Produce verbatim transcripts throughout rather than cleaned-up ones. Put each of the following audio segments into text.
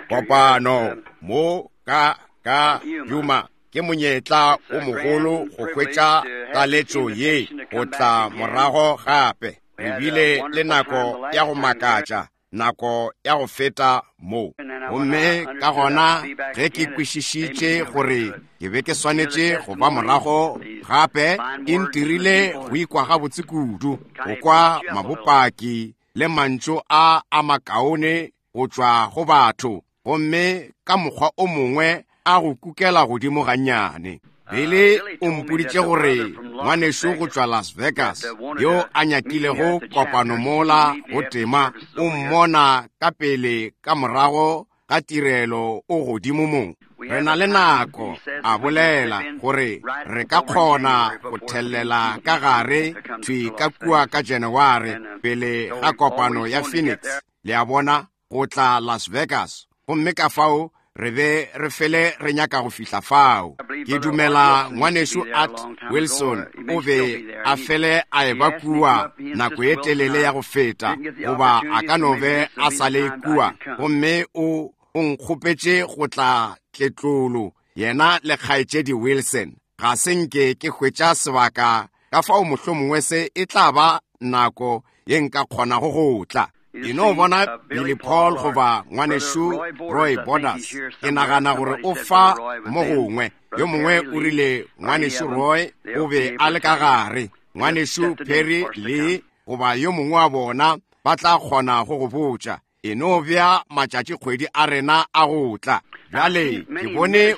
Kopano mo ka ka Yuma ke monyetla o mogolo go hwetša taletšo ye go tla morago gape. Re bile le nako ya go makatša, nako ya go feta mo. Gomme ka gona ge ke kwešišitše gore ke be ke swanetše go ba morago gape, e ntirile go ikwa gabotse kudu, go kwa mabopaki le mantšu a a makaone go tšwa go batho, gomme ka mokgwa o mongwe a go kukela godimo gannyane. Billy o mpoditše gore ngwanešu go tšwa Las Vegas yo a nyakilego kopano mola go tema o mmona ka pele ka morago ga tirelo o godimo mo. Re na le nako, a bolela, gore re ka kgona go thellela ka gare thwi ka kua ka January pele ga kopano ya Phoenix, le a bona, go tla Las Vegas. Gomme ka fao re be re fele re nyaka go fihla fao. Ke dumela ngwanešu Art Wilson o be a fele a eba kua nako e telele ya go feta, goba a ka no be a sa le kua, gomme o o nkgopetše go tla tletlolo yena le kgaetšedi Wilson. Ga se nke ke hwetša sebaka, ka fao mohlomongwe se e tla ba nako ye nka kgonago go tla. Ke no bona Billy Paul goba ngwanešu Roy Borders. Ke nagana gore o fa mo gongwe. Yo mongwe o rile ngwanešu Roy o be a le ka gare. Ngwanešu Perry Lee goba yo mongwe wa bona ba tla kgona go go botša. E no bea matšatši kgwedi a rena a go tla. Bjale ke bone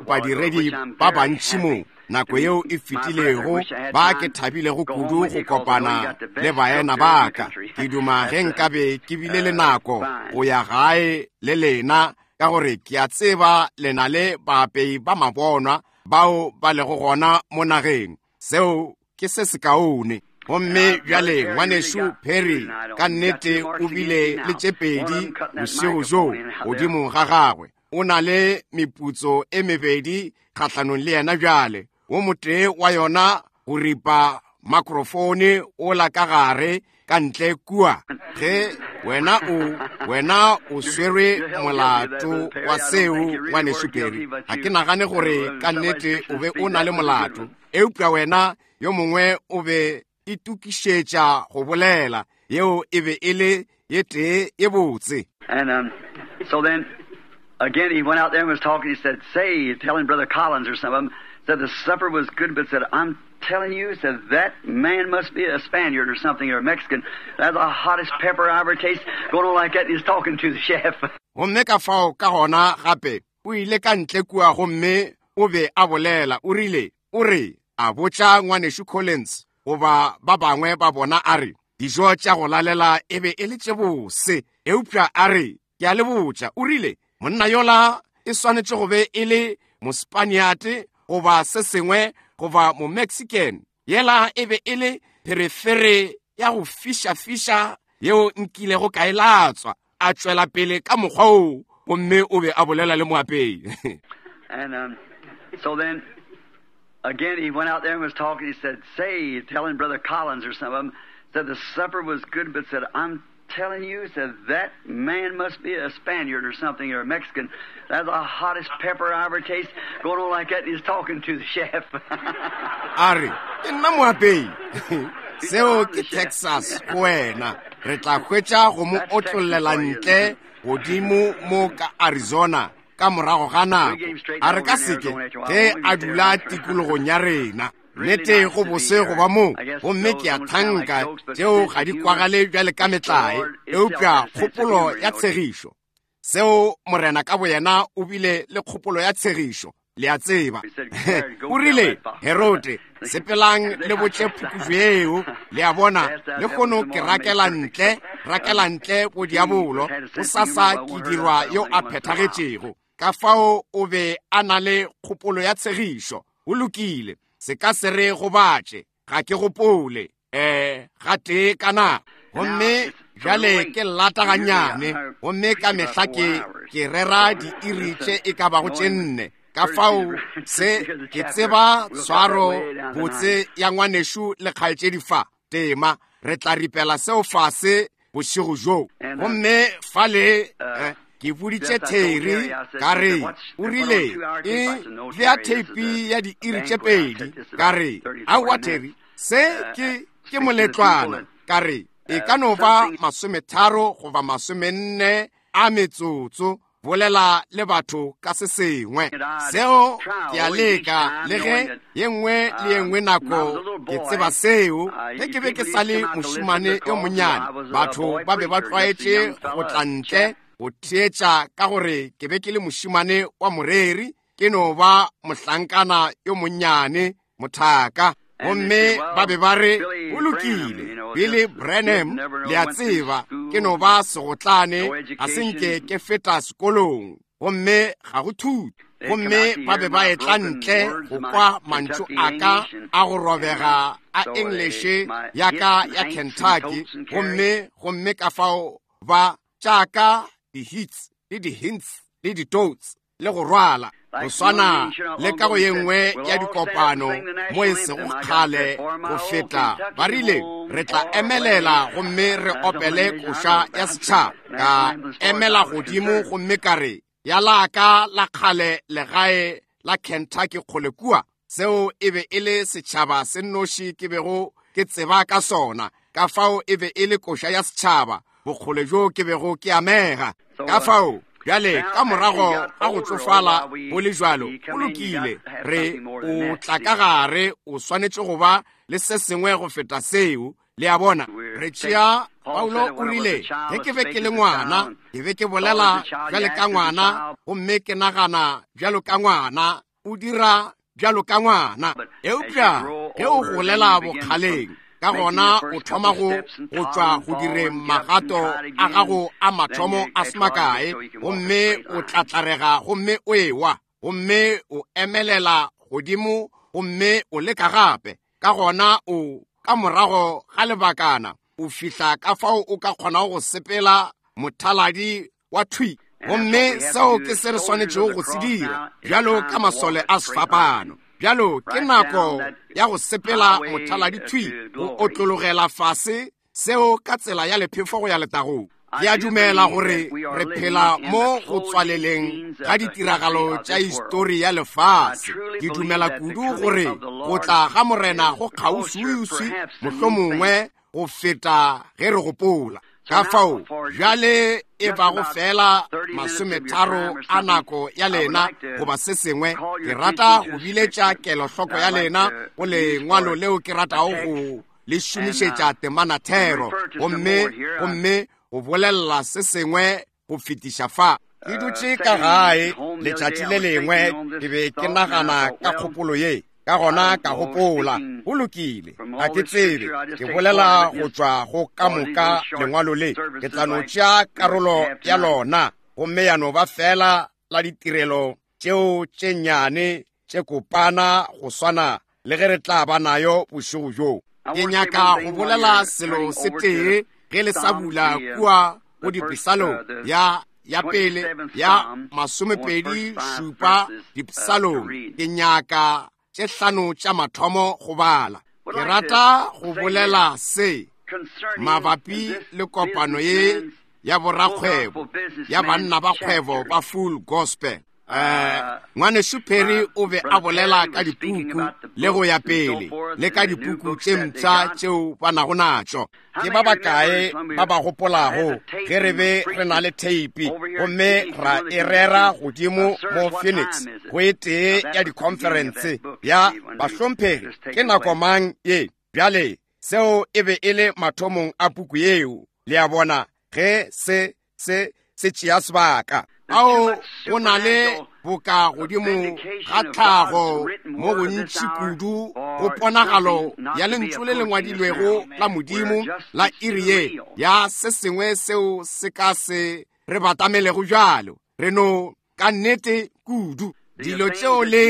badiredi ba bantši mo nako yeo e fetilego ba ke thabilego kudu go kopana le baena ba ka. Ke duma ge nkabe ke bile le nako go ya gae le lena, ka gore ke a tseba le na le baapei ba mabonwa bao ba lego gona mo nageng. Seo ke se sekaone. Gomme bjale ngwanešu Perry ka nnete o bile le tše pedi bošego bjo godimo ga gagwe. O na le meputso e mebedi kgahlanong le yena bjale. Wo motee wa yona go ripa makrofone o la ka gare ka ntle kua. Ge wena o wena o swerwe molato wa seo ngwanešu Perry, ga ke nagane gore ka nnete o be o na le molato, eupša wena yo mongwe o be itokišetša go bolela. Yeo e be e le ye tee ye botse. And um, so then again he went out there and was talking. He said, say, telling Brother Collins or some of them, said the supper was good, but said, I'm telling you, said that man must be a Spaniard or something, or a Mexican. That's the hottest pepper I ever tasted. Going on like that, and he's talking to the chef. Gomme ka fao ka gona gape o ile ka ntle kua gomme o be a bolela. O rile, o re, a botša ngwanešu Collins goba ba bangwe ba bona, a re dijo tša go lalela e be e le tše bose, eupša a re ke a le botša, o rile monna yola e swanetše go be e le Mospaniate goba se sengwe goba Momexican. Yela e be e le pherefere ya go fiša-fiša yeo nkilego ka e latswa. A tšwela pele ka mokgwa oo, gomme o be a bolela le moapei. And um, so then again he went out there and was talking. He said, say, telling Brother Collins or some of them, said the supper was good, but said, I'm telling you, said that man must be a Spaniard or something, or a Mexican. That's the hottest pepper I ever tasted. Going on like that, and he's talking to the chef. A re ke nna moapei. Seo ke Texas go wena. Re tla hwetša go mo otlollela ntle godimo mo ka Arizona ka morago ga nako. A re ka seke ge a dula tikologong ya rena. Nnete go bose go ba mo, gomme ke a thanka tšeo ga di kwagale bjale ka metlae, eupša kgopolo ya tshegišo. Seo Morena ka boyena o bile le kgopolo ya tshegišo, le a tseba. O rile, Herode, sepelang le botše phukubje yeo, le a bona, le kgono ke rakela ntle, rakela ntle bodiabolo, bosasa ke dirwa yo a phethagetšego. Ka fao o be a na le kgopolo ya tshegišo. O lokile, se ka se re gobatše, ga ke gopole, eh, gatee ka nako. Gomme bjale ke lata gannyane, gomme ka mehla ke, ke rera diiri tše e ka bago tše nne. Ka fao se ke tseba tshwaro botse ya ngwanešu le kgaetšedi fa tema, re tla ripela seo fase bošego bjo. Gomme fale eh, Ke boditše Terry ka re, o rile, e bea theipi ya diiri tše pedi. Ka re, aowa Terry, se ke ke moletlwana. Ka re, e ka no ba masometharo goba masomenne a metsotso, bolela le batho ka se sengwe. Seo ke a leka, le ge ye nngwe le ye nngwe nako ke tseba seo. Ge ke be ke sa le mošemane yo monnyane, batho ba be ba tlwaetše go tla ntle go theetša ka gore ke be ke le mošemane wa moreri, ke no ba mohlankana yo monnyane, mothaka. Gomme ba be ba re, go lokile, Billy Branham, le a tseba, ke no ba segotlane, ga se nke ke feta sekolong, gomme ga go thuto. Gomme ba be ba etla ntle go kwa mantšu a ka a go robega a English ya ka ya Kentucky, gomme gomme ka fao ba tšaka di-hits le di-hints le di-totes le go rwala. Go swana le ka go ye nngwe ya dikopano mo e sego kgale go feta, ba rile re tla emelela gomme re opele koša ya setšhaba. Ka emela godimo gomme ka re, ya la ka la kgale legae la Kentucky kgole kua. Seo e be e le setšhaba se nnoši ke bego ke tseba ka sona. Ka fao e be e le koša ya setšhaba, bokgole bjo ke bego ke amega. Ka fao bjale ka morago ga go tsofala go le jwalo, go lokile, re o tla ka gare, o swanetše go ba le se sengwe go feta seo. Le a bona, re tšea Paulo o rile, ge ke be ke le ngwana, ke be ke bolela bjale ka ngwana, gomme ke nagana bjalo ka ngwana, o dira bjalo ka ngwana. Eupša ge o golela bokgaleng, ka gona o thoma go go tšwa go direng magato a gago a mathomo a semakae, gomme o tlatlarega gomme o ewa, gomme o emelela godimo gomme o leka gape. Ka gona o ka morago ga lebakana o fihla ka fao o ka kgonago go sepela mothaladi wa thwi. Gomme seo ke se re swanetšego go se dira bjalo ka masole a sefapano. Bjalo ke nako ya go sepela mothaladi thwi, go otlologela fase seo ka tsela ya lephefo go ya letagong. Ke a dumela gore re phela mo go tswaleleng ga ditiragalo tša histori ya lefase. Ke dumela kudu gore go tla ga Morena go kgauswiuswi, mohlomongwe go feta ge re gopola. Ka fao bjale e bago fela masometharo a nako ya lena goba se sengwe, ke rata go biletša kelohloko ya lena go lengwalo leo ke ratago go le šomišetša temanathero, gomme gomme go bolelela se sengwe go fetiša fa. Ke dutše ka gae letšatši le lengwe, ke be ke nagana ka kgopolo ye. Ka gona ka gopola, go lokile, ga ke tsebe, ke bolela go tšwa go ka moka lengwalo le, ke tla no tšea karolo ya lona, gomme ya no ba fela la ditirelo tšeo tše nnyane tše kopana go swana le ge re tla ba nayo bošego bjo. Ke nyaka go bolela selo se tee ge le sa bula kua go dipisalong ya ya pele ya masomepedi šupa dipisalong. Ke nyaka tše hlano tša mathomo go bala. Ke rata go bolela se mabapi le kopano ye ya borakgwebo ya banna ba kgwebo ba Full Gospel. Eh, ngwanešu Perry o be a bolela ka dipuku le go ya pele, le ka dipuku tše mpsha tšeo ba nago natšo. Ke ba bakae ba ba gopolago ge re be re na le theipi gomme ra e rera godimo mo Phoenix go e tee ya dikhonferense ya bahlomphegi, ke nako mang ye? Bjale seo e be e le mathomong a puku yeo, le a bona, ge se se se tšea sebaka. Ao go na le boka godimo ga tlhago mo gontši kudu go ponagalo ya lentšu le le ngwadilwego la Modimo la iri ye ya se sengwe seo se ka se re batamelego bjalo. Re no ka nnete kudu dilo tšeo le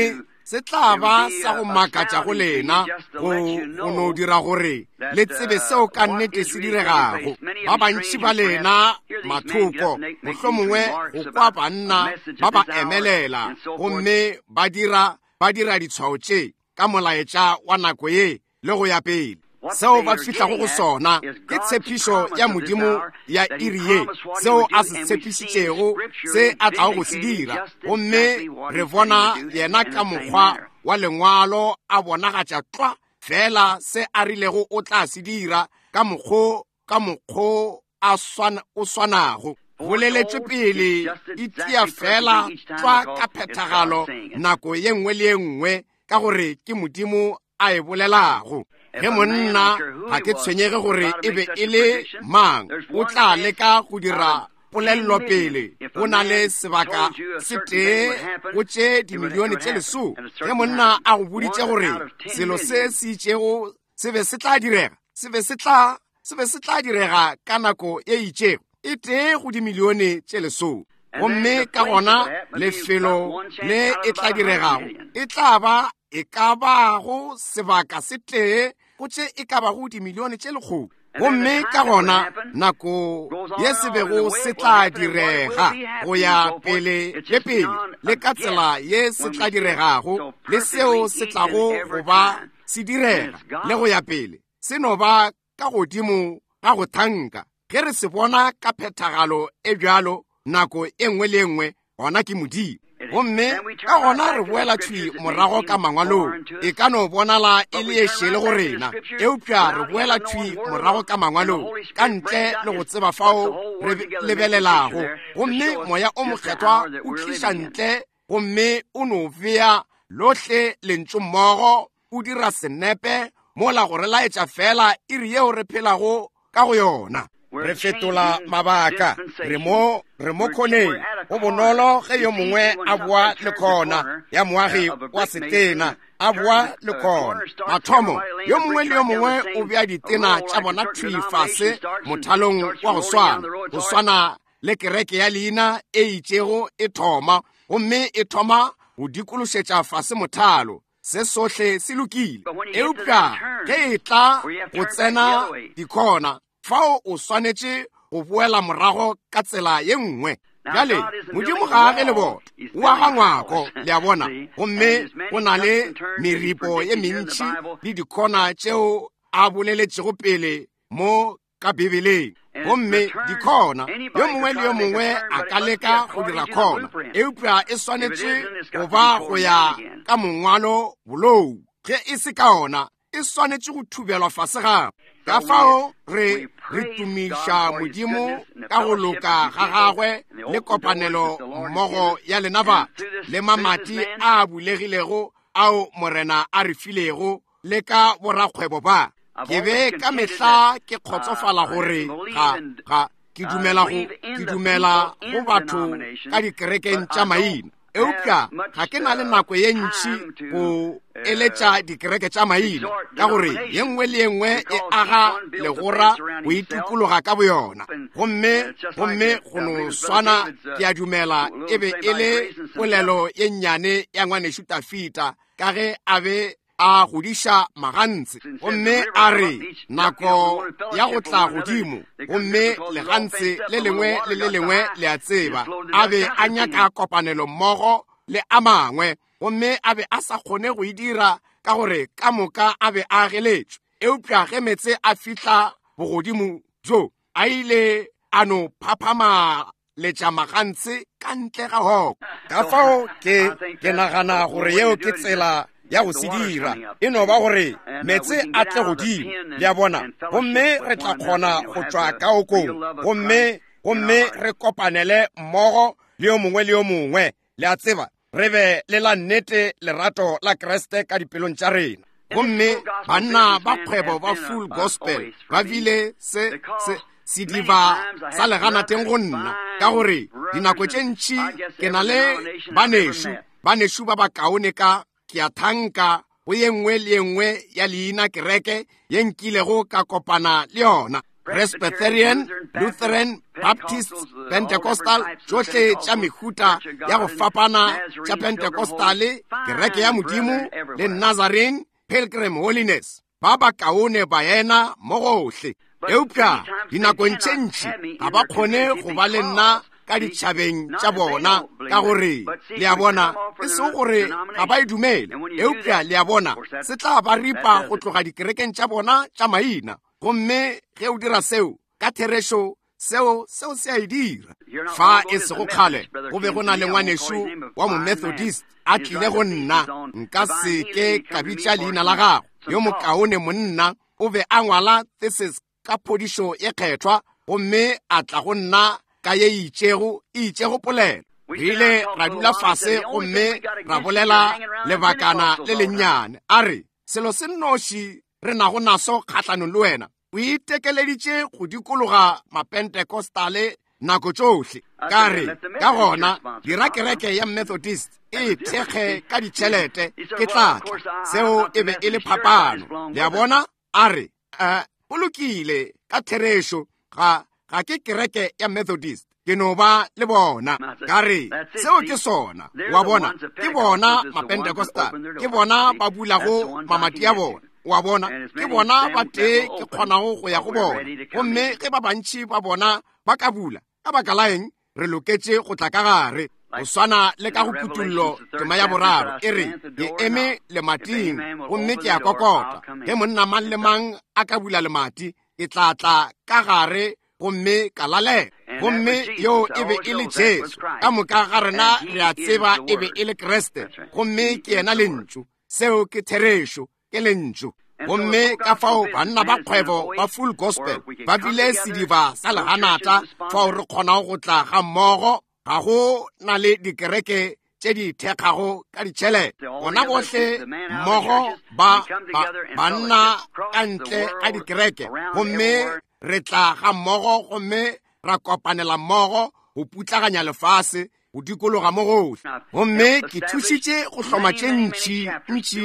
se tla ba sa go makatša go lena, go go no dira gore le tsebe seo ka nnete se diregago. Ba bantši ba lena mathoko, mohlomongwe go kwa banna ba ba emelela gomme ba dira ba dira ditshwao tše ka molaetša wa nako ye le go ya pele. Seo ba fihlago go sona ke tshepišo ya Modimo ya iri ye, seo a se tshepišitšego, se a tlago go se dira. Gomme re bona yena ka mokgwa wa lengwalo a bonagatša tlwa fela se a rilego o tla se dira ka mokgo ka mokgo a swana o swanago. Boleletšwe pele e tia fela tlwa ka phethagalo nako ye nngwe le ye nngwe, ka gore ke Modimo a e bolelago. Ge monna ga ke tshwenyege gore e be e le mang, o tla leka go dira polelelopele. Go na le sebaka se tee go tše dimilione tše lesome. Ge monna a go boditše gore selo se se itšego se be se tla direga, se be se tla se be se tla direga ka nako e itšego, e tee go dimilione tše lesome. Gomme ka gona lefelo le e tla diregago e tla ba e ka bago sebaka se tee go tše e ka bago dimilione tše lekgolo. Gomme ka gona nako ye se bego se tla direga go ya pele le pele, le ka tsela ye se tla diregago, le seo se tlago go ba se direga le go ya pele, se no ba ka godimo ga go thanka. Ge re se bona ka phethagalo e bjalo nako e nngwe le e nngwe, gona ke Modimo. Gomme ka gona re boela thwi morago ka mangwalong. E ka no bonala e le e šele go rena, eupša re boela thwi morago ka mangwalong ka ntle le go tseba fao re lebelelago. Gomme Moya o Mokgethwa o tliša ntle, gomme o no bea lohle lentšu mmogo, o dira senepe mola go re laetša fela iri yeo re phelago ka go yona. Re fetola mabaka, re mo re mo khoneng. Go bonolo ge yo mongwe a boa le khona ya moagi wa setena, a boa le khona mathomo, yo mongwe le yo mongwe o bea ditena tša bona thwi fase mothalong wa go swana, go swana le kereke ya leina e itšego e thoma, gomme e thoma go dikološetša fase mothalo. Se sohle se lokile, eupša ge e tla go tsena dikhona, fao o swanetše go boela morago ka tsela ye nngwe. Bjale Modimo ga age leboto, o aga ngwako, le a bona. Gomme go na le meripo ye mentši le dikhona tšeo a boleletšego pele mo ka Bibeleng. Gomme dikhona, yo mongwe le yo mongwe a ka leka go dira khona, eupša e swanetše go ba go ya ka mongwalo bolou. Ge e se ka ona, e swanetše go thubelwa fase gape. Ka fao re re tumiša Modimo ka go loka ga gagwe le kopanelo mmogo ya lena batho, le mamati a bulegilego ao Morena a re filego, le ka borakgwebo ba. Ke be ka mehla ke kgotsofala gore ga ga ke dumela go ke dumela go batho ka dikerekeng tša maina, eupša ga ke na le nako ye ntši go eletša dikereke tša maina, ka gore ye nngwe le ye nngwe e aga legora go itukologa ka boyona. Gomme gomme go no swana, ke a dumela e be e le polelo ye nnyane ya ngwanešu Tafita, ka ge a be a godiša magantse, gomme a re nako ya go tla godimo, gomme legantse le lengwe le le lengwe le a tseba a be a nyaka kopanelo mmogo le a mangwe, gomme a be a sa kgone go e dira ka gore ka moka a be a ageletšwe. Eupša ge meetse a fihla bogodimo bjo, a ile a no phaphama letša magantse ka ntle ga hoko. Ka fao ke ke nagana gore yeo ke tsela ya go se dira, e no ba gore meetse a tle godimo, le a bona, gomme re tla kgona go tšwa ka okong, gomme gomme re kopanele mmogo le yo mongwe le yo mongwe, le a tseba, re be le la nnete lerato la Kriste ka dipelong tša rena. Gomme banna ba kgwebo ba Full Gospel ba bile se se sediba sa leganateng go nna, ka gore dinako tše ntši ke na le banešu, banešu ba bakaone ka ke a thanka go ye nngwe le ye nngwe ya leina kereke ye nkilego ka kopana le yona, Presbyterian, Lutheran, Baptist, Pentecostal, tšohle tša mehuta ya go fapana tša Pentecostale, kereke ya Modimo le Nazarene, Pilgrim Holiness, ba bakaone baena mo gohle. Eupša dinakong tše ntši ga ba kgone go ba le nna ka ditšhabeng tša bona, ka gore le a bona, e sego gore ga ba e dumele, eupša le a bona, se tla ba ripa go tloga dikerekeng tša bona tša maina. Gomme ge o dira seo ka therešo, seo seo se a e dira. Fa e sego kgale go be go na le ngwanešu wa Momethodist a tlile go nna, nka se ke ka bitša leina la gagwe, yo mokaone monna, o be a ngwala thesis ka phodišo ye kgethwa, gomme a tla go nna ka ye itšego e itšego polelo. Re ile ra dula fase gomme ra bolela lebakana le lennyane. A re, selo se nnoši re nago naso kgahlanong le wena, o itekeleditše go dikologa mapentecostale nako tšohle. Ka re, ka gona dira kereke ya Methodist e thekge ka ditšhelete, ke tla tla. Seo e be e le phapano. Le a bona? A re, uh, o lokile ka therešo, ga ga ke kereke ya Methodist, ke no ba le bona. Ka re, seo ke sona. Wa bona, ke bona mapentecostal, ke bona ba bulago mamati a bona. Wa bona, ke bona ba tee ke kgonago go ya go bona. Gomme ge ba bantši ba bona ba ka bula, ka baka la eng, re loketše go tla ka gare. Go swana le ka go Kutullo tema ya boraro, e re, ke eme lemating gomme ke a kokota. Ge monna mang le mang a ka bula lemati, ke tla tla ka gare gomme ka lalela. Gomme yo e be e le Jesu. Ka moka ga rena re a tseba e be e le Kriste, gomme ke yena lentšu. Seo ke therešo, ke lentšu. Gomme ka fao banna ba kgwebo ba Full Gospel ba bile sediba sa leganata fao re kgonago go tla ga mmogo. Ga go na le dikereke tše di thekgago ka ditšhelete, bona bohle mmogo ba banna ka ntle ga dikereke, gomme re tla ga mmogo gomme ra kopanela mmogo go putlaganya lefase go dikologa mo gohle. Gomme ke thušitše go hloma tše ntši ntši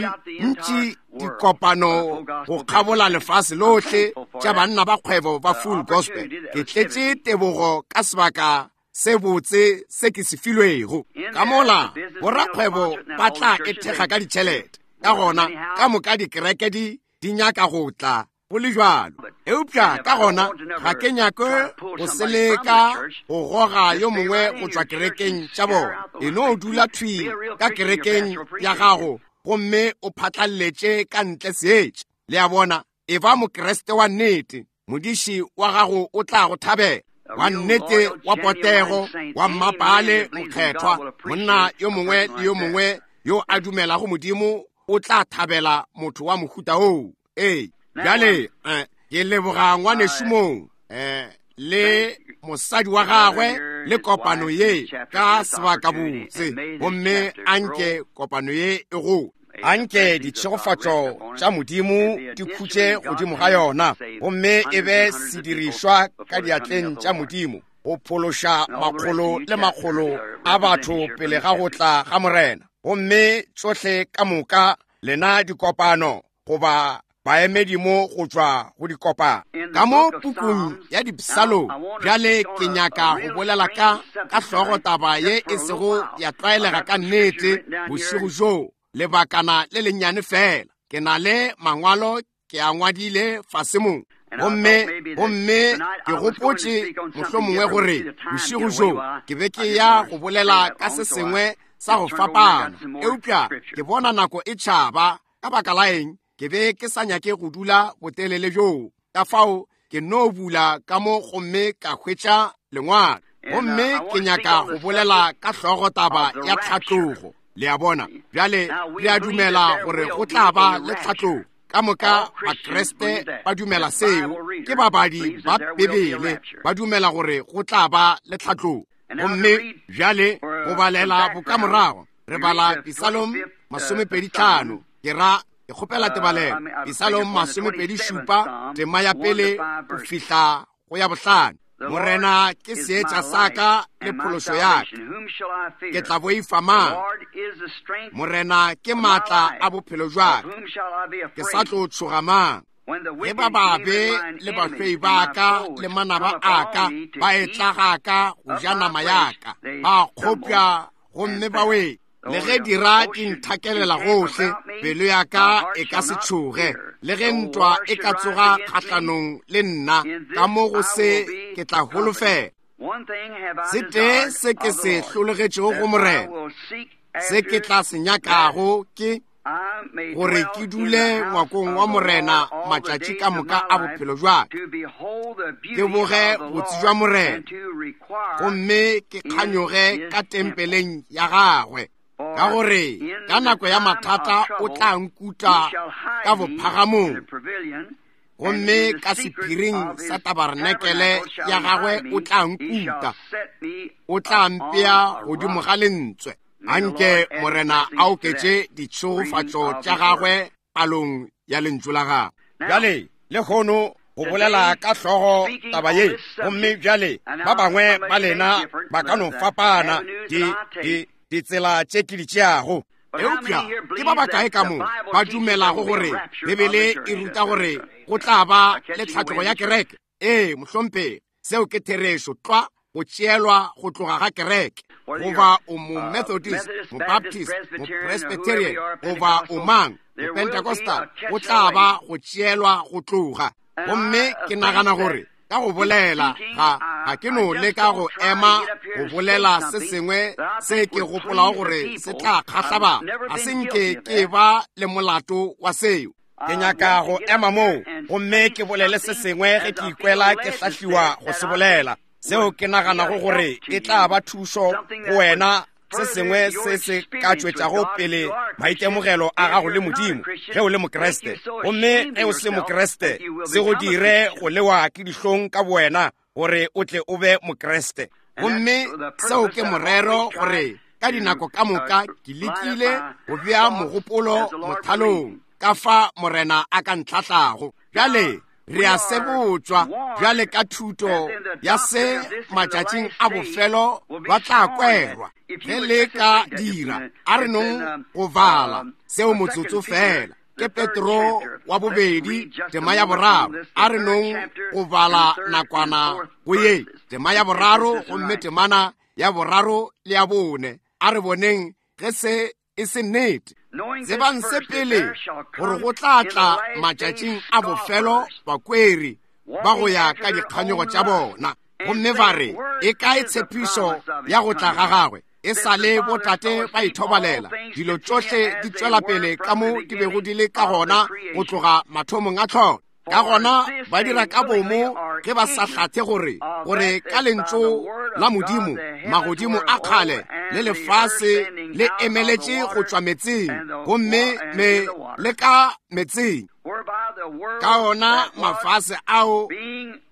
ntši dikopano go kgabola lefase lohle tša banna ba kgwebo ba Full Gospel. Ke tletše tebogo ka sebaka se botse se ke se filwego. Ka mola borakgwebo ba tla e thekga ka ditšhelete, ka gona ka moka dikereke di di nyaka go tla go le jwalo. Eupša ka gona ga ke nyake go seleka go goga yo mongwe go tšwa kerekeng tša bona. E no dula thwi ka kerekeng ya gago gomme o phatlalletše ka ntle seetša. Le a bona, e ba mokreste wa nnete, modiši wa gago o tla go thabela, wa nnete, wa potego, wa mmapale mokgethwa. Monna yo mongwe le yo mongwe yo a dumelago Modimo o tla thabela motho wa mohuta oo. Ee, bjale ke leboga ngwanešu mong eh, le mosadi wa gagwe le kopano ye ka sebakabotse, gomme anke kopano ye e go anke ditšhegofatšo tša Modimo di khutše godimo ga yona, gomme e be sedirišwa ka diatleng tša Modimo go phološa makgolo le makgolo a batho pele ga go tla ga Morena. Gomme tšohle ka moka lena dikopano goba baemedi mo go tšwa go dikopano ka mo pukung ya Dipsalong. Bjale ke nyaka go bolela ka ka hlogo taba ye e sego ya tlwaelega ka nnete bošego bjo, lebakana le lennyane fela. Ke na le mangwalo ke a ngwadile fase mo, gomme gomme ke gopotše mohlomongwe gore bošego bjo ke be ke ya go bolela ka se sengwe sa go fapana, eupša ke bona nako e tšhaba. Ka baka la eng, ke be ke sa nyake go dula botelele bjoo, ka fao ke no bula ka mo gomme ka hwetša lengwalo. Gomme ke nyaka go bolela ka hlogo taba ya tlhatlogo. Le a bona, bjale re a dumela gore go tla ba le tlhatlogo. Ka moka Bakreste ba dumela seo, ke babadi ba Bibele ba dumela gore go tla ba le tlhatlogo. Gomme bjale go balela bokamorago, re bala Psalm masomepedi tlhano, ke ra ke kgopela tebalelo, Psalm masomepedi šupa, tema ya pele go fihla go ya bohlano. Morena ke seetša sa ka le phološo ya ka, ke tla boifa mang? Morena ke maatla a bophelo jwa ka, ke sa tlo tšhoga mang? Ge ba babe le bahloi ba ka le manaba a ka ba etla ga ka go ja nama ya ka, ba kgopša gomme ba wele. Le ge dira di nthakelela gohle, pelo ya ka e ka se tšhoge. Le ge ntwa e ka tsoga kgahlanong le nna, ka mo go se ke tla holofela. Se tee se ke se hlologetšego go Morena, se ke tla se nyakago ke gore ke dule ngwakong wa Morena matšatši ka moka a bophelo bja ka, ke boge botse bja Morena, gomme ke kganyoge ka tempeleng ya gagwe. Ka gore ka nako ya mathata o tla nkuta ka bophagamong, gomme ka sephiring sa tabarenekele ya gagwe o tla nkuta, o tla mpea godimo ga lentswe. Anke Morena a oketše ditšhegofatšo tša gagwe palong ya lentšu la gagwe. Bjale lehono go bolela ka hlogo taba ye, gomme bjale ba bangwe ba lena ba ka no fapana di di ditsela tše ke di tšeago. Eupša ke ba bakae ka mo ba dumelago gore Bibele e ruta gore go tla ba le tlhatlogo ya kereke? Ee, mohlomphegi, seo ke therešo tlwa, go tšeelwa go tloga ga kereke. Goba o mo Methodist, mo Baptist, mo Presbyterian, goba o mang, mo Pentecostal, go tla ba go tšeelwa go tloga. Gomme ke nagana gore ka go bolela ga ga ke no leka go ema go bolela se sengwe se ke gopolago gore se tla kgahla ba, ga se nke ke ba le molato wa seo. Ke nyaka go ema moo gomme ke bolele se sengwe ge ke ikwela ke hlahliwa go se bolela, seo ke naganago gore e tla ba thušo go wena, se sengwe se se ka tšwetšago pele maitemogelo a gago le Modimo ge o le Mokriste. Gomme ge o se Mokriste, se go dire go lewa ke dihlong ka bowena gore o tle o be Mokriste. Gomme seo ke morero gore ka dinako ka moka ke lekile go bea mogopolo mothalong ka fa Morena a ka ntlhahlago. Bjale re a sebotšwa bjale ka thuto ya se matšatšing a bofelo ba tla kwerwa. Ge le ka dira, a re nong go bala seo motsotso fela. Ke Petro wa bobedi tema ya boraro. A re nong go bala nakwana go ye tema ya boraro, gomme temana ya boraro le ya bone. A re boneng ge se e se nnete. Tsebang se pele gore go tla tla matšatšing a bofelo bakweri ba go ya ka dikganyogo tša bona, gomme ba re, e kae tshepišo ya go tla ga gagwe? E sa le botate ba ithobalela, dilo tšohle di tšwela pele ka mo di bego di le ka gona go tloga mathomong a tlholo. Ka gona ba dira ka bomo ge ba sa hlathe gore gore ka lentšu la Modimo magodimo a kgale le lefase le emeletše go tšwa metseng, gomme me le ka metseng. Ka ona mafase ao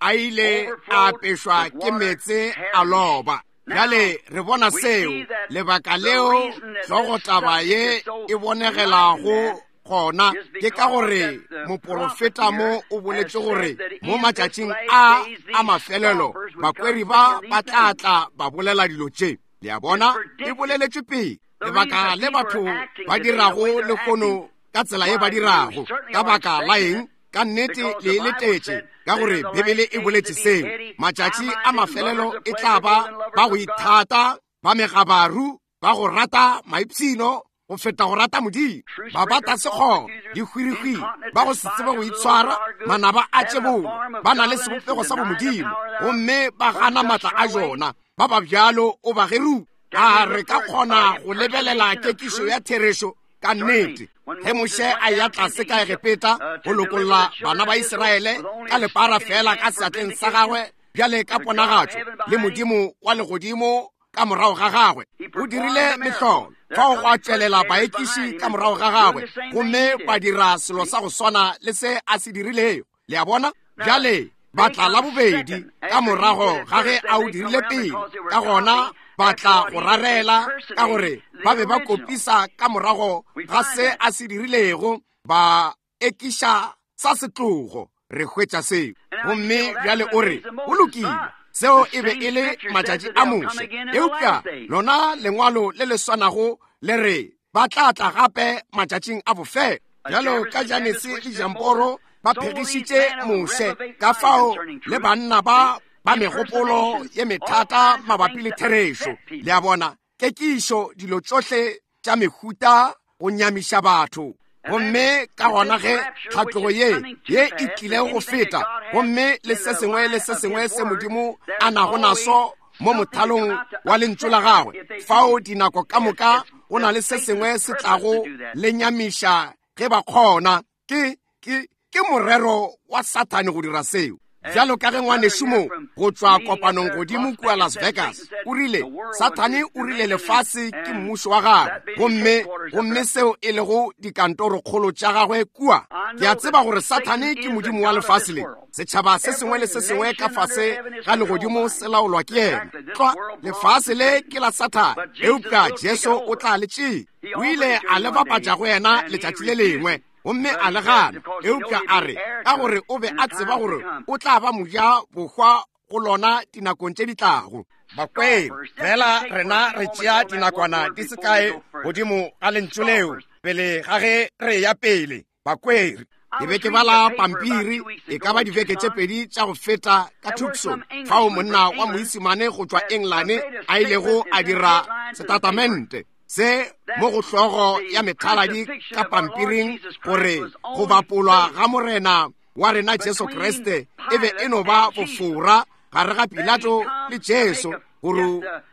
a ile a apešwa ke meetse a loba. Bjale re bona seo, lebaka leo hlogotaba ye e bonegelago gona ke ka gore moporofeta mo o boletše gore mo matšatšing a a mafelelo bakweri ba ba tla tla ba bolela dilo tše. Le a bona, e boleletšwe pele. Lebaka le batho ba dirago lehono ka tsela ye ba dirago, ka baka la eng? Ka nnete le letetše, ka gore Bibele e boletše seo. Matšatši a mafelelo e tla ba ba go ithata, ba megabaru, ba go rata maipshino go feta go rata Modimo, ba bata sekgoba, dihwirihwiri, ba go se tsebe go itshwara, manaba a tšebolo, ba na le sebopego sa bomodimo, gomme ba gana matla a jona. Ba ba bjalo o ba geru. A re ka kgona go lebelela kekišo ya therešo ka nnete? Ge Moshe a ya tlase ka Egepeta go lokolla bana ba Israele ka lepara fela ka seatleng sa gagwe bjale ka ponagatšo le Modimo wa legodimo ka morago ga gagwe, o dirile mehlolo. Fao go a tšwelela baekiši ka morago ga gagwe, gomme ba dira selo sa go swana le se a se dirilego. Le a bona? Bjale ba tla la bobedi ka morago ga ge a o dirile pele, ka gona ba tla go rarela, ka gore ba be ba kopisa ka morago ga se a se dirilego, ba ekiša sa setlogo. Re hwetša seo. Gomme bjale o re, go lokile, seo e be e le matšatši a Moshe. Eupša lona lengwalo le le swanago le re ba tla tla gape matšatšing a bofelo. Bjalo ka Janese le Jamporo ba phegišitše Moshe, ka fao le banna ba ba megopolo ye methata mabapi le therešo. Le a bona, kekišo dilo tšohle tša mehuta go nyamiša batho. Gomme ka gona ge tlhatlogo ye ye e tlile go feta, gomme le se sengwe le se sengwe se Modimo a nago naso mo mothalong wa lentšu la gagwe, fao dinako ka moka go na le se sengwe se tlago le nyamiša ge ba kgona. Ke ke ke morero wa Sathane go dira seo. Bjalo ka ge ngwanešu mo go tšwa kopanong godimo kua Las Vegas o rile Sathane o rile lefase ke mmušo wa gagwe, gomme gomme seo e lego dikantorokgolo tša gagwe kua. Ke a tseba gore Sathane ke modimo wa lefase le. Setšhaba se sengwe le se sengwe ka fase ga legodimo se laolwa ke yena. Tlwa, lefase le ke la Sathane, eupša Jesu o tla le tšea. O ile a le bapatša go yena letšatši le lengwe, gomme a le gana, eupša a re ka gore o be a tseba gore o tla ba moja bohwa go lona dinakong tše di tlago. Bakweng, fela rena re tšea dinakwana di se kae godimo ga lentšu leo pele ga ge re ya pele. Bakweri, ke be ke bala pampiri e ka ba dibeke tše pedi tša go feta ka Tucson, fao monna wa moisimane go tšwa Engelane a ilego a dira setatamente se mo go hlogo ya methaladi ka pampiring gore go bapolwa ga morena wa rena Jesu Kriste e be e no ba bofora gare ga Pilato le Jesu, gore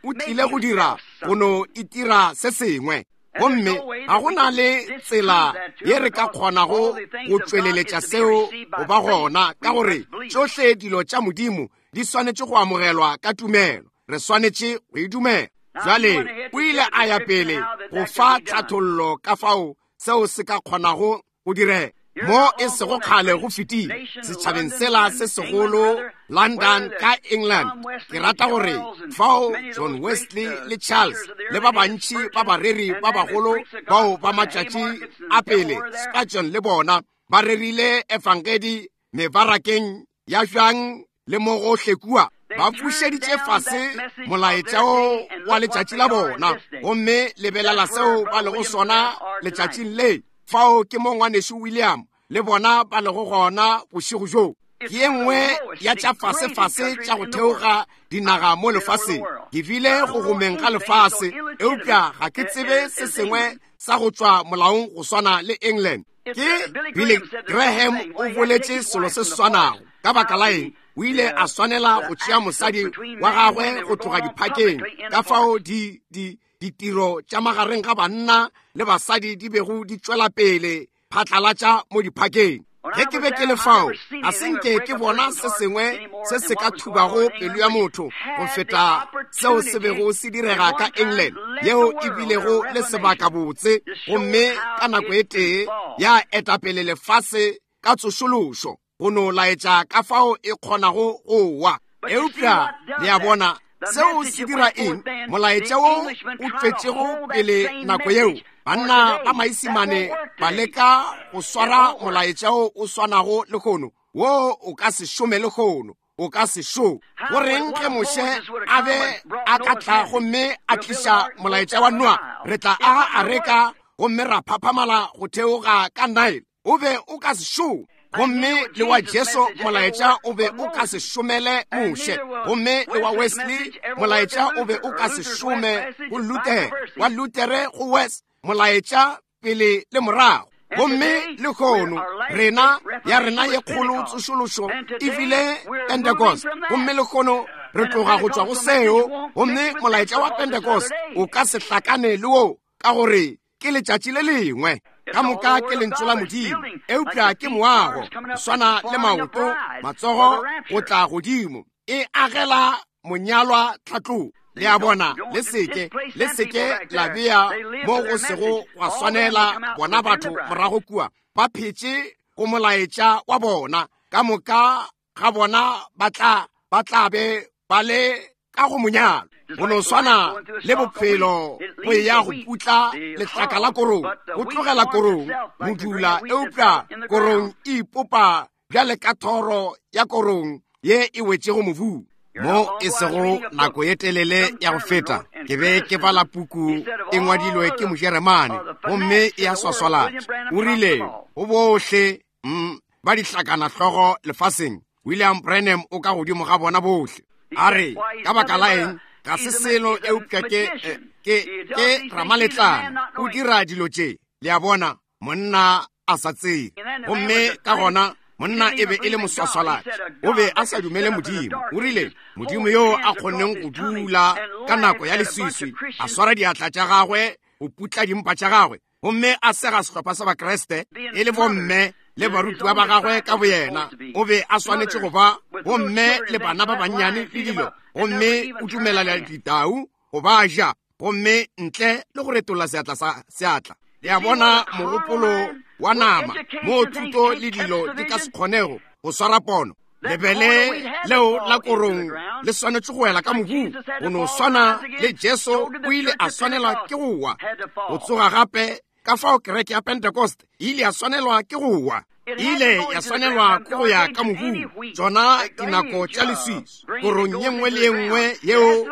o tlile go dira go no itira se sengwe. Gomme ga go na le tsela ye re ka kgonago go tšweleletša seo go ba gona, ka gore tšohle dilo tša Modimo di swanetše go amogelwa ka tumelo. Re swanetše go e dumela. Jwale o ile a ya pele go fa tlhathollo ka fao seo se ka kgonago go direga. Mo e sego kgale go fetile setšhabeng sela se segolo London ka England, ke rata gore fao John Wesley le Charles le ba bantši ba bareri ba bagolo bao ba matšatši a pele, Spurgeon le bona, ba rerile efangedi mebarakeng ya bjang le mo gohle kua. Ba fušeditše fase molaetša wo wa letšatši la bona, gomme lebelela seo ba lego sona letšatšing le. Fao ke mo ngwanešu William le bona ba lego gona bošego bjo. Ke ye nngwe ya tša fasefase tša go theoga dinaga mo lefaseng. Ke bile go gomeng ga lefase, eupša ga ke tsebe se sengwe sa go tšwa molaong go swana le England. Ke Billy Graham o boletše selo se swanago. Ka baka la eng? O ile a swanela go tšea mosadi wa gagwe go tloga diphakeng, ka fao di di ditiro tša magareng ga banna le basadi di bego di tšwela pele phatlalatša mo diphakeng. Ge ke be ke le fao, ga se nke ke bona se sengwe se se ka thubago pelo ya motho go feta seo se bego se direga ka England, yeo e bilego le sebaka botse, gomme ka nako e tee ya etapele lefase ka tsošološo, go no laetša ka fao e kgonago go wa. Eupša le a bona seo se dira eng? Molaetša wo o tšwetšego pele nako yeo, banna ba maisimane ba leka go swara molaetša wo o swanago lehono, wo o ka se šome lehono, o ka se šome. Goreng ge Moshe a be a ka tla gomme a tliša molaetša wa Noa, re tla aga areka gomme ra phaphamala go theoga ka Nile, o be o ka se šome. Gomme le wa Jesu molaetša o be o ka se šomele Moshe, gomme le wa Wesley molaetša o be o ka se šome go Luther, wa Lutere go West, molaetša pele le morago. Gomme lehono rena ya rena ye kgolo tsošološo e bile Pentecost, gomme lehono re tloga go tšwa go seo, gomme molaetša wa Pentecost o ka se hlakane le wo, ka gore ke letšatši le lengwe. Ka moka ke lentšu la Modimo, eupša ke moago, go swana le maoto, matsogo go tla godimo, e agela monyalwa tlhatlogo. Le a bona, le seke le seke la bea mo go sego gwa swanela bona batho morago kua, ba phetše go molaetša wa bona. Ka moka ga bona ba tla ba tla be ba le ka go monyalo. Go no swana le bophelo go ya go putla lehlaka la korong, go tlogela korong modula, eupša korong e ipopa bjale ka thoro ya korong ye e wetšego mobung. Mo e sego nako ye telele ya go feta, ke be ke bala puku e ngwadilwe ke Mojeremane, gomme e a swaswalatša. O rile go bohle ba dihlakana hlogo lefaseng, William Branham o ka godimo ga bona bohle. A re, ka baka la eng? Ga se selo eupša ke ke ke ramaletlana, o dira dilo tše. Le a bona, monna a sa tsebe. Gomme ka gona Monna e be e le moswaswalatši, o be a sa dumele Modimo. O rile, Modimo yo a kgonneng go dula ka nako ya leswiswi, a swara diatla tša gagwe go putla dimpa tša gagwe, gomme a sega sehlopha sa Bakriste e le bomme le barutiwa ba gagwe ka boyena. O be a swanetše go ba bomme le bana ba bannyane le dilo, gomme o dumelela ditau go ba ja, gomme ntle le go retolla seatla sa seatla. Le a bona mogopolo wa nama mo thuto le dilo di ka se kgonego go swara pono. Lebele leo la korong le swanetše go wela ka mobung, go no swana le Jesu o ile a swanelwa ke go wa go tsoga gape. Ka fao kereke ya Pentecost e ile ya swanelwa ke go wa, e ile ya swanelwa ke go ya ka mobung. Tšona dinako tša leswiswi, korong ye nngwe le ye nngwe yeo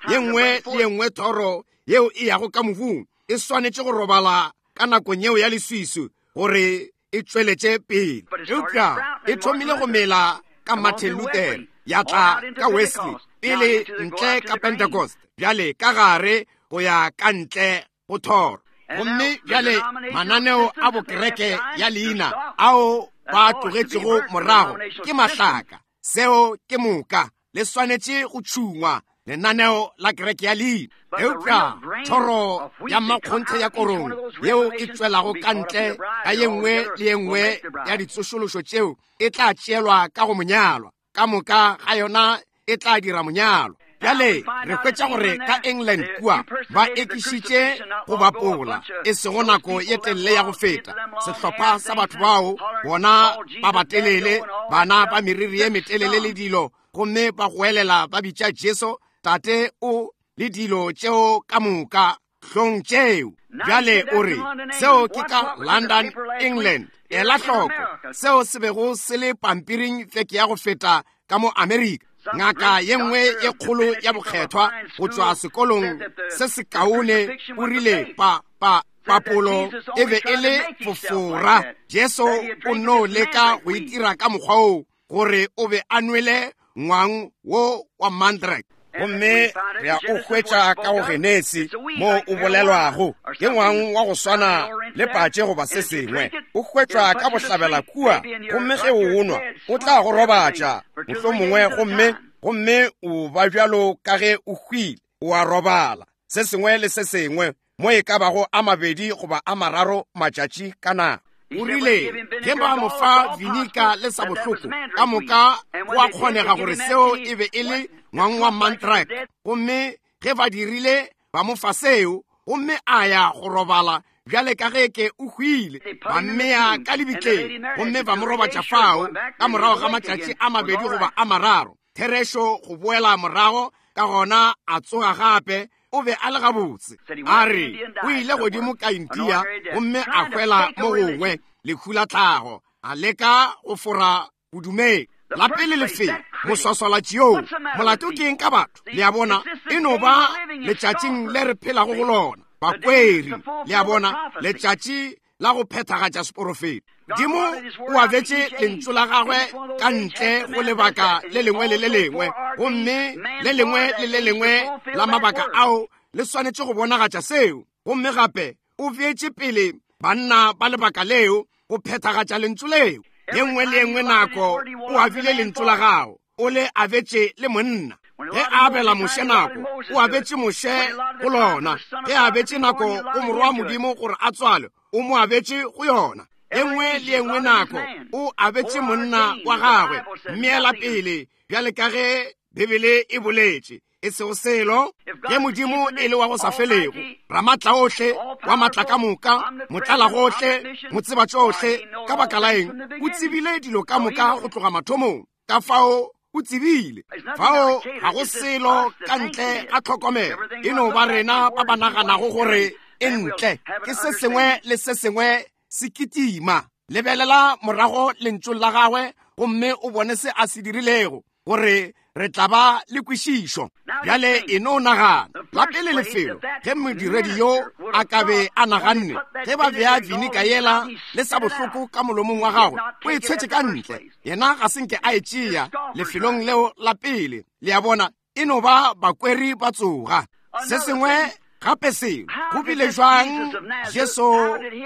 ye nngwe le ye nngwe thoro yeo e yago ka mobung e swanetše go robala ka nakong yeo ya leswiswi gore e tšweletše pele. Eupša e thomile go mela ka Martin Luther, ya tla ka Wesley, pele ntle ka Pentecost, bjale ka gare go ya ka ntle go thoro. Gomme bjale mananeo a bokereke ya leina ao ba tlogetšego morago ke mahlaka. Seo ke moka, le swanetše go tšhungwa lenaneo la kereke ya leina. Eupša thoro ya makgonthe ya korong yeo e tšwelago ka ntle ka ye nngwe le ye nngwe ya ditsošološo tšeo e tla tšeelwa ka go monyalwa. Ka moka ga yona e tla dira monyalwa. Bjale re hwetša gore ka England kua ba ekišitše go bapola e sego nako ye telele ya go feta. Sehlopha sa batho bao bona ba batelele, bana ba meriri ye metelele le dilo, gomme ba goelela ba bitša Jesu tate o le dilo tšeo ka moka hlong tšeo. Bjale o re seo ke ka London, England. Ela hloko seo se bego se le pampiring veke ya go feta ka mo Amerika. Ngaka ye nngwe ye kgolo ya bokgethwa go tšwa sekolong se sekaone o rile pa pa papolo e be e le fofora. Jesu o no leka go itira ka mokgwa oo gore o be a nwele ngwang wo wa mandrake. Gomme re a o hwetša ka go Genesi mo o bolelwago ke ngwang wa go swana le patše goba se sengwe. O hwetšwa ka bohlabela kua, gomme ge o nwa o tla go robatša mohlomongwe, gomme gomme o ba bjalo ka ge o hwile, o a robala se sengwe le se sengwe mo e ka bago a mabedi goba a mararo matšatši ka nako. O rile ge ba mo fa vinika le sa bohloko ka moka go a kgonega gore seo e be e le ngwang wa mandrake. Gomme ge ba dirile ba mo fa seo, gomme a ya go robala bjale ka ge ke o hwile, ba mmea ka lebitleng gomme ba mo robatša fao ka morago ga matšatši a mabedi goba a mararo. Therešo go boela morago, ka gona a tsoga gape. O be a le gabotse. A re o ile godimo ka India gomme a hwela mo gongwe lehu la tlhago, a leka go fora bodumedi. La pele lefelo moswaswalatši yoo, molato ke eng ka batho? Le a bona, e no ba letšatšing le re phelago go lona, bakweri. Le a bona, letšatši la go phethagatša seporofeto. Modimo o abetše lentšu la gagwe ka ntle go lebaka le lengwe le le lengwe, gomme le lengwe le le lengwe la mabaka ao le swanetše go bonagatša seo. Gomme gape o beetše pele banna ba lebaka leo go phethagatša lentšu leo. Ye nngwe le ye nngwe nako o abile lentšu la gago, o le abetše le monna. Ge a abela Moshe nako, o abetše Moshe go lona. Ge a abetše nako go morwa wa Modimo gore a tswalwe, o mo abetše go yona. Ye nngwe le ye nngwe nako o abetše monna wa gagwe mmeela pele, bjale ka ge Bibele e boletše, e sego selo. Ge Modimo e le wa go sa felego, ramatla ohle, wa matla ka moka, motlala gohle, motseba tšohle, ka baka la eng o tsebile dilo ka moka go tloga mathomong? Ka fao o tsebile. Fao ga go selo ka ntle ga tlhokomelo, e no ba rena ba ba naganago gore e ntle. Ke se sengwe le se sengwe se kitima. Lebelela morago lentšong la gagwe gomme o bone se a se dirilego, gore re tla ba le kwešišo. Bjale e no nagana la pele lefelo ge modiredi yo a ka be a naganne ge ba bea vinika yela le sa bohloko ka molomong wa gagwe, o e tshwetše ka ntle. Yena ga se nke a e tšea lefelong leo la pele. Le a bona, e no ba bakweri ba tsoga. Se sengwe Gape selo go bile jwang Jesu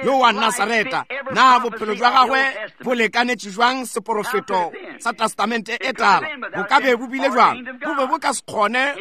yo wa Nasareta, na bophelo jwa gagwe bo lekanetše jwang seporofeto sa Testamente e Tala? Bo ka be bo bile jwang? Bo be bo ka se kgone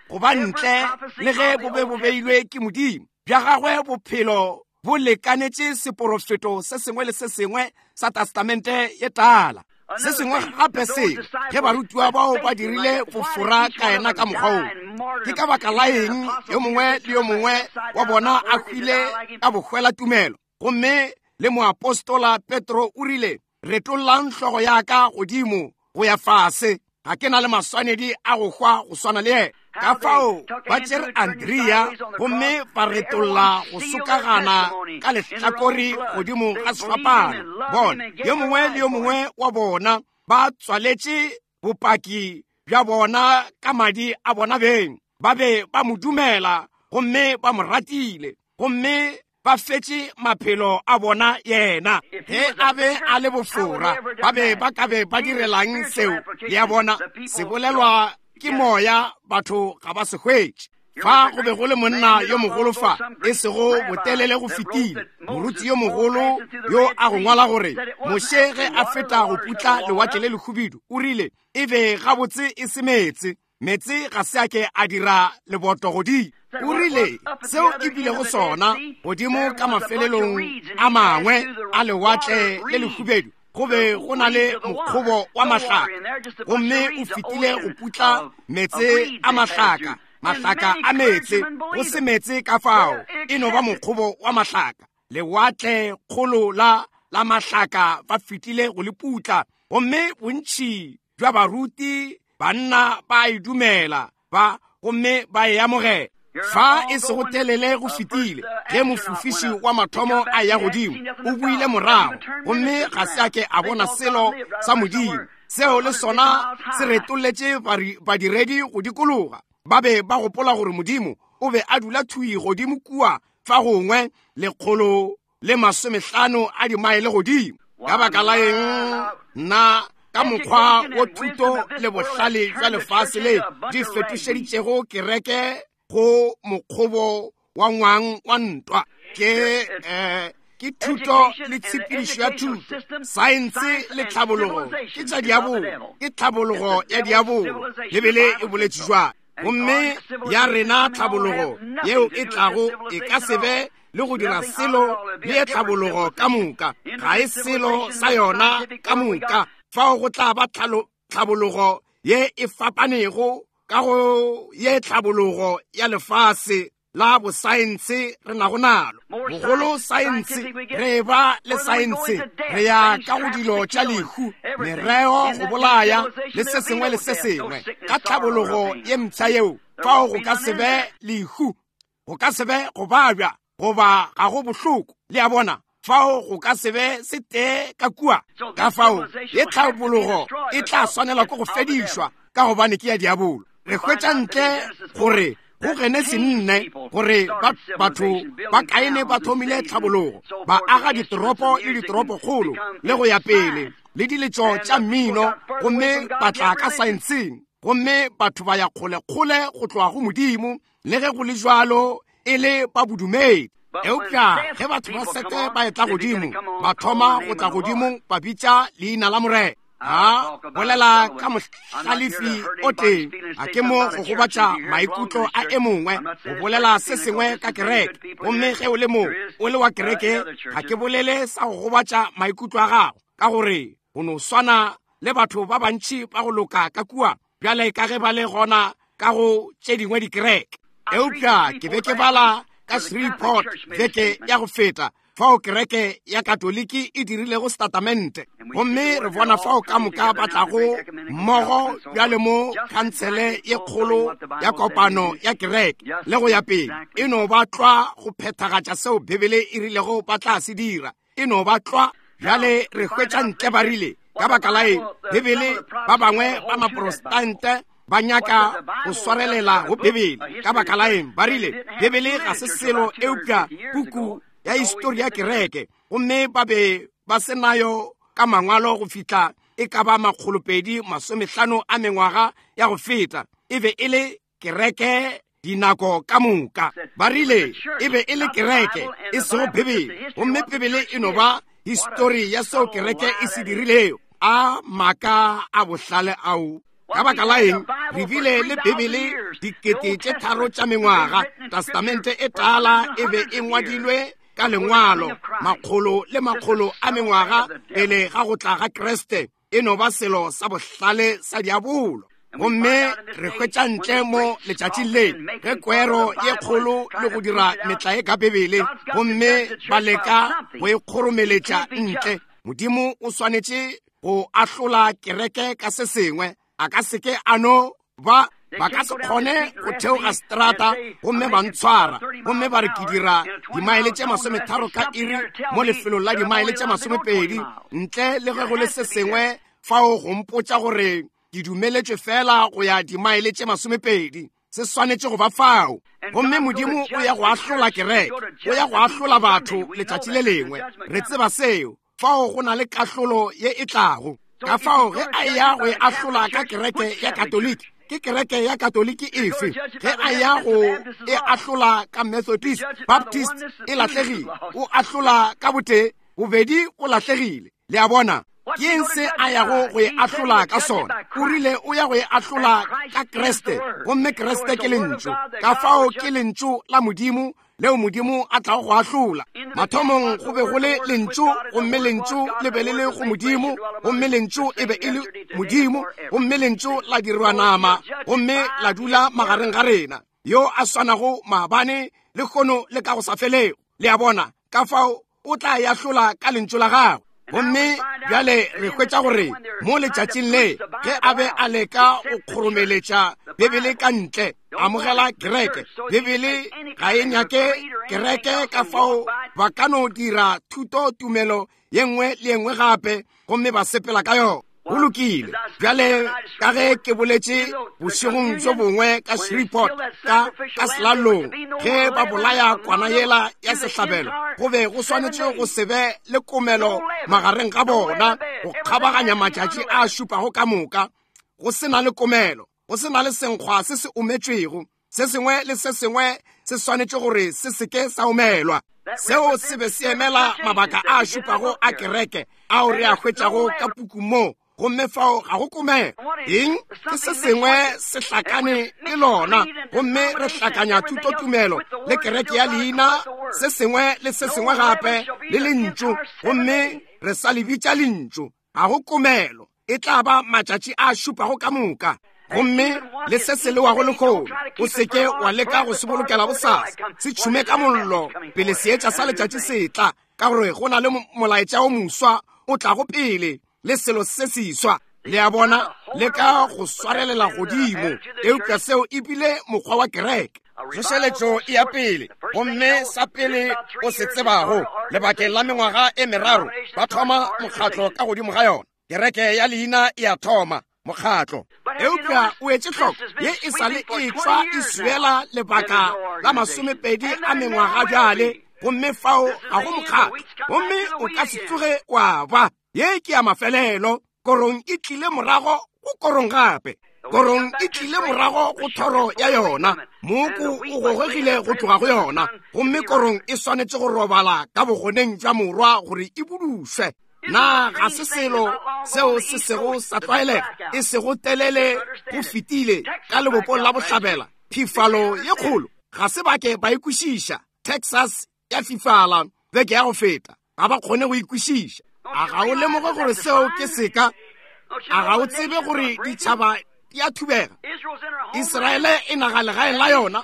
go ba ntle le ge bo be bo beilwe ke Modimo. Bja gagwe bophelo bo lekanetše seporofeto se sengwe le se sengwe sa Testamente e Tala. Se sengwe gape selo, ge barutiwa bao ba dirile bofora ka yena ka mokgwa wo, ke ka baka la eng yo mongwe le yo mongwe wa bona a hwile ka bohwela tumelo? Gomme le moapostola Petro o rile, retollang hlogo ya ka godimo go ya fase, ga ke na le maswanedi a go hwa go swana le yena. Ka fao ba tšere Andrea gomme ba retolla go sokagana ka lehlakore godimo ga sefapano. Bona, yo mongwe le yo mongwe wa bona ba tswaletše bopaki bja bona ka madi a bona beng. Ba be ba mo dumela gomme ba mo ratile, gomme ba fetše maphelo a bona yena. Ge a be a le bofora, ba be ba ka be ba direlang seo? Le a bona, se bolelwa ke moya, batho ga ba se hwetše. Fa go be go le monna yo mogolo fa, e sego botelele go fetile, moruti yo mogolo yo a go ngwala gore Moshe ge a feta go putla lewatle le lehubidu, o rile e be gabotse e se meetse, meetse ga se a ke a dira leboto godimo. O rile seo e bilego sona godimo ka mafelelong a mangwe a lewatle le lehubedu, go be go na le mokgobo wa mahlaka, gomme o fetile go putla meetse a mahlaka, mahlaka a meetse, go se meetse ka fao, e no ba mokgobo wa mahlaka. Lewatle kgolo la la mahlaka ba fetile go le putla, gomme bontši bja baruti banna ba e dumela ba gomme ba e amogela. Fa e sego telele go fetile, ge mofofiši wa mathomo a ya godimo, o buile morago, gomme ga se a ke a bona selo sa Modimo. Seo le sona se retolletše badiredi go dikologa. Ba be ba gopola gore Modimo o be a dula thui godimo kua fa gongwe lekgolo le masomehlano a dimaele godimo. Ka baka la eng nna ka mokgwa wo thuto le bohlale bja lefase le di fetošeditšego kereke go mokgobo wa ngwang wa ntwa. Ke eh, ke thuto le tshepedišo ya thuto, saense le tlhabologo ke tša diabolo, ke tlhabologo ya diabolo. Bibele e boletše jwalo. Gomme ya rena tlhabologo yeo e tlago e ka se be le go dira selo le ye tlhabologo ka moka, ga e selo sa yona ka moka. Fao go tla ba tlhabologo ye e fapanego ka go ye tlhabologo ya lefase la bosaense re nago nalo. Bogolo saense, re ba le saense, re ya ka go dilo tša lehu, mereo go bolaya le se sengwe le se sengwe. Ka tlhabologo ye mpsha yeo, fao go ka se be lehu, go ka se be go babja, goba ga go bohloko. Le a bona, fao go ka se be se tee ka kua. Ka fao ye tlhabologo e tla swanelwa ke go fedišwa, ka gobane ke ya diabolo. Re hwetša ntle gore go Genesi nne gore batho ba Kaine ba thomile tlhabologo, ba aga ditoropo le ditoropokgolo le go ya pele le diletšo tša mmino, gomme ba tla ka saenseng, gomme batho ba ya kgolekgole go tloga go Modimo, le ge go le jwalo e le ba bodumedi. Eupša ge batho ba Sete ba etla godimo, ba thoma go tla godimo ba bitša leina la Morena. A bolela ka mohlalefi o tee, a ke mo go gobatša maikutlo a e mongwe, go bolela se sengwe ka kereke. Gomme ge o le mo o le wa kereke, ga ke bolele sa go gobatša maikutlo a gago, ka gore go no swana le batho ba bantši ba go loka ka kua bjale ka ge ba le gona ka go tše dingwe dikereke. Eupša ke be ke bala ka Shreveport beke ya go feta, fao kereke ya Katoliki e dirilego setatamente, gomme re bona fao ka moka ba tlago mmogo bjale mo khansele ye kgolo ya kopano ya kereke le go ya pele. E no ba tlwa go phethagatša seo Bibele e rilego ba tla se dira, e no ba tlwa. Bjale re hwetša ntle ba rile ka baka la eng Bibele ba bangwe ba maprotestante ba nyaka go swarelela go Bibele. Ka baka la eng ba rile Bibele ga se selo eupša puku ya histori ya kereke, gomme ba be ba se nayo ka mangwalo go fihla e ka ba makgolopedi masomehlano a mengwaga ya go feta. E be e le kereke dinako ka moka. Ba rile e be e le kereke, e sego Bibele, gomme Bibele e no ba histori ya seo kereke e se dirilego. A maaka a bohlale ao. Ka baka la eng re bile le Bibele dikete tše tharo tša mengwaga? Testamente e tala e be e ngwadilwe ka lengwalo makgolo le makgolo a mengwaga pele ga go tla ga Kriste. E no ba selo sa bohlale sa diabolo. Gomme re hwetša ntle mo letšatšing le ge kwero ye kgolo le go dira metlae ka Bibele, gomme ba leka go e kgoromeletša ntle. Modimo o swanetše go ahlola kereke ka se sengwe. A ka seke a no ba ba ka se kgone go theoga strata gomme ba ntshwara gomme ba re ke dira dimaele tše masometharo ka iri mo lefelong la dimaele tše masomepedi, ntle le ge go le se sengwe fao go mpotša gore ke dumeletšwe fela go ya dimaele tše masomepedi. Se swanetše go ba fao. Gomme Modimo o ya go ahlola kereke, o ya go ahlola batho letšatši le lengwe. Re tseba seo. Fao go na le kahlolo ye e tlago. Ka fao ge a ya go e ahlola ka kereke ya Katoliki, ke kereke ya Katoliki efe? Ge a ya go e ahlola ka Methodist, Baptist, e lahlegile. O ahlola ka botee, bobedi o lahlegile. Le a bona? Ke eng se a yago go e ahlola ka sona? O rile o ya go e ahlola ka Kriste, gomme Kriste ke lentšu. Ka fao ke lentšu la Modimo leo Modimo a tlago go ahlola. Mathomong go be go le lentšu, gomme lentšu le be le le go Modimo, gomme lentšu e be e le Modimo, gomme lentšu la dirwa nama, gomme la dula magareng ga rena, yo a swanago maabane le kgono le ka go sa felego. Le a bona? Ka fao o tla e ahlola ka lentšu la gagwe. Gomme bjale re hwetša gore mo letšatšing le ge a be a leka go kgoromeletša Bibele ka ntle, amogela kereke. Bibele ga e nyake kereke, ka fao ba ka no dira thuto tumelo ye nngwe le ye nngwe gape gomme ba sepela ka yona. Go lokile. Bjale ka ge ke boletše bošegong bjo bongwe ka Shreveport ka ka selalong, ge ba bolaya kwana yela ya sehlabelo, go be go swanetše go se be le komelo magareng ga bona go kgabaganya matšatši a šupago ka moka, go se na le komelo, go se na le senkgwa se se ometšwego. Se sengwe le se sengwe se swanetše gore se seke sa omelwa. Seo se be se emela mabaka a šupago a kereke ao re a hwetšago ka puku mo, gomme fao ga go komelo. Eng? Ke se sengwe se hlakane le lona, gomme re hlakanya thutotumelo le kereke ya leina, se sengwe le se sengwe gape le lentšu, gomme re sa le bitša lentšu. Ga go komelo. E tla ba matšatši a šupago ka moka. Gomme le se se lewago lehono, o seke wa leka go se bolokela bosasa. Se tšhume ka mollo pele seetša sa letšatši se tla, ka gore go na le molaetša o moswa o tlago pele le selo se seswa. Le a bona? Leka go swarelela godimo, eupša seo e bile mokgwa wa kereke. Tsošeletšo e ya pele, gomme sa pele o se tsebago, lebakeng la mengwaga e meraro ba thoma mokgatlo ka godimo ga yona. Kereke ya leina e a thoma mokgatlo. Eupša o etše hloko, ye e sa le e tšwa e swela lebaka la masomepedi a mengwaga bjale, gomme fao ga go mokgatlo, gomme o ka se tsoge wa ba. Ye ke ya mafelelo. Korong e tlile morago go korong gape. Korong e tlile morago go thoro ya yona. Mooko o gogegile go tloga go yona, gomme korong e swanetše go robala ka bogoneng bja morwa gore e budušwe. Na ga se selo seo se sego sa tlwaelega, e sego telele go fetile ka lebopong la bohlabela? Phifalo ye kgolo ga se bake ba ikwešiša. Texas ya fifala beke ya go feta, ga ba kgone go ikwešiša. A ga o lemoge gore seo ke seka? A ga o tsebe gore ditšhaba di a thubega? Israele e naga legaeng la yona,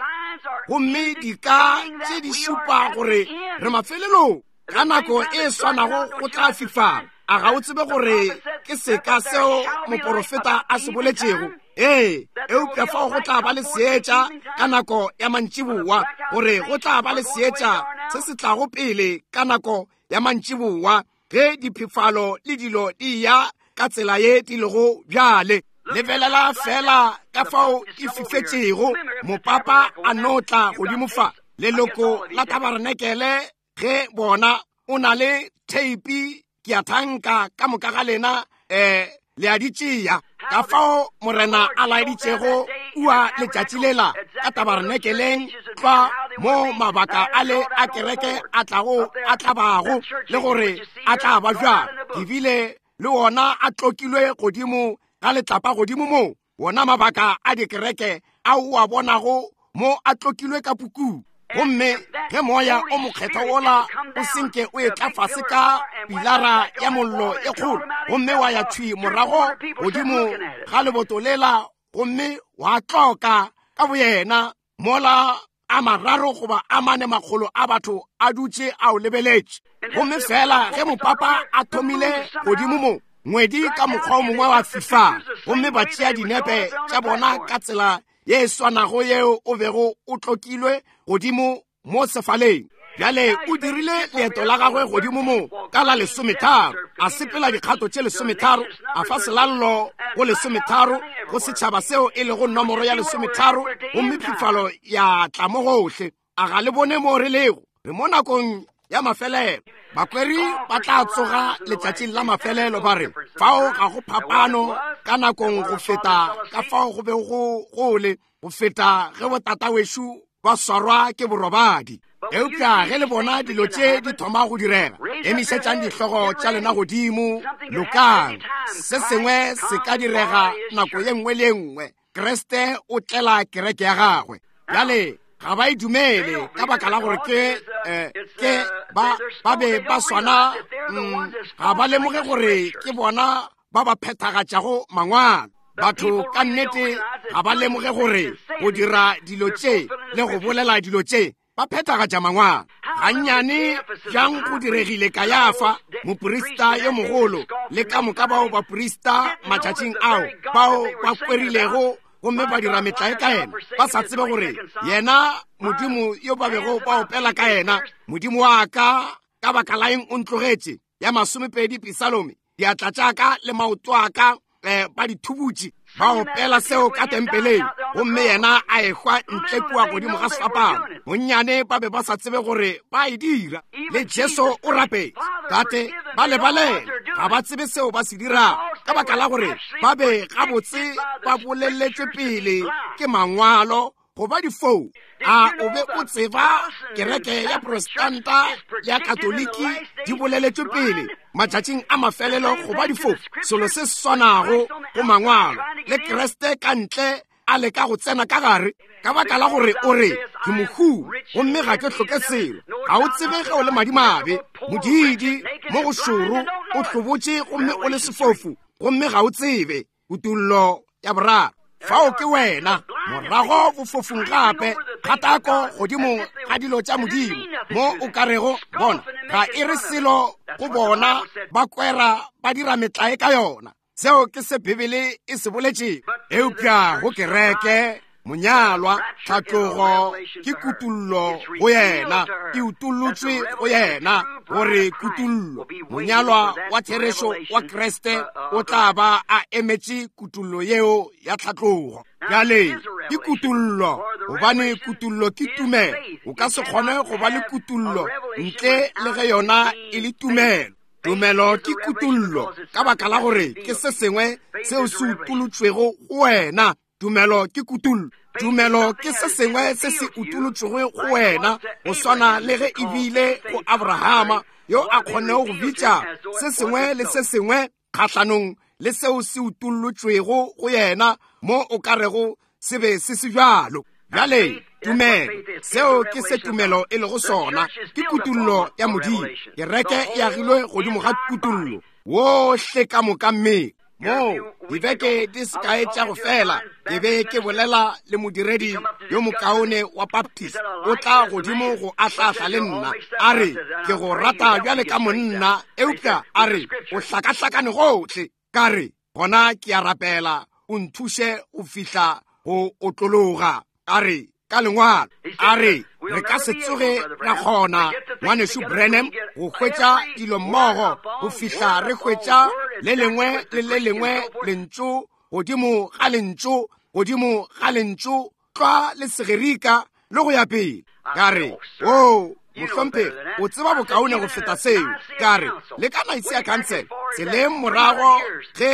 gomme dika tše di šupa gore re mafelelong. Ka nako e swanago go tla fifala. A ga o tsebe gore ke seka seo moporofeta a se boletšego? Ee, eupša fao go tla ba le seetša ka nako ya mantšiboa, gore go tla ba le seetša se se tlago pele ka nako ya mantšiboa, ge diphefalo le dilo di ya ka tsela ye di lego bjale. Lebelela fela ka fao e fifetšego. Mopapa a no tla godimo fa, leloko la tabarenekele, ge bona o na le theipi, ke a thanka ka moka ga lena, eh, Le a di tšea. Ka fao Morena a laeditšego kua letšatši lela ka tabarenekeleng tlwa mo mabaka a le a kereke a tlago a tlabago le gore a tla ba bjang. Ke bile le wona a tlokilwe godimo ga letlapa godimo mo wona mabaka a dikereke a o a bonago mo a tlokilwe ka pukung. Gomme ge moya o mokgethwa wola o senke o etla fase ka pilara ya mollo e kgolo gomme wa ya thwi morago godimo ga leboto lela gomme wa tloka ka boyena mola a mararo goba a mane makgolo a batho a dutše a o lebeletše. Gomme fela ge mopapa a thomile godimo mo ngwedi ka mokgwa o mongwe wa fifala gomme ba tšea dinepe tša bona ka tsela ye e swanago yeo o bego o tlokilwe godimo mo sefaleng. Bjale o dirile leeto la gagwe godimo mo ka la lesometharo, a sepela dikgato tše lesometharo, a fa selallo go lesometharo go setšhaba seo e lego nomoro ya lesometharo, gomme phifalo ya tla mo gohle. A ga le bone mo re lego? Re mo nakong ya mafelelo. Bakweri ba tla tsoga letšatšing la mafelelo ba re fao ga go phapano ka nakong go feta ka fao go be go gole go feta ge botatawešu ba swarwa ke borobadi. Eupša ge le bona dilo tše di thoma go direga, emišetšang dihlogo tša lena godimo, lokang. Se sengwe se ka direga nako ye nngwe le ye nngwe. Kriste o tlela kereke ya gagwe. Bjale ga ba e dumele ka baka la gore ke eh, ke ba ba be ba swana, mm, ga ba lemoge gore ke bona ba ba phethagatšago mangwalo. Batho ka nnete ga ba lemoge gore go dira dilo tše le go bolela dilo tše ba phethagatša mangwalo. Gannyane bjang go diregile Kayafa moprista yo mogolo le ka moka bao baprista matšatšing ao bao ba kwerilego gomme ba dira metlae ka yena, ba sa tsebe gore yena Modimo yo ba bego ba opela ka yena, Modimo wa ka ka baka la eng o ntlogetše, ya masomepedi Pisalome, diatla tša ka le maoto a ka eh, ba di thubutše, ba opela seo ka tempeleng, gomme yena a ehwa ntle kua godimo ga sefapano. Bonnyane ba be ba sa tsebe gore ba e dira. Le Jesu o rapetse, Tate ba lebalele, ga ba tsebe seo ba se dirago, ka baka la gore ba be gabotse ba boleletšwe pele ke mangwalo go ba difou. A o be o tseba kereke ya Protestanta ya Katoliki di boleletšwe pele matšatšing a mafelelo go ba difou? Selo se swanago go mangwalo, le Kriste ka ntle a leka go tsena ka gare, ka baka la gore o re ke mohu gomme ga ke hloke selo. Ga o tsebe ge o le madimabe, modiidi mo go šoro, o hlobotše gomme o le sefofu, gomme ga o tsebe. Kutullo ya boraro. Fao ke wena morago bofofung gape, kgatako godimo ga dilo tša Modimo mo o ka rego bona ga e re selo go bona, ba kwera ba dira metlae ka yona. Seo ke se Bibele e se boletšego. Eupša go kereke monyalwa tlhatlogo ke kutullo go yena, e utollotšwe go yena gore kutullo monyalwa wa therešo wa Kriste o tla ba a emetše kutullo yeo ya tlhatlogo. Bjale ke kutullo, gobane kutullo ke tumelo. O ka se kgone go ba le kutullo ntle le ge yona e le tumelo. Tumelo ke kutullo ka baka la gore ke se sengwe seo se utolotšwego go wena. Tumelo ke kutullo. Tumelo ke se sengwe se se utolotšwego go wena, go swana le ge e bile go Abrahama yo a kgonnego go bitša se sengwe le se sengwe kgahlanong le seo se utolotšwego go yena mo o ka rego se be se se bjalo. Bjale tumelo, seo ke se tumelo e lego sona, ke kutullo ya Modimo. Kereke e agilwe godimo ga kutullo wohle ka moka mmele. Mo dibeke di se kae tša go fela ke be ke bolela le modiredi yo mokaone wa Baptist, o tla godimo go ahlahla le nna, a re ke go rata bjale ka monna, eupša a re o hlakahlakane gohle. Ka re gona ke a rapela o nthuše go fihla go otlologa. A re ka lengwalo, a re re ka se tsoge ra kgona, ngwanešu Branham, go hwetša dilo mmogo go fihla re hwetša le lengwe le le lengwe lentšu godimo ga lentšu godimo ga lentšu tlwa le Segerika le go ya pele. Ka re o Mohlomphegi, o tseba bokaone go feta seo. Ka re, le ka Nicaea Council, tseleng morago ge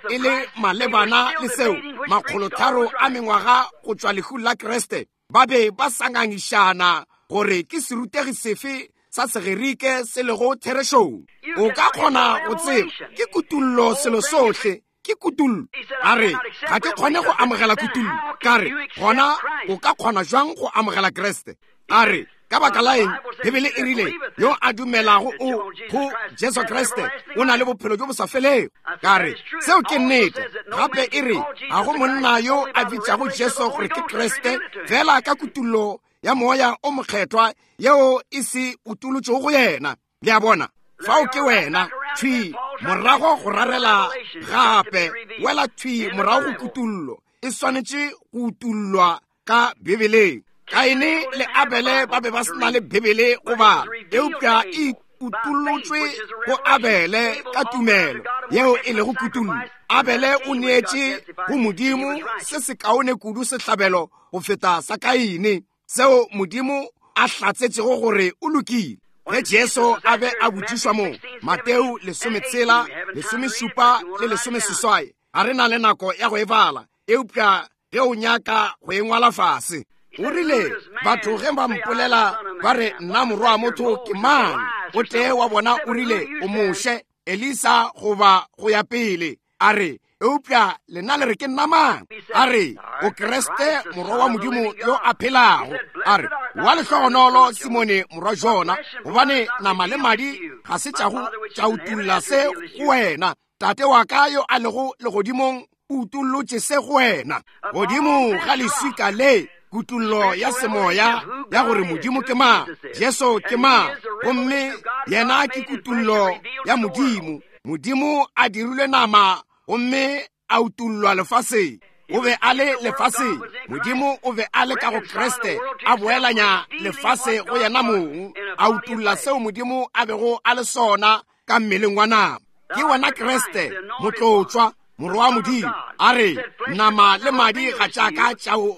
e le malebana le seo, makgolotharo a mengwaga go tšwa lehung la Kriste, ba be ba sa ngangišana gore ke serutegi sefe sa Segerike se lego therešong. O ka kgona go tseba, ke kutullo selo sohle, ke kutullo. A re, ga ke kgone go amogela kutullo. Ka re, gona o ka kgona jwang go amogela Kriste? A re, ka baka la eng, Bibele e rile, yo a dumelago o go Jesu Kriste o na le bophelo bjo bo sa felego. Ka re, seo ke nnete. Gape e re, ga go monna yo a bitšago Jesu gore ke Kriste, fela ka kutullo ya moya o mokgethwa yeo e se utolotšego go yena. Le a bona, fao ke wena, thwi morago go rarela gape, wela thwi morago go kutullo, e swanetše go utollwa ka Bibeleng. Kaine le Abele ba be ba se na le Bibele go bala, eupša e utollotšwe go Abele ka tumelo yeo e lego kutullo. Abele o neetše go Modimo se sekaone kudu sehlabelo go feta sa Kaine, seo Modimo a hlatsetšego gore o lokile. Ge Jesu a be a botšišwa mo Mateo lesometshela, lesomešupa le lesomeseswai, ga re na le nako ya go e bala, eupša ge o nyaka go e ngwala fase. O rile, batho ge ba mpolela ba re nna morwa wa motho ke mang? O tee wa bona o rile, o Moshe, Elisa goba go ya pele. A re, eupša lena le re ke nna mang? A re, o Kriste morwa wa Modimo yo a phelago. A re, wa lehlogonolo Simone morwa Jona, gobane nama le madi ga se tša go tša utolla se go wena. Tate wa ka yo a lego legodimong o utollotše se go wena. Godimo ga leswika le, kutullo ya semoya ya gore Modimo ke mang, Jesu ke mang, gomme yena ke kutullo ya Modimo. Modimo a dirilwe nama gomme a utollwa lefaseng. O be a le lefaseng, Modimo o be a le ka go Kriste, a boelanya lefase go yena mong, a utolla seo Modimo a bego a le sona ka mmeleng wa nama. Ke wena Kriste, motlotšwa, morwa wa Modimo. A re, nama le madi ga tša ka tša go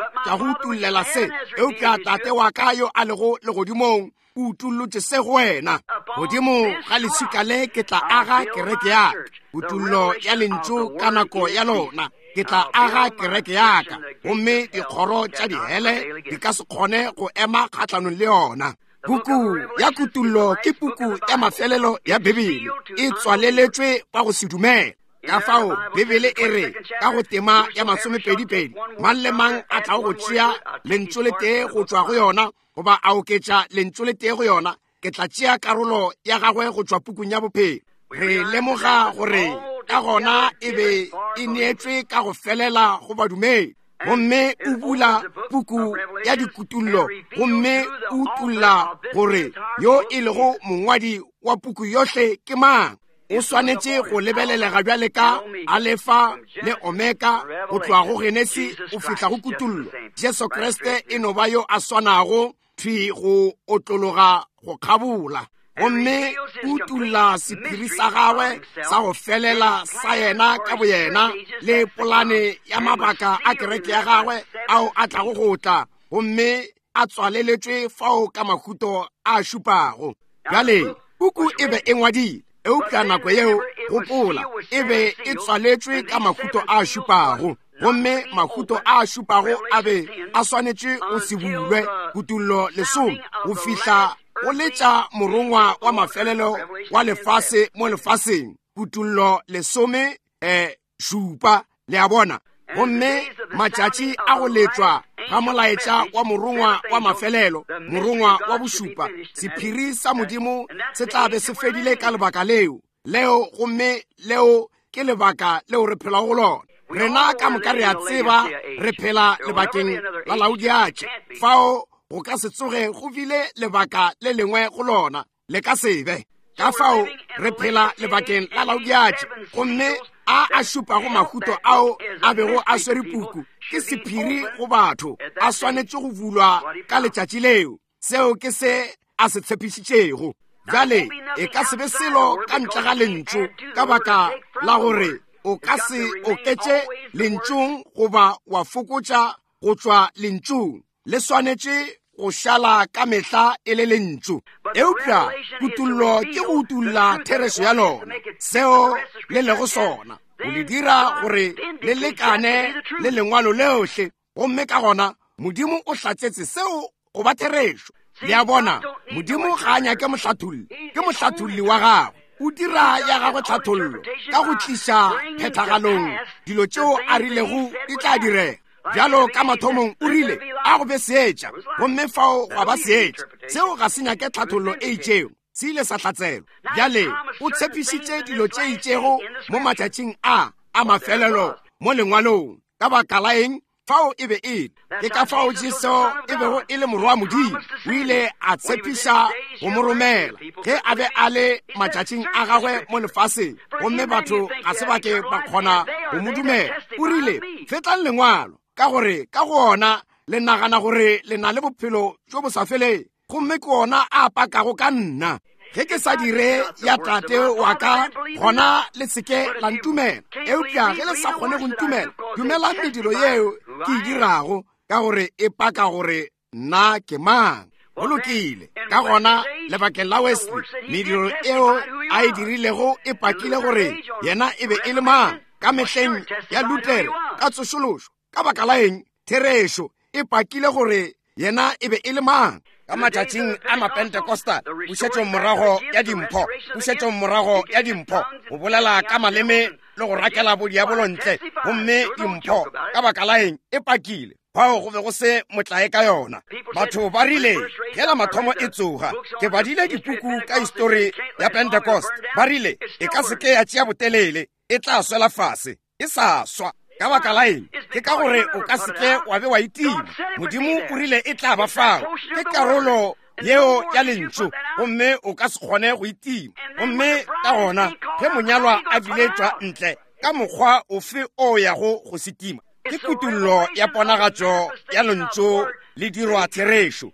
utollela se, eupša Tate wa ka yo a lego legodimong o utollotše se go wena. Godimo ga leswika le ke tla aga kereke ya ka. Kutullo ya lentšu ka nako ya lona, ke tla aga kereke ya ka, gomme dikgoro tša dihele di ka se kgone go ema kgahlanong le yona. Puku ya Kutullo ke puku ya mafelelo ya Bibele, e tswaleletšwe ba go se dumele. Ka fao Bibele e re ka go tema ya masomepedipedi, mang le mang a tlago go tšea lentšu le tee go tšwa go yona goba a oketša lentšu le tee go yona, ke tla tšea karolo ya gagwe go tšwa pukung ya bophelo. Re lemoga gore ka gona e be e neetšwe ka go felela go badumedi. Gomme o bula puku ya dikutullo, gomme o utolla gore yo e lego mongwadi wa puku yohle ke mang. O swanetše go lebelelega bjale ka Alefa le Omega, go tloga go Genesi go fihla go Kutullo. Jesu Kriste e no ba yo a swanago thwi go otlologa go kgabola, gomme o utolla sephiri sa gagwe sa go felela sa yena ka boyena le polane ya mabaka a kereke ya gagwe ao a tlago go tla, gomme a tswaleletšwe fao ka mahuto a šupago. Bjale puku e be e ngwadile, eupša nako yeo, gopola, e be e tswaletšwe ka mahuto a šupago, gomme mahuto a šupago a be a swanetše go se bulwe, Kutullo lesome, go fihla go letša morongwa wa mafelelo wa lefase mo lefaseng, Kutullo lesome eh, šupa. Le a bona? Gomme matšatši a go letšwa ga molaetša wa morongwa wa mafelelo, morongwa wa bošupa, sephiri sa Modimo se tla be se fedile ka lebaka leo leo, gomme leo ke lebaka leo re phelago go lona. Rena ka moka re a tseba re phela lebakeng la Laodiatše, fao go ka se tsoge go bile lebaka le lengwe go lona, le ka se be. Ka fao re phela lebakeng la Laodiatše, gomme a a šupago mahuto ao a bego a swere puku ke sephiri go batho, a swanetše go bulwa ka letšatši leo. Seo ke se a se tshepišitšego. Bjale e ka se be selo ka ntle ga lentšu, ka baka la gore o ka se oketše lentšung goba wa fokotša go tšwa lentšung. Le swanetše go šala ka mehla e le lentšu. Eupša kutollo ke go utolla therešo ya lona, seo le lego sona, go le dira gore le lekane le lengwalo leohle. Gomme ka gona Modimo o hlatsetse seo go ba therešo. Le a bona, Modimo ga a nyake mohlatholli, ke mohlatholli wa gagwe. O dira ya gagwe tlhathollo ka go tliša phethagalong dilo tšeo a rilego di tla direga. Bjalo ka mathomong o rile a go be seetša, gomme fao gwa ba seetša. Seo ga se nyake tlhathollo e itšego, se ile sa hlatselwa. Bjale o tshepišitše dilo tše itšego mo matšatšing a a mafelelo mo lengwalong. Ka baka la eng? Fao e be e ke ka fao Jesu e bego e le morwa wa Modimo. O ile a tshepiša go mo romela ge a be a le matšatšing a gagwe mo lefaseng, gomme batho ga se ba ke ba kgona go mo dumela. O rile, fetlang lengwalo, ka gore ka go ona le nagana gore le na le bophelo bjo bo sa feleng, gomme ke ona a pakago ka nna. Ge ke sa dire ya tate wa ka, gona le se ke la ntumela. Eupša ge le sa kgone go ntumela, dumelang mediro yeo ke e dirago, ka gore e paka gore nna ke mang. Go lokile. Ka gona lebakeng la Wesley, mediro eo a e dirilego e pakile gore yena e be e le mang. Ka mehleng ya Luther, ka tsošološo, ka baka la eng, therešo e pakile gore yena e be e le mang. Ka matšatšing a Mapentecostal, pušetšong morago ya dimpho, pušetšong morago ya dimpho, go bolela ka maleme le go rakela bodiabolo ntle, gomme dimpho, ka baka la eng, e pakile. Fao go be go se motlae ka yona. Batho ba rile ge la mathomo e tsoga, ke badile dipuku ka histori ya Pentecost, ba rile e ka se ke ya tšea botelele, e tla swela fase. E sa swa. Ka baka la eng? Ke ka gore o ka se ke wa be wa itima. Modimo o rile e tla ba fao. Ke karolo yeo ya lentšu, gomme o ka se kgone go itima. Gomme ka gona ge monyalwa a biletšwa ntle, ka mokgwa ofe o yago go se tima? Ke kutollo ya ponagatšo ya lentšu le dirwa therešo.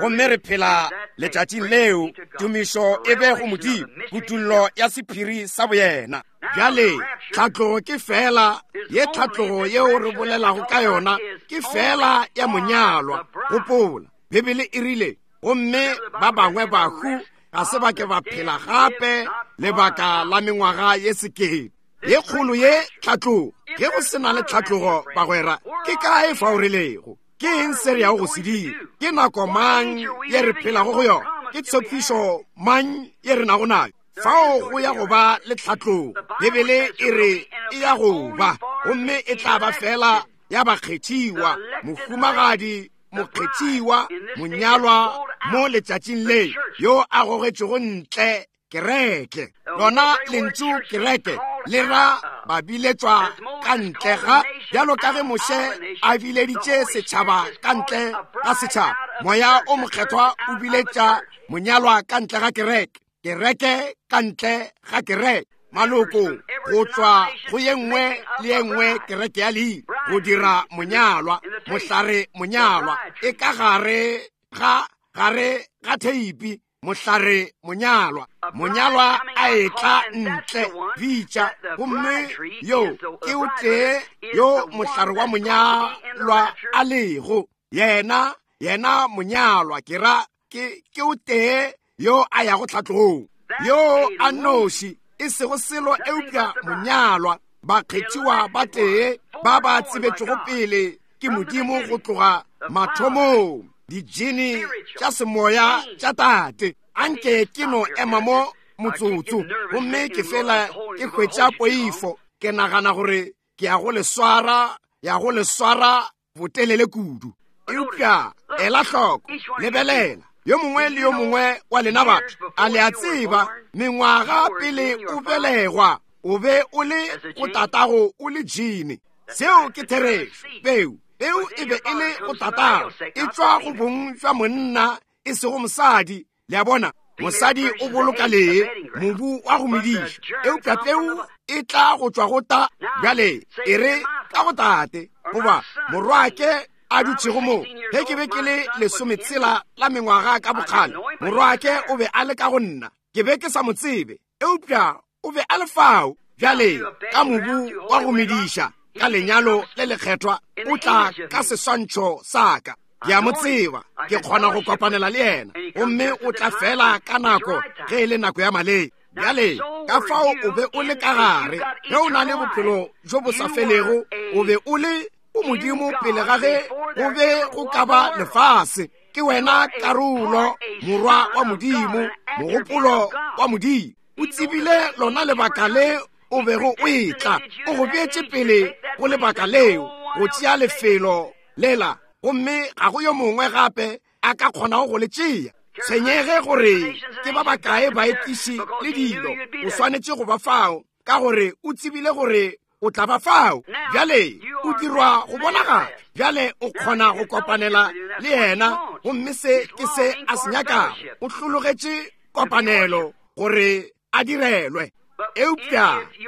Gomme re phela letšatšing leo, tumišo e be go Modimo, kutollo ya sephiri sa boyena. Bjale tlhatlogo ke fela ye, tlhatlogo yeo re bolelago ka yona ke fela ya monyalwa. Gopola, Bibele e rile, gomme ba bangwe bahu ga se ba ke ba phela gape lebaka la mengwaga ye sekete. Ye kgolo ye tlhatlogo, ge go se na le tlhatlogo bagwera, ke kae fao re lego? Ke eng se re yago go se dira? Ke nako mang ye re phelago go yona? Ke tshepišo mang ye re nago nayo? Fao go ya go ba le tlhatlogo. Bibele e re e ya go ba, gomme e tla ba fela ya bakgethiwa, mohumagadi, mokgethiwa, monyalwa mo letšatšing le, yo a gogetšego ntle kereke. Lona lentšu kereke le ra ba biletšwa ka ntle ga, bjalo ka ge Moshe a bileditše setšhaba ka ntle ga setšhaba, Moya o Mokgethwa o biletša monyalwa ka ntle ga kereke, kereke ka ntle ga kereke, maloko go tšwa go ye nngwe le ye nngwe kereke ya leina, go dira monyalwa, mohlare monyalwa, e ka gare ga gare ga theipi, mohlare monyalwa, monyalwa a etla ntle, bitša, gomme yo ke o tee yo mohlare wa monyalwa a lego, yena yena monyalwa, ke ra ke ke o tee yo a yago tlhatlogong, yo a noši, e sego selo eupša monyalwa, bakgethiwa ba tee ba ba tsebetšego pele ke Modimo go tloga mathomong, dijini tša semoya tša tate. Anke ke no ema mo motsotso, gomme ke fela ke hwetša poifo, ke nagana gore ke ya go le swara, ya go le swara botelele kudu. Eupša ela hloko, lebelela, yo mongwe le yo mongwe wa lena batho, a le a tseba, mengwaga pele o belegwa, o be o le go tatago o le jini. Seo ke therešo. Peu, peu e be e le go tatago, e tšwa go bong jwa monna, e sego mosadi. Le a bona, mosadi o boloka lee, mobu wa go mediša, eupša peu e tla go tšwa go ta. Bjale e re ka go tate, goba morwake a dutšego mo, ge ke be ke le lesometshela la mengwaga ka bokgale, morwake o be a le ka go nna, ke be ke sa mo tsebe, eupša o be a le fao. Bjale ka mobu wa go mediša, ka lenyalo le lekgethwa, o tla ka seswantšho sa ka. Ke a mo tseba, ke kgona go kopanela le yena, gomme o tla fela ka nako ge e le nako ya maleba. Bjale ka fao o be o le ka gare, ge o na le bophelo jo bo sa felego, o be o le o Modimo pele ga ge go be go ka ba lefase. Ke wena karolo, morwa wa Modimo, mogopolo wa Modimo. O tsebile lona lebaka le o bego o etla, o go beetše pele go lebaka leo, go tšea lefelo lela, gomme ga go yo mongwe gape a ka kgonago go le tšea. Tshwenyege gore ke ba bakae baetiši le dilo, o swanetše go ba fao, ka gore o tsebile gore o tla ba fao. Bjale o dirwa go bonagala, bjale o kgona go kopanela le yena, gomme se ke se a se nyakago. O hlologetše kopanelo gore a direlwe. Eupša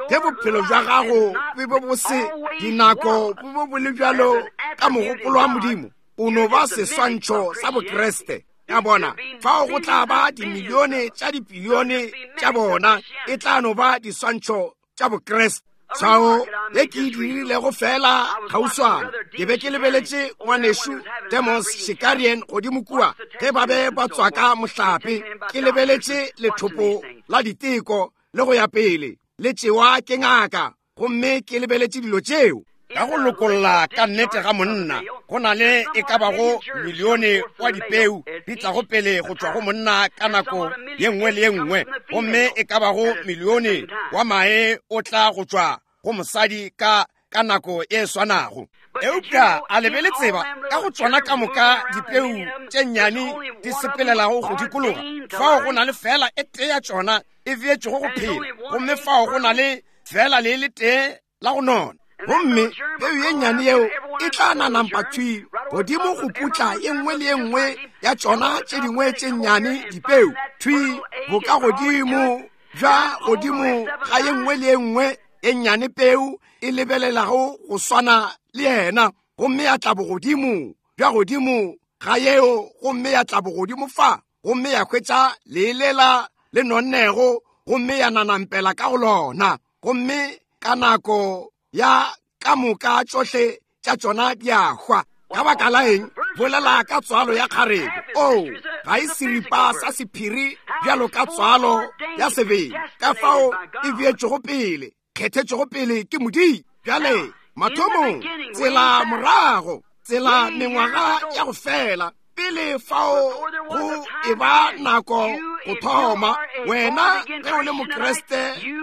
ge bophelo bja gago bo be bo se dinako bo be bo le bjalo ka mogopolo wa Modimo, o no ba seswantšho sa Bokriste. Ya bona, fao go tla ba dimilione tša dipilione tša bona, e tla no ba diswantšho tša Bokriste. Tshwao ye ke e dirilego fela kgauswana, ke be ke lebeletše ngwanešu Demos Shakarian godimo kua ge ba be ba tswaka mohlape. Ke lebeletše lethopo la diteko le go ya pele le tšewa ke ngaka, gomme ke lebeletše dilo tšeo. Ka go lokolla ka nnete ga monna, go na le e ka bago milione wa dipeu di tlago pele go tšwa go monna ka nako ye nngwe le ye nngwe, gomme e ka bago milione wa mae o tla go tšwa go mosadi ka ka nako e swanago. Eupša a le be le tseba ka go tšona ka moka dipeu tše nnyane di sepelelago go dikologa, fao go na le fela e tee ya tšona e beetšego go phela, gomme fao go na le fela le le tee la go nona. Gomme peu ye nnyane yeo e tla nanampa thwi godimo go putla ye nngwe le ye nngwe ya tšona tše dingwe tše nnyane dipeu, thwi boka godimo bja godimo ga ye nngwe le ye nngwe ye nnyane peu e lebelelago go swana le yena, gomme ya tla bogodimo bja godimo ga yeo, gomme ya tla bogodimo fa, gomme ya hwetša leelela le nonnego, gomme ya nanampela ka go lona, gomme ka nako ya ka moka tšohle tša tšona di a hwa. Ka baka la eng? Bolela ka tswalo ya kgarebe. O ga e seripa sa sephiri bjalo ka tswalo ya sebele, ka fao e beetšego pele, kgethetšego pele ke Modimo. Bjale mathomong, tsela morago, tsela mengwaga ya go fela pele fao go e ba nako go thoma, wena ge o le Mokriste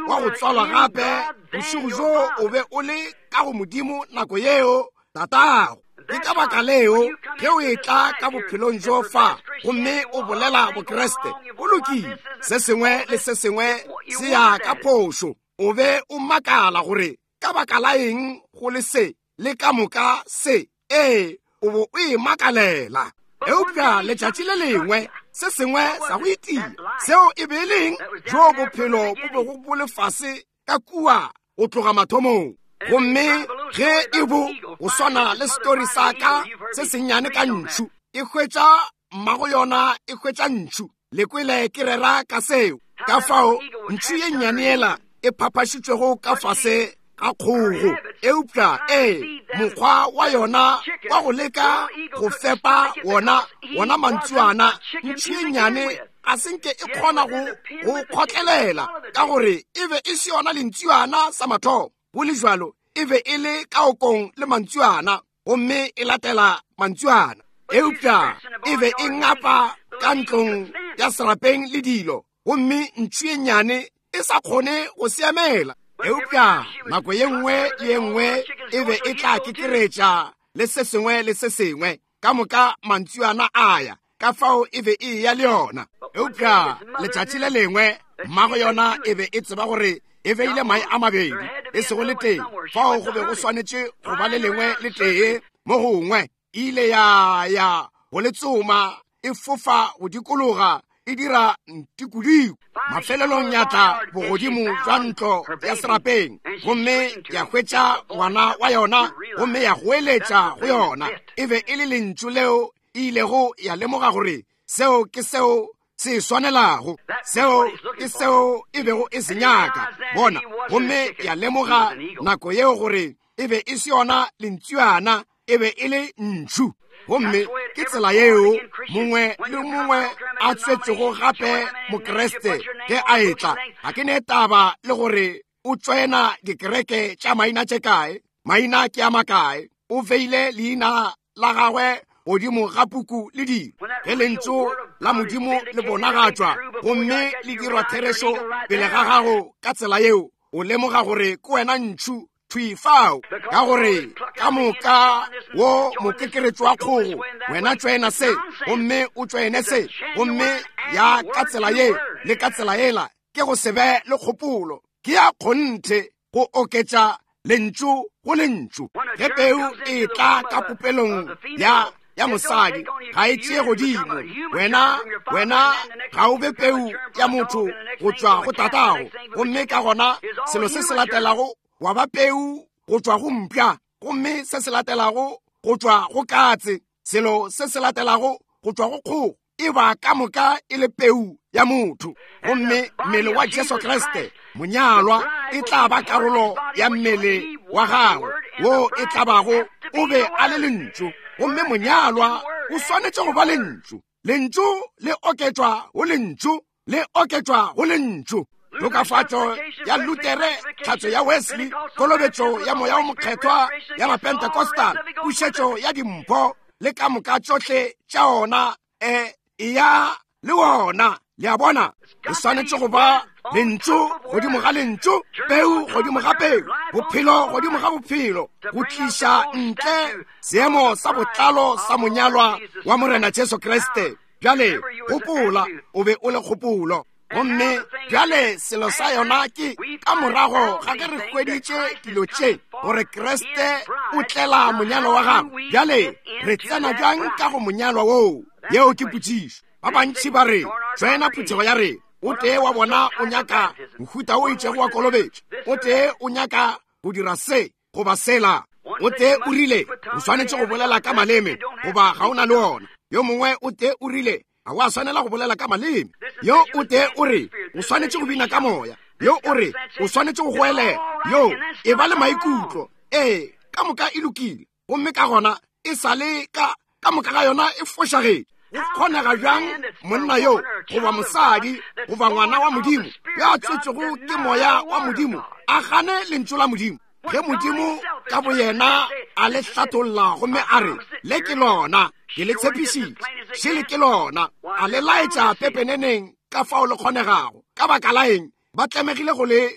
wa go tswalwa gape, bošego bjo o be o le ka go Modimo nako yeo tatago. Ke ka baka leo ge o etla ka bophelong bjo fa gomme o bolela Bokriste, o lokile, se sengwe le se sengwe se ya ka phošo. O be o makala gore ka baka la eng go le se le ka moka se, ee, o bo o e makalela. Eupša letšatši le lengwe se sengwe sa go itia, seo e be e leng jo bophelo bo bego bo le fase ka kua go tloga mathomong. Gomme ge e bo go swana le story sa ka se sennyane ka ntšhu, e hwetša mmago yona, e hwetša ntšhu. Le kwele ke rera ka seo. Ka fao ntšhu ye nnyane yela e phaphašitšwego ka fase ga kgogo, eupša ee, mokgwa wa yona wa go leka go fepa wona wona mantsuana, ntšhu ye nnyane ga se nke e kgona go go kgotlelela, ka gore e be e se yona lentsuana sa mathomo. Go le jwalo e be e le ka okong le mantsuana, gomme e latela mantsuana. Eupša e be e ngapa ka ntlong ya serapeng le dilo, gomme ntšhu ye nnyane e sa kgone go seemela. Eupša nako ye nngwe le ye nngwe e be e tla kekeretša le se sengwe le se sengwe, ka moka mantsuana a ya, ka fao e be e ya le yona. Eupša letšatši le lengwe mmago yona e be e tseba gore e beile mae a mabedi, e sego le tee. Fao go be go swanetše go ba le lengwe le tee mo gongwe. E ile ya ya go le tsoma, e fofa go dikologa, e dira ntikodiko. Mafelelong ya tla bogodimo jwa ntlo ya serapeng, gomme ya hwetša ngwana wa yona, gomme ya goeletša go yona. E be e le lentšu leo e ilego ya lemoga gore seo ke seo se swanelago, seo ke seo e bego e se nyaka. Bona, gomme ya lemoga nako yeo gore e be e se yona lentsuana, e be e le ntšhu. Gomme ke tsela yeo mongwe le mongwe a tswetšego gape Mokriste ge a etla. Ga ke ne taba le gore o tswena dikereke tša maina tše kae, maina ke a makae, o veile leina la gagwe godimo ga puku le dilo. Ge lentšu la Modimo le bonagatšwa gomme le dirwa therešo pele ga gago ka tsela yeo, o lemoga gore ke wena ntšhu thwi fao, ka gore ka moka wo mokekeretšo wa kgogo, wena tswena se gomme o tswene se gomme ya ka tsela ye le ka tsela yela, ke go se be le kgopolo, ke ya kgonthe go oketša lentšu go lentšu. Ge peu e tla ka popelong ya ya mosadi, ga e tšee godimo. Wena wena ga o be peu ya motho go tšwa go tatago, gomme ka gona selo se se latelago wa ba peu go tšwa go mpša, gomme se se latelago go tšwa go katse, selo se se latelago go tšwa go kgogo, e ba ka moka e le peu ya motho. Gomme mmele wa Jesu Kriste monyalwa e tla ba karolo ya mmele wa gagwe wo e tla bago o be a le lentšu, gomme monyalwa o swanetše go ba lentšu. Lentšu le oketšwa go lentšu, le oketšwa go lentšu. Tokafatšo ya Lutere, tlhatso ya Wesley, kolobetšo ya Moya o Mokgethwa ya Mapentecostal, pušetšo ya dimpho le ka moka tšohle tša ona e ya le wona. Le a bona, e swanetše go ba lentšu godimo ga lentšu, peu godimo ga peu, bophelo godimo ga bophelo, go tliša ntle seemo sa botlalo sa monyalwa wa Morena Jesu Kriste. Bjale gopola, o be o le kgopolo. Gomme bjale selo sa yona ke ka morago ga ge re hweditše dilo tše gore Kriste o tlela monyalwa wa gagwe, bjale re tsena bjang ka go monyalwa woo? Yeo ke potšišo. Ba bantši ba re tswena phuthego ya re o tee wa bona o nyaka mohuta o itšego wa kolobetšo, o tee o nyaka go dira se goba sela, o tee o rile o swanetše go bolela ka maleme goba ga o na le ona, yo mongwe o tee o rile ga wa swanela go bolela ka maleme, yo o tee o re o swanetše go bina ka moya, yo o re o swanetše go goelela, yo e ba le maikutlo. Ee, ka moka e lokile, gomme ka gona e sa le ka ka moka ga yona e fošagetše. Go kgonega bjang monna yo goba mosadi goba ngwana wa Modimo yo a tswetšwego ke moya wa Modimo a gane lentšu la Modimo, ge Modimo ka boyena a le hlatholla gomme a re le ke lona, ke le tshepišitše, šele ke lona, a le laetša pepeneneng ka fao le kgonegago. Ka baka la eng ba tlemegile go le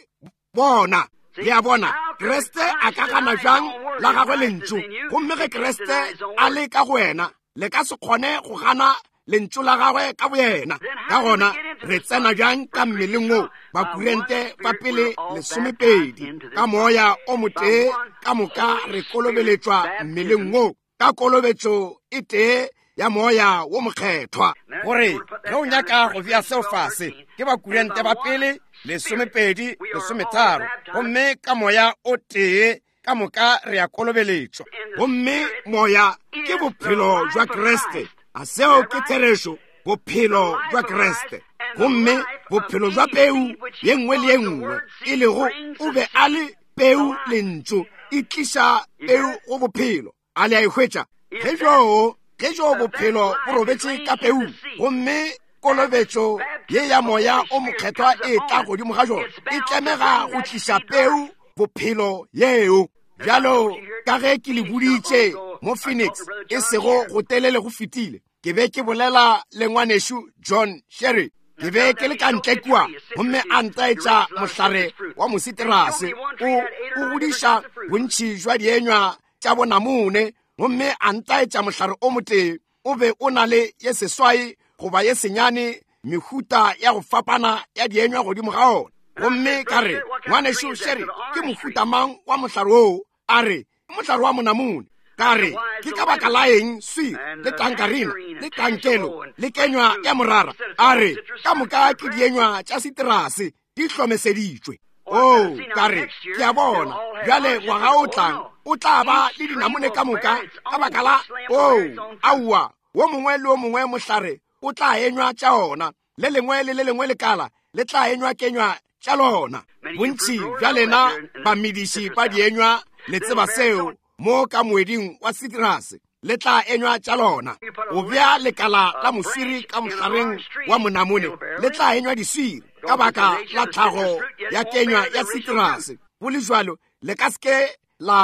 bona? Le a bona, Kriste a ka gana bjang la gagwe lentšu? Gomme ge Kriste a le ka go wena, le ka se kgone go gana lentšu la gagwe ka boyena. Ka gona re tsena bjang ka mmeleng wo? Bakurente ba pele lesomepedi, ka moya o motee ka moka re kolobeletšwa mmeleng wo, ka kolobetšo e tee ya Moya wo Mokgethwa. Gore ge o nyaka go bea seo fase, ke Bakurente ba pele lesomepedi lesometharo, gomme ka moya o tee ka moka re a kolobeletšwa. Gomme moya ke bophelo jwa Kriste. A seo ke therešo? Bophelo jwa Kriste. Gomme bophelo jwa peu ye nngwe le ye nngwe e lego o be a le peu lentšu, e tliša peu go bophelo. A le a e hwetša? Ge joo ge joo bophelo bo robetše ka peu, gomme kolobetšo ye ya Moya o Mokgethwa e tla godimo ga jona, e tlemega go tliša peu bophelo yeo. Bjalo ka ge ke le boditše mo Phoenix e sego go telele go fetile, ke be ke bolela le ngwanešu John Sherry. Ke be ke le ka ntle kua, gomme a ntaetša mohlare wa mositerase o o godiša bontši jwa dienywa tša bonamune, gomme a ntaetša mohlare o motee o be o na le ye seswai goba ye senyane mehuta ya go fapana ya dienywa godimo ga ona. Gomme ka re, ngwanešu Sherry, ke mohuta mang wa mohlare woo? A re, mohlare wa monamune. Ka re, ke ka baka la eng swi le tankarina le tankelo le kenywa ya morara? A re, ka moka ke dienywa tša siterase di hlomeseditšwe. Oh, ka re, ke a bona bjale ngwaga o tlang o tla ba le dinamune ka moka ka baka la oh, aowa, wo mongwe le wo mongwe mohlare o tla enywa tša ona, le lengwe le le lengwe lekala le tla enywa kenywa tša lona. Bontši bja lena bamediši ba dienywa le tseba seo mo ka moeding wa sitrase. le tla enywa tša lona. O bea lekala la moswiri ka mohlareng wa monamone, le tla enywa diswiri ka baka la tlhago ya kenywa ya sitrase. Go le jwalo le ka se ke la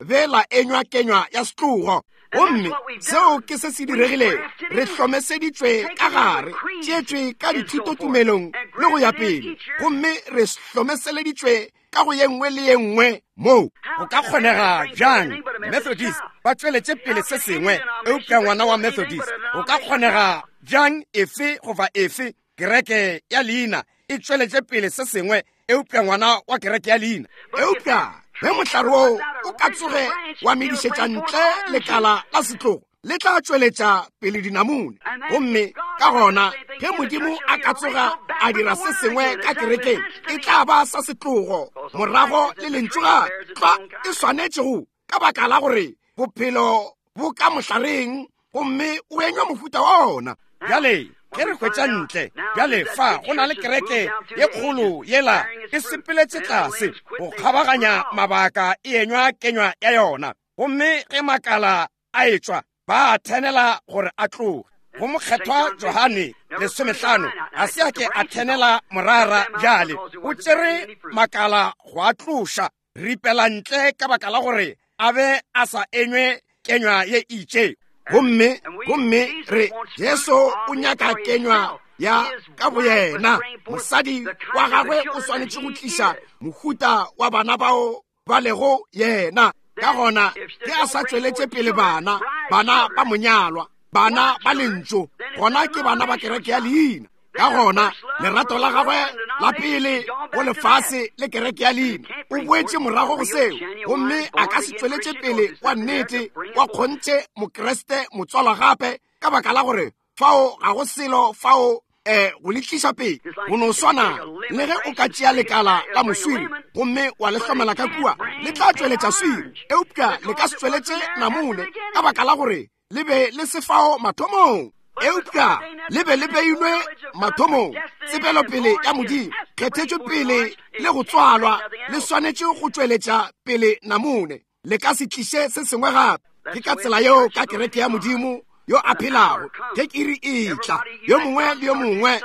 be la enywa kenywa ya setlogo. Gomme seo ke se se diregilego. Re hlomeseditšwe ka gare, tšeetšwe ka dithutotumelong le go ya pele, gomme re hlomeseleditšwe ka go ye nngwe le ye nngwe moo. Go ka kgonega bjang Methodist ba tšweletše pele se sengwe eupša ngwana wa Methodist? Go ka kgonega bjang efe goba efe kereke ya leina e tšweletše pele se sengwe eupša ngwana wa kereke ya leina? Eupša ge mohlare woo o ka tsoge wa medišetša ntle lekala la setlogo, le tla tšweletša pele dinamune. Gomme ka gona ge Modimo a ka tsoga a dira se sengwe ka kerekeng, e tla ba sa setlogo morago le lentšu gape tlwa e swanetšego, ka baka la gore bophelo bo ka mohlareng gomme o enywa mohuta wa ona. Bjale ge re hwetša ntle bjale fa go na le kereke ye kgolo yela e sepeletše tlase go kgabaganya mabaka e enywa kenywa ya yona, gomme ge makala a etšwa ba a thenela gore a tloge. Go mokgethwa Johane lesomehlano ga se a ke a thenela morara bjale, o tšere makala go a tloša ripela ntle ka baka la gore a be a sa enywe kenywa ye itše. Gomme gomme re Jesu o nyaka kenywa ya ka boyena. Mosadi wa gagwe o swanetše go tliša mohuta wa bana bao ba lego yena. Ka gona ge a sa tšweletše pele bana, bana ba monyalwa, bana ba lentšu, gona ke bana ba kereke ya leina. Ka gona lerato la gagwe la pele go lefase le kereke ya leina o boetše morago go seo, gomme a ka se tšweletše pele wa nnete wa kgonthe Mokriste motswalwa gape, ka baka la gore fao ga go selo fao eh go le tliša pele. Go no swana le ge o ka tšea lekala la moswiri gomme wa le hlomela ka kua, le tla tšweletša swiri, eupša le ka se tšweletše namune, ka baka la gore le be le se fao mathomong. Eupša le be le beilwe mathomong, tsebelopele ya Modimo, kgethetšwe pele le go tswalwa, le swanetše go tšweletša pele namune, le ka se tliše se sengwe gape. Ke ka tsela yeo ka kereke ya Modimo yo a phelago. Ge iri e tla, yo mongwe le yo mongwe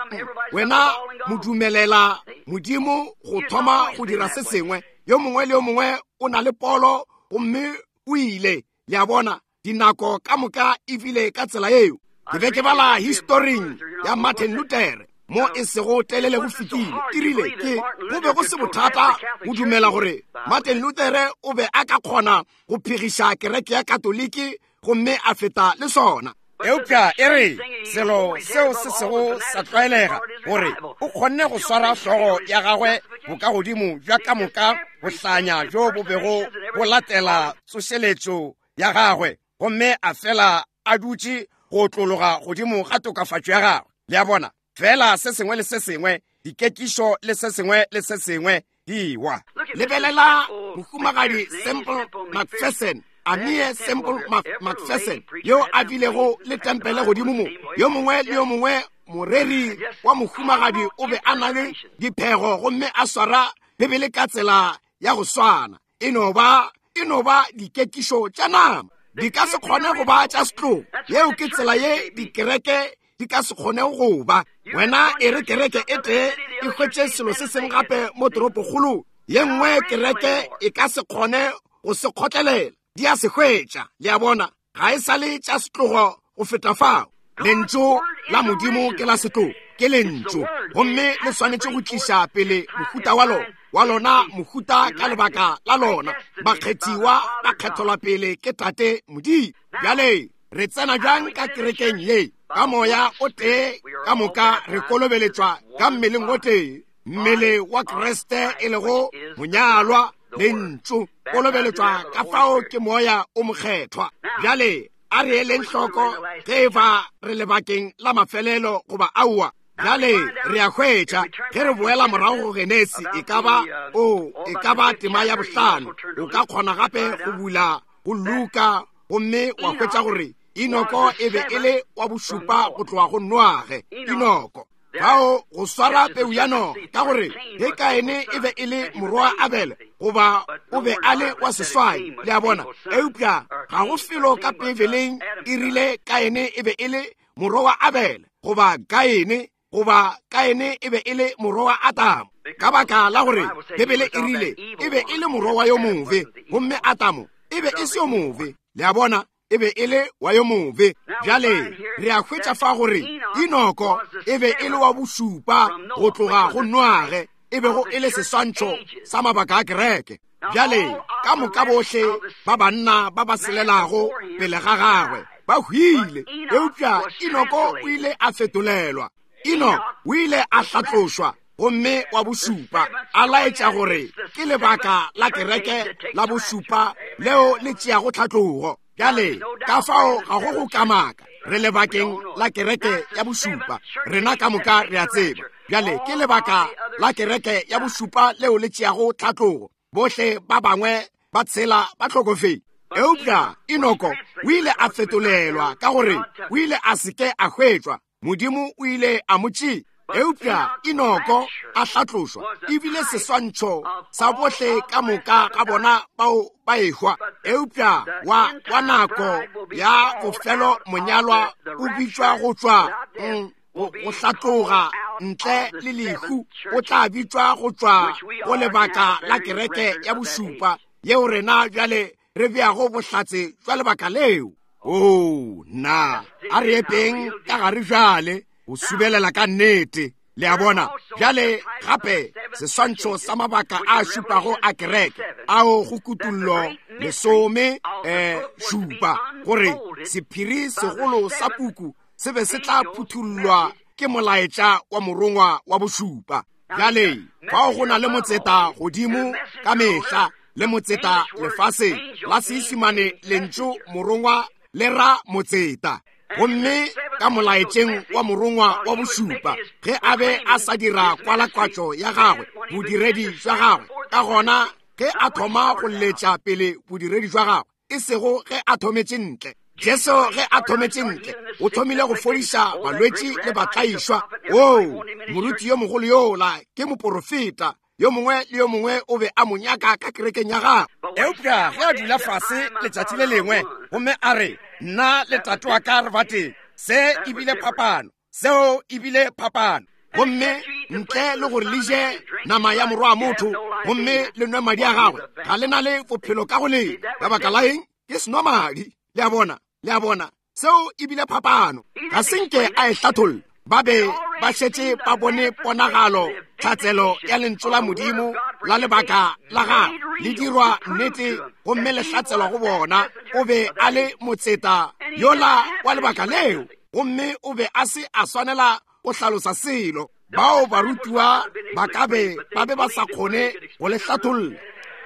wena mo dumelela Modimo go thoma go dira se sengwe. Yo mongwe le yo mongwe o na le polo gomme o ile. Le a bona, dinako ka moka e bile ka tsela yeo. Ke be ke bala historing ya Martin Luther mo e sego telele go fetile. Ke rile ke go be go se bothata go dumela gore Martin Luther o be a ka kgona go phegiša kereke ya Katoliki gomme a feta le sona. Eupša e re selo seo se sego sa tlwaelega gore o kgonne go swara hlogo ya gagwe bokagodimo bja ka moka bohlanya bjo bo bego bo latela tsošeletšo ya gagwe, gomme a fela a dutše go otlologa godimo ga tokafatšo ya gagwe. Le a bona, fela se sengwe le se sengwe, dikekišo le se sengwe le se sengwe di wa. Lebelela mohumagadi Semple McPherson, Amie Semple McPherson, yo a bilego le tempele godimo mo. Yo mongwe le yo mongwe moreri wa mohumagadi o be a na le diphego gomme a swara Bibele ka tsela ya go swana. E no ba e no ba dikekišo tša nama, di ka se kgone go ba tša setlogo. Yeo ke tsela ye dikereke di ka se kgone go ba. Wena e re kereke e tee e hwetše selo se sengwe gape mo toropokgolong, ye nngwe kereke e ka se kgone go se kgotlelela, di a se hwetša. Le a bona, ga e sa le tša setlogo go feta fao. Lentšu la Modimo ke la setlogo, ke lentšu, gomme le swanetše go tliša pele mohuta wa lona, wa lona mohuta ka lebaka la lona. Bakgethiwa ba kgethelwa pele ke Tate Modimo. Bjale re tsena bjang ka kerekeng ye? Ka moya o tee ka moka re kolobeletšwa ka mmeleng o tee, mmele wa Kriste e lego monyalwa, lentšu kolobeletšwa ka fao ke moya o mokgethwa. Bjale a re eleng hloko ge e ba re lebakeng la mafelelo goba aowa. Bjale re a hwetša ge re boela morago go Genesi, e ka ba o e ka ba tema ya bohlano. O ka kgona gape go bula go Luka gomme wa hwetša gore Enoko e be e le wa bošupa go tloga go Noage. Enoko. Fao go swara peu ya noga, ka gore ge Kaene e be e le morwa wa Abele, goba o be a le wa seswai, le a bona. Eupša ga go felo ka Beibeleng e rile Kaene e be e le morwa wa Abele, goba Kaene, goba Kaene e be e le morwa wa Adamo. Ka baka la gore Bibele e rile e be e le morwa wa yo mobe, gomme Adamo e be e se yo mobe. Le a bona, e be e le wa yo mobe. Bjale re a hwetša fa gore Enoko e be e le wa bošupa go tloga go Noage, e bego e le seswantšho sa mabaka a kereke. Bjale ka moka bohle ba banna ba ba selelago pele ga gagwe ba hwile, eupša Enoko o ile a fetolelwa. Enoko o ile a hlatlošwa gomme wa bošupa, a laetša gore ke lebaka la kereke la bošupa leo le tšeago tlhatlogo. Bjale ka fao ga go go kamaka, re lebakeng la kereke ya bošupa, rena ka moka re a tseba. Bjale ke lebaka la kereke ya bošupa leo le tšeago tlhatlogo, bohle ba bangwe ba tshela ba hlokofetše. Eupša Enoko o ile a fetolelwa ka gore o ile a se ke a hwetšwa, Modimo o ile a mo tšea. Eupša Enoko a hlatlošwa, ebile seswantšho sa bohle ka moka ga bona bao ba ehwa. Eupša wa, wa nako ya bofelo monyalwa o bitšwa go tšwa mm, go, go hlatloga ntle le lehu, o tla bitšwa go tšwa go lebaka la kereke ya bošupa, yeo rena bjale re beago bohlatse jwa lebaka leo. Oo, na a re epeng ka gare bjale go subelela ka nnete. Le a bona. Bjale gape seswantšho sa mabaka a šupago a kereke ao go kutullo lesome eh, šupa, gore sephiri segolo sa puku se be se tla phuthullwa ke molaetša wa morongwa wa bošupa. Bjale fao go na le motseta godimo ka mehla le motseta lefaseng la Seisimane, lentšu morongwa le ra motseta. Gomme ka molaetšeng wa morongwa wa bošupa, ge a be a sa dira kwalakwatšo ya gagwe, bodiredi jwa gagwe, ka gona ge a thoma go letša pele bodiredi jwa gagwe, e sego ge a thometše ntle. Jesu ge a thometše ntle, o thomile go fodiša balwetši le batlaišwa. Oo, moruti yo mogolo yola ke moporofeta, yo mongwe le yo mongwe o be a mo nyaka ka kerekeng ya gagwe. Eupša ge a dula fase letšatši le lengwe gomme a re, nna le tate wa ka re bateng, se ebile phapano, seo ebile phapano. Gomme ntle le gore le je nama ya morwa wa motho gomme le nwe madi a gagwe, ga le na le bophelo ka go lena. Ka baka la eng? Ke senomadi. Le a bona, le a bona, seo ebile phapano. Ga se nke a e hlatholla. Ba be ba šetše ba bone ponagalo, tlhatselo ya lentšu la Modimo la lebaka la gagwe le dirwa nnete gomme le hlatselwa go bona. O be a le motseta yola wa lebaka leo, gomme o be a se a swanela go hlalosa selo. Bao barutiwa ba ka be ba be ba sa kgone go le hlatholla,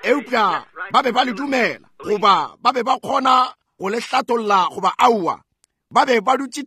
eupša ba be ba le dumela, goba ba be ba kgona go le hlatholla goba aowa. Ba be ba dutše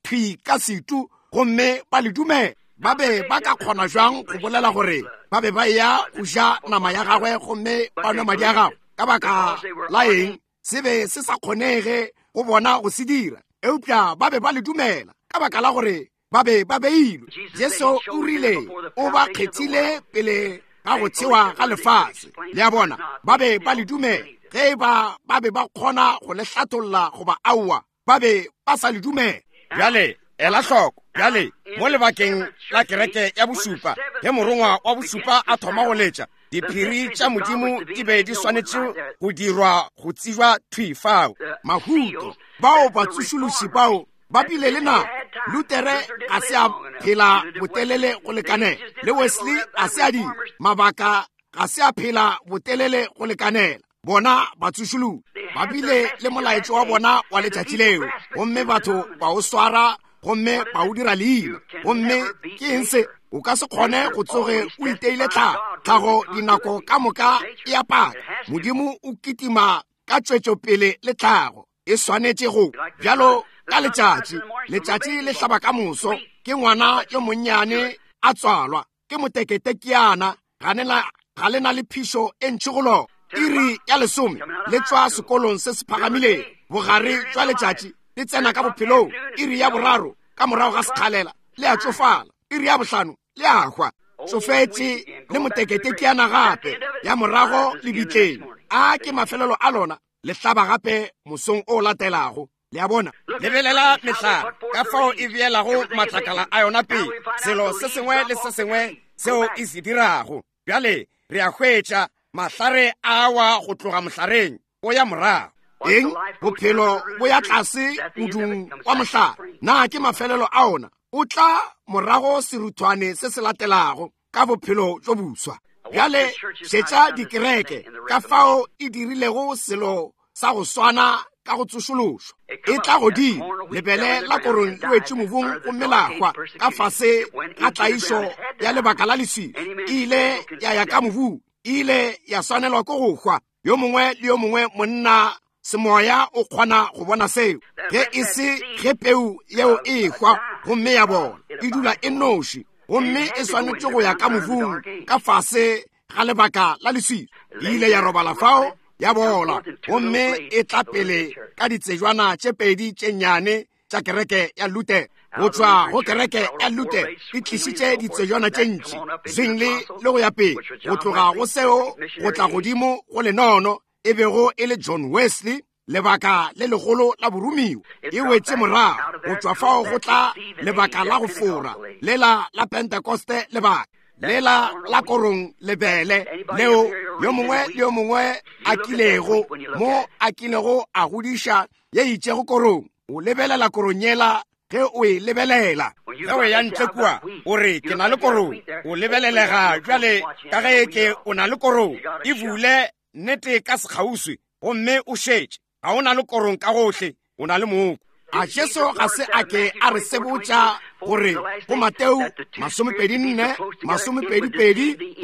thwi ka setu gomme ba le dumela. Ba be ba ka kgona jwang go bolela gore ba be ba ya go ja nama ya gagwe gomme ba nwe madi a gagwe? Ka baka la eng? Se be se sa kgonege go bona go se dira, eupša ba be ba le dumela ka baka la gore ba be ba beilwe. Jesu o rile o ba kgethile pele ga go thewa ga lefase. Le a bona, ba be ba le dumela. Ge ba ba be ba kgona go le hlatholla goba aowa, ba be ba sa le dumela. Bjale ela hloko. Bjale mo lebakeng la kereke ya bošupa, ge morongwa wa bošupa a thoma go letša, diphiri tša Modimo di be di swanetše go dirwa go tsejwa thwi fao. Mahuto bao batsošološi bao ba bile le nako. Lutere ga se a phela botelele go lekanela, le Wesley a se a dira, mabaka ga se a phela botelele go lekanela. Bona batsošološi ba bile le molaetšo wa bona wa letšatši leo, gomme batho ba o swara gomme ba o dira leina. Gomme ke eng se? O ka se kgone go tsoge o iteile tlhago. Tlhago dinako ka moka e a paka. Modimo o kitima ka tšwetšopele le tlhago. E swanetše go bjalo ka letšatši. Letšatši le hlaba ka moso, ke ngwana yo monnyane a tswalwa, ke moteketekiana, ga le na le phišo e ntši go lona. Iri ya lesome le tšwa sekolong se se phagamileng, bogare jwa letšatši le tsena ka bophelong. Iri ya boraro ka morago ga sekgalela le a tšofala. Iri ya bohlano le a hwa. Tsofetše le moteketekiana gape ya morago lebitleng. A ke mafelelo a lona, le hlaba gape mosong o latelago. Le a bona? Lebelela mehlare ka fao e beelago matlakala a yona pele, selo se sengwe le se sengwe seo e se dirago. Bjale re a hwetša mahlare a wa go tloga mohlareng o ya morago. Eng? Bophelo bo ya tlase modung wa mohlare. Na ke mafelelo a ona? O tla morago seruthwane se se latelago ka bophelo bjo boswa. Bjale šetša dikereke ka fao e dirilego selo sa go swana ka go tsošološwa. E tla godimo, lebele la korong le wetše mobung gomme la hwa ka fase ga tlaišo ya lebaka la leswiswi. E ile ya ya ka mobung, e ile ya swanelwa ke go hwa. Yo mongwe le yo mongwe monna semoya o kgona go bona seo. Ge e se ge peu yeo e hwa gomme ya bona, e dula e noši gomme e swanetše go ya ka mobung ka fase ga lebaka la leswiswi. E ile ya robala fao, ya bola, gomme e tla pele ka ditsejwana tše pedi tše nnyane tša kereke ya Luther. Go tšwa go kereke ya Luther e tlišitše ditsejwana tše ntši, Zwingli le go ya pele. Go tloga go seo go tla godimo go lenono e bego e le John Wesley, lebaka le legolo la boromiwa. E wetše morago go tšwa fao go tla lebaka la go fora lela la Pentekoste, lebaka lela la korong lebele leo yo mongwe le yo mongwe a kilego mo a kilego a godiša ye itšego korong. O lebelela korong yela ge o e lebelela. Ge o ya ntle kua o re ke na le korong, o lebelelega bjale ka ge ke o na le korong. E bule nnete ka sekgauswi gomme o šetše. Ga o na le korong ka gohle, o na le mooko. A Jesu ga se a ke a re sebotša gore go Mateo masomepedi nne masomepedi pedi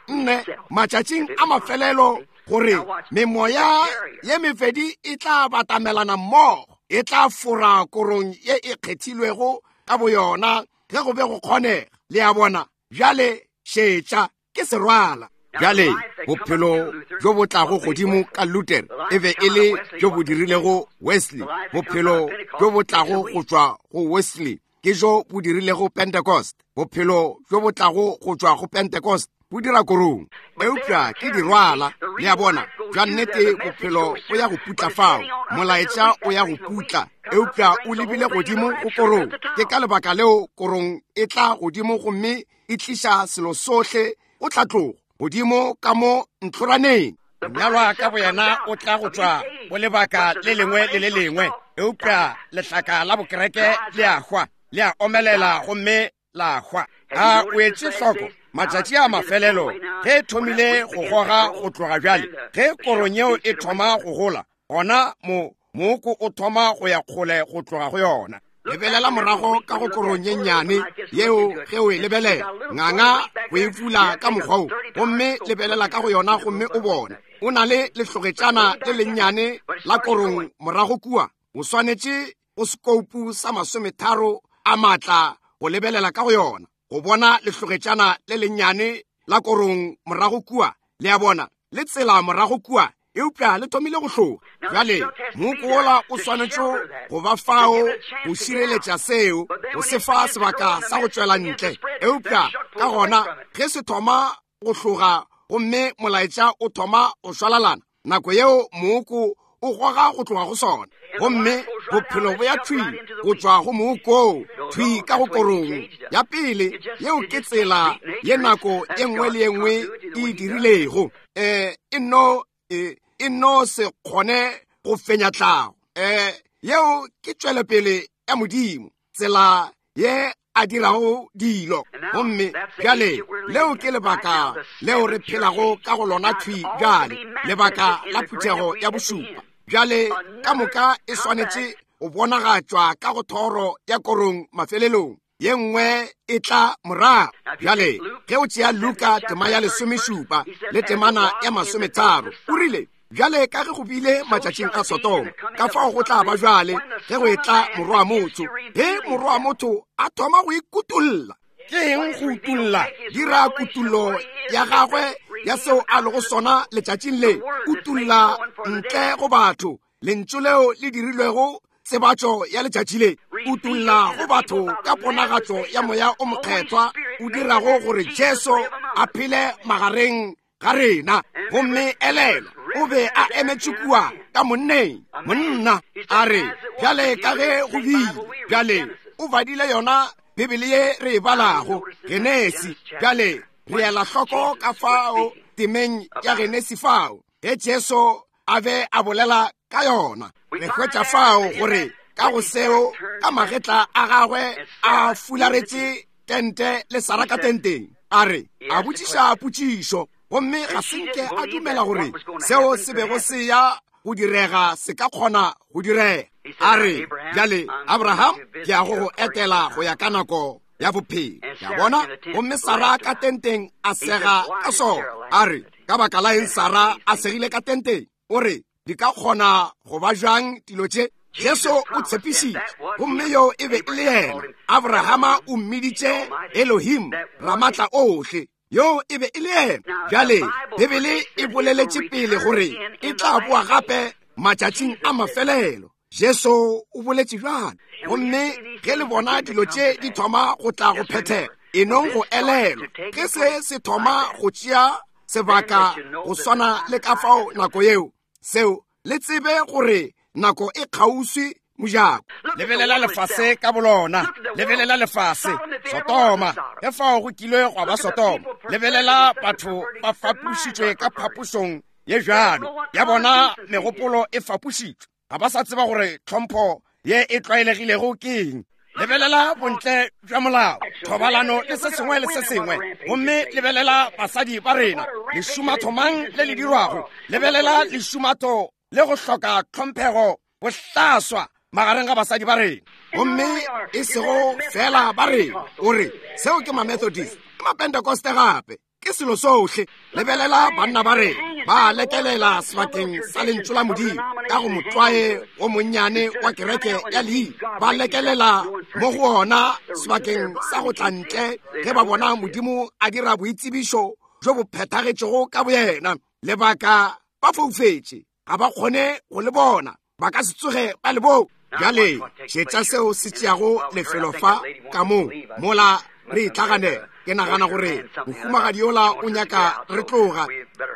nne matšatšing a mafelelo gore memoya ye mefedi e tla batamelana mmogo, e tla fora korong ye e kgethilwego ka boyona ge go be go kgonega. Le a bona? Bjale šetša, ke serwala. Bjale bophelo bjo bo tlago godimo ka Luther e be e le bjo bo dirilego Wesley. Bophelo bjo bo tlago go tšwa go Wesley ke jo bo dirilego Pentecost. Bophelo bjo bo tlago go tšwa go Pentecost bo dira korong. Eupša ke dirwala. Le a bona? Bja nnete bophelo bo ya go putla fao, molaetša o ya go putla, eupša o lebile godimo go korong. Ke ka lebaka leo korong e tla godimo gomme e tliša selo sohle go tlatlogo godimo ka mo ntlhoraneng. Mnyalwa ka boyena o tla go tšwa go lebaka le lengwe le le lengwe, eupša lehlaka la bokereke le a hwa, le a omelela gomme la hwa. A o etše hloko matšatši a mafelelo ge e thomile go goga go tloga bjale, ge korong yeo e thoma go gola, gona mo mooko o thoma go ya kgole go tloga go yona. Lebelela morago ka go korong ye nnyane yeo ge o e lebelela, nganga go e fula ka mokgwa wo, gomme lebelela ka go yona gomme o bone o na le lehlogetšana le lennyane la korong morago kua. O swanetše go sekoupu sa masometharo a maatla go lebelela ka go yona, go bona lehlogetšana le lennyane la korong morago kua. Le a bona? Le tsela morago kua, eupša le thomile go hloga. Bjale mooko wola o swanetše go ba fao go šireletša seo, go se fa sebaka sa go tšwela ntle. Eupša ka gona ge se thoma go hloga gomme molaetša o thoma go šwalalana, nako yeo mooko o goga go tloga go sona, gomme bophelo bo ya thwi go tšwa go mooko thwi ka go korong ya pele. Yeo ke tsela ye nako ye nngwe le ye nngwe e dirilego. Um e nno e nno se kgone go fenya tlhago. Um yeo ke tšwelopele ya Modimo, tsela ye a dirago dilo. Gomme bjale leo ke lebaka leo re phelago ka go lona thwi bjale, lebaka la phuthego ya bošupa. Bjale ka moka e swanetše go bonagatšwa ka go thoro ya korong mafelelong, ye nngwe e tla morago. Bjale ge o tšea Luka tema ya lesomešupa le temana ya masometharo, o rile bjale ka ge go bile matšatšing a Sodoma, ka fao go tla ba bjale ge go etla morwa motho. Ge morwa motho a thoma go ikutulla, ke eng go utulla? Dira kutullo ya gagwe ya seo a lego sona letšatšing le, utulla ntle go batho lentšu leo le dirilwego tsebatšo ya letšatši le. ikutulla go batho ka ponagatšo ya moya o mokgethwa o dirago gore Jesu a phele magareng ga rena. Gomme elelwa, o be a emetše kua ka monneng, monna a re, bjale ka ge go bile, bjale o badile yona Bibele ye re e balago, Genesi. Bjale re ela hloko ka fao temeng ya Genesi fao ge Jesu a be a bolela ka yona. Re hwetša fao gore ka go seo ka magetla a gagwe a fularetše tente le Sara ka tenteng, a re a botšiša potšišo, gomme ga se nke a dumela gore seo se bego se ya go direga se ka kgona go direga. A re, bjale Abraham, ke ya go go etela go ya ka nako ya bophelo. Ya bona? Gomme Sara ka tenteng a sega ka sona. A re, ka baka la eng Sara a segile ka tenteng? O re, di ka kgona go ba jwang dilo tše? Jesu o tshepišitše, gomme yo e be e le yena. Abrahama o mmiditše Elohim, Ramatla ohle. Yo e be e le yena. Bjale Bibele e boleletše pele gore e tla boa gape matšatšing a mafelelo. Jesu o boletše bjalo. Gomme ge le bona dilo tše di thoma go tla go phethega, e nong go elelwa ge se se thoma go tšea sebaka go swana le ka fao nako yeo, seo le tsebe gore nako e kgauswi mojako. Lebelela lefase ka bolona, lebelela lefase Sotoma, ge fao go kilwe gwa ba Sotoma. Lebelela batho ba fapušitšwe ka phapošong ye bjalo ya bona, megopolo e fapušitšwe, ga ba sa tseba gore tlhompho ye e tlwaelegilego ke eng. Lebelela bontle bja molao, thobalano le se sengwe le se sengwe. Gomme lebelela basadi ba rena, lešumatho mang le le dirwago. Lebelela lešumatho le go hloka tlhomphego bohlaswa magareng ga basadi ba rena. Gomme e sego fela ba rena, o re seo ke ma-Methodist, ke ma-Pentecoste gape, ke selo sohle. Lebelela banna ba rena ba lekelela sebakeng sa lentšu la Modimo ka go motlwae o monnyane wa kereke ya leina, ba lekelela mo go ona sebakeng sa go tla ntle ge ba bona Modimo a dira boitsebišo bjo bo phethagetšego ka boyena. Lebaka ba foufetše, ga ba kgone go le bona, ba ka se tsoge ba le bo. Bjale šetša seo se tšeago lefelo fa ka mo mola re itlhaganela. Ke nagana gore mohumagadi yola o nyaka re tloga.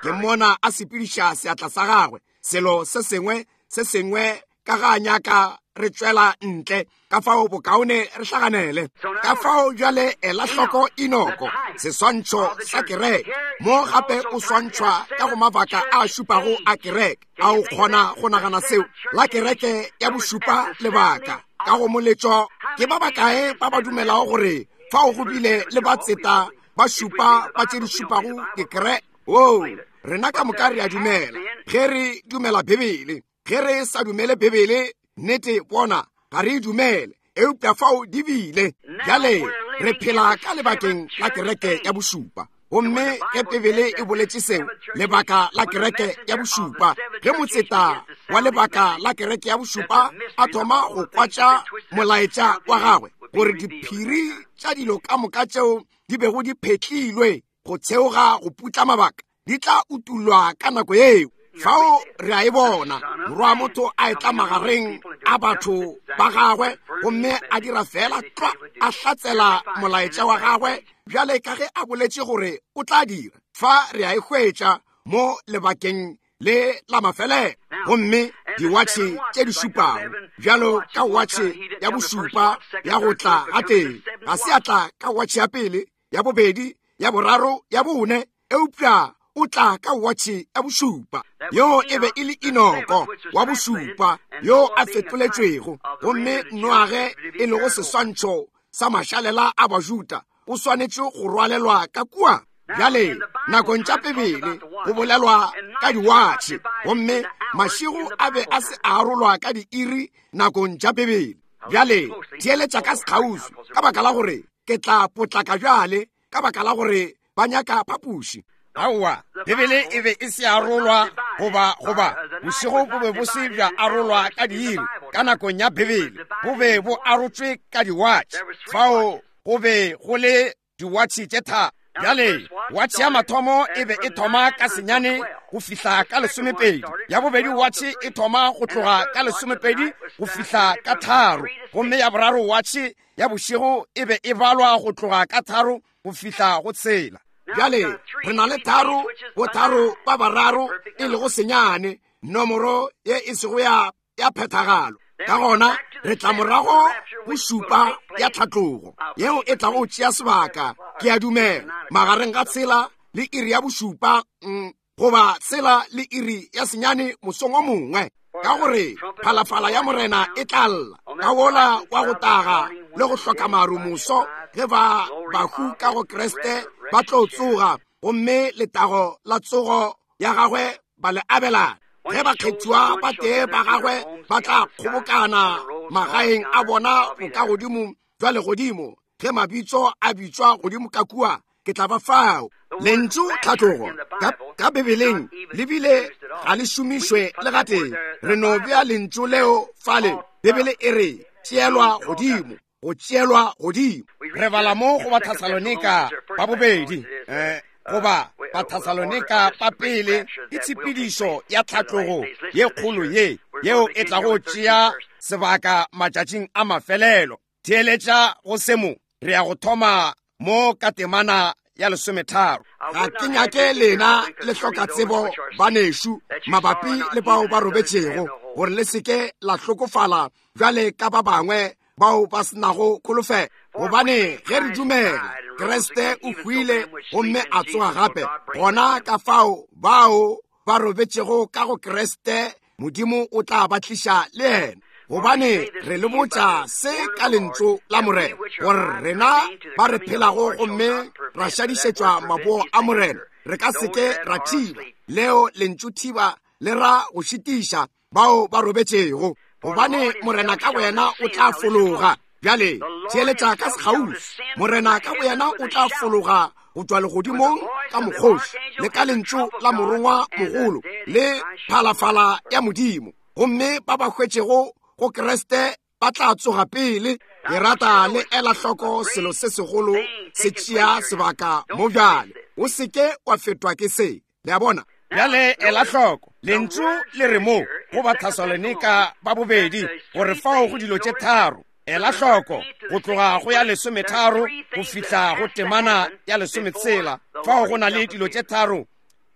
Ke mmona a sepediša seatla sa gagwe, selo se sengwe se sengwe ka ga nyaka re tšwela ntle. Ka fao bokaone re hlaganele. Ka fao bjale ela hloko Enoko, seswantšho sa kereke. Mo gape o swantšhwa ka go mabaka a šupago a kereke. A o kgona go nagana seo? La kereke ya bošupa lebaka ka go moletšo. Ke ba bakae ba ba dumelago gore fao go bile le batseta ba šupa ba tše di šupago dikereke? Oo, rena ka moka re a dumela ge re dumela Bibele. Ge re sa dumele Bibele, nnete bona ga re e dumele, eupša fao di bile. Bjale re phela ka lebakeng la kereke ya bošupa. Gomme ge Bibele e boletše seo, lebaka la kereke ya bošupa, ge motseta wa lebaka la kereke ya bošupa a thoma go kwatša molaetša wa gagwe gore diphiri tša dilo ka moka tšeo di bego di phetlilwe go theoga go putla mabaka di tla utullwa ka nako yeo. Fao re a e bona morwa wa motho a etla magareng a batho ba gagwe, gomme a dira fela tlwa, a hlatsela molaetša wa gagwe bjale ka ge a boletše gore o tla dira. Fa re a e hwetša mo lebakeng le la mafelelo. Gomme diwatšhe tše di šupago, bjalo ka watšhe ya bošupa ya go tla ga teng, ga se a tla ka watšhe ya pele, ya bobedi, ya boraro, ya bone, eupša o tla ka watšhe ya bošupa. Yo e be e le Enoko wa bošupa yo a fetoletšwego. Gomme Noage e lego seswantšho sa mašalela a Bajuda o swanetše go rwalelwa ka kua. Bjale nakong tša Bibele go bolelwa ka diwatšhe, gomme mašego a be a se a arolwa ka diiri nakong tša Bibele. Bjale theeletša ka sekgauswi, ka baka la gore ke tla potlaka bjale, ka baka la gore ba nyaka phapoši. Aowa, Bibele e be e se arolwa goba goba bošego bo be bo se bja arolwa ka diiri ka nakong ya Bibele, bo be bo arotšwe ka diwatšhe. Fao go be go le diwatšhe tše tharo. Bjale watšhe ya mathomo e be e thoma ka senyane go fihla ka lesomepedi, ya bobedi watšhe e thoma go tloga ka lesomepedi go fihla ka tharo, gomme ya boraro watšhe ya bošego e be e balwa go tloga ka tharo go fihla go tshela. Bjale re na le tharo bo tharo ba bararo e lego senyane, nomoro ye e sego ya ya phethagalo. Ka gona re tla morago go šupa ya tlhatlogo yeo e tlago tšea sebaka, ke a dumela, magareng ga tshela le iri ya bošupa, mm, goba tshela le iri ya senyane mosong o mongwe, ka gore phalafala ya morena e tla lla ka wola wa go taga le go hloka maru moso, ge ba bahu ka go Kriste ba tlo tsoga, gomme letago la tsogo ya gagwe ba le abelana. Ge bakgethiwa ba tee ba gagwe ba tla kgobokana magaeng a bona bokagodimo jwa legodimo, ge mabitso a bitswa godimo ka kua, ke tla ba fao. Lentšu tlhatlogo ka, ka Bibeleng le bile ga le šomišwe le gatee. Re no bea lentšu leo fale. Bibele e re tšeelwa godimo, go tšeelwa godimo. Re bala mo go Bathesalonika ba bobedi, eh, goba Bathesalonika ba pele, ke tshepedišo ya tlhatlogo ye kgolo ye yeo e tlago tšea sebaka matšatšing a mafelelo. Theeletša go se mo, re ya go thoma mo ka temana ya lesometharo. Ga ke nyake lena le hloka tsebo banešu mabapi le bao ba robetšego, gore le seke la hlokofala bjale ka ba bangwe bao ba senago kholofelo. Gobane ge re dumela Kriste o hwile gomme a tsoga gape, gona ka fao bao ba robetšego ka go Kriste Modimo o tla ba tliša le yena. Gobane re le botša se ka lentšu la Morena, gore rena ba re phelago gomme ra šadišetšwa maboo a Morena, re ka seke ra thiba. Leo lentšu thiba le ra go šitiša bao ba robetšego, gobane Morena ka boyena o tla fologa. Bjale theeletša ka sekgauswi. Morena ka boyena o tla fologa go tšwa legodimong ka mokgoši le ka lentšu la morongwa mogolo le phalafala ya Modimo, gomme ba ba hwetšego go Kriste ba tla tsoga pele. Ke rata le ela hloko selo se segolo se tšea sebaka mo bjale. O seke wa fetwa ke se. Le a bona? Bjale ela hloko lentšu le re mo go Bathesalonika ba bobedi, gore fao go dilo tše tharo. Ela hloko go tloga go ya lesometharo go fihla go temana ya lesometshela, fao go na le dilo tše tharo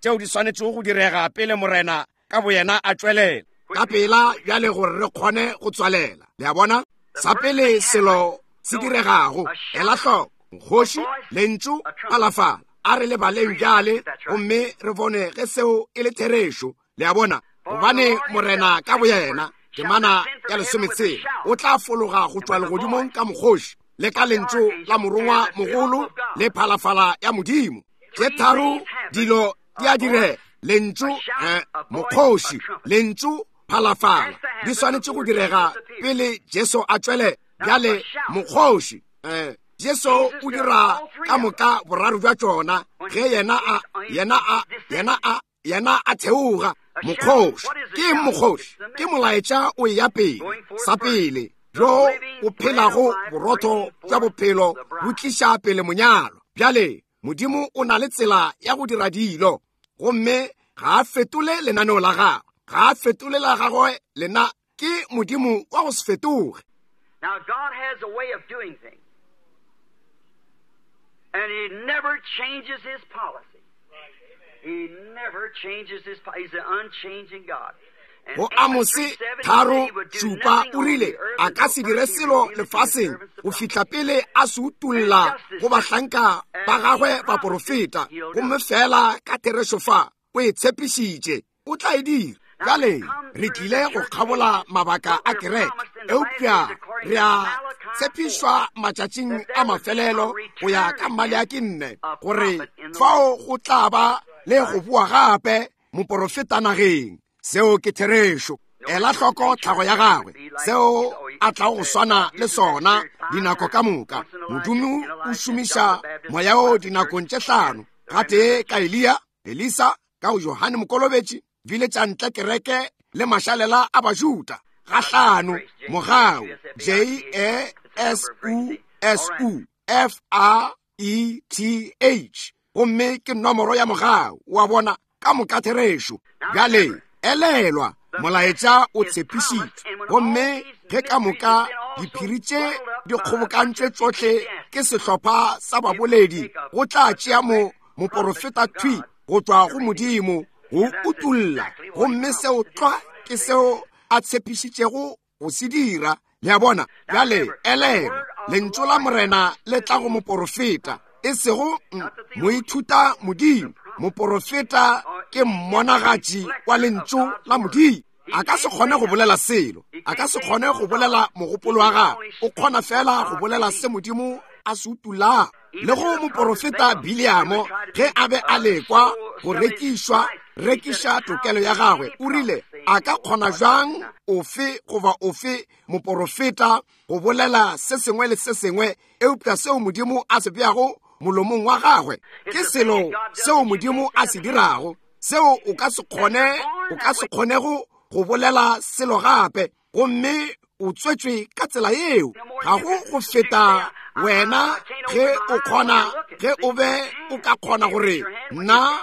tšeo di swanetšego go direga pele Morena ka boyena a tšwelela. Ka pela bjale gore re kgone go tswalela. Le a bona? Sa pele selo se diregago, ela hloko, kgoši, lentšu, phalafala. A re le baleng bjale gomme re bone ge seo e le therešo. Le a bona? Gobane Morena ka boyena, temana ya lesometshela, o tla fologa go tšwa legodimong ka mokgoši le ka lentšu la morongwa mogolo le phalafala ya Modimo. Tše tharo dilo di a direga: lentšu, eh, mokgoši, lentšu, phalafala. Di swanetše go direga pele Jesu a tšwele. Bjale mokgoši, eh, Jesu o dira ka moka boraro bja tšona ge yena a yena a yena a yena a theoga. Mokgoši ke mokgoši ke molaetša o ya pele, sa pele bjo o phelago borotho bja bophelo bo tliša pele monyalo. Bjale Modimo o na le tsela ya go dira dilo, gomme ga a fetole lenaneo la gagwe, ga a fetole la gagwe lena. Ke Modimo wa go se fetoge. Now God has a way of doing things, and he never changes his policy. He never changes his policy. He's an unchanging God. Go Amose tharo šupa o rile a ka se dire selo lefaseng go fihla pele a se utolla go bahlanka ba gagwe baporofeta, gomme fela ka therešo fa o e tshepišitše o tla e dira. Bjale re tlile go kgabola mabaka a kereke, eupša re a tshepišwa matšatšing a mafelelo go ya ka Maleaki nne, gore fao go tla ba le go boa gape moporofeta nageng. Seo ke therešo. Ela hloko tlhago ya gagwe, seo a tlago go swana le sona dinako ka moka. Modimo o šomiša moya o dinakong tše hlano, gatee ka Eliya, Elisa, ka go Johane Mokolobetši, bile tša ntle kereke le mašalela a Bajuda. Ga hlano, mogau, J E S U S U F A E T H, gomme ke nomoro ya mogau, wa bona, ka moka therešo. Bjale elelwa, molaetša o tshepišitšwe, gomme ge ka moka diphiri tše di kgobokantšwe tšohle ke sehlopha sa baboledi, go tla tšea mo moporofeta thwi go tšwa go Modimo go utulla, gomme seo tlwa ke seo a tshepišitšego go se dira. Le a bona? Bjale elelwa, lentšu la Morena le tla go moporofeta, e sego moithuta Modimo. Moporofeta ke mmonagatši wa lentšu la Modimo. A ka se kgone go bolela selo, a ka se kgone go bolela mogopolo wa gagwe, o kgona fela go bolela se Modimo a se utulago. Le go moporofeta Biliamo, ge a be a lekwa go rekišwa, rekiša tokelo ya gagwe, o rile, a ka kgona jang ofe goba ofe moporofeta go bolela se sengwe le se sengwe eupša seo Modimo a se beago molomong wa gagwe? Ke selo seo Modimo a se dirago, seo o ka se kgone, o ka se kgonego go bolela selo gape, gomme o tswetšwe ka tsela yeo. Ga go go feta wena ge o kgona, ge o be o ka kgona gore nna,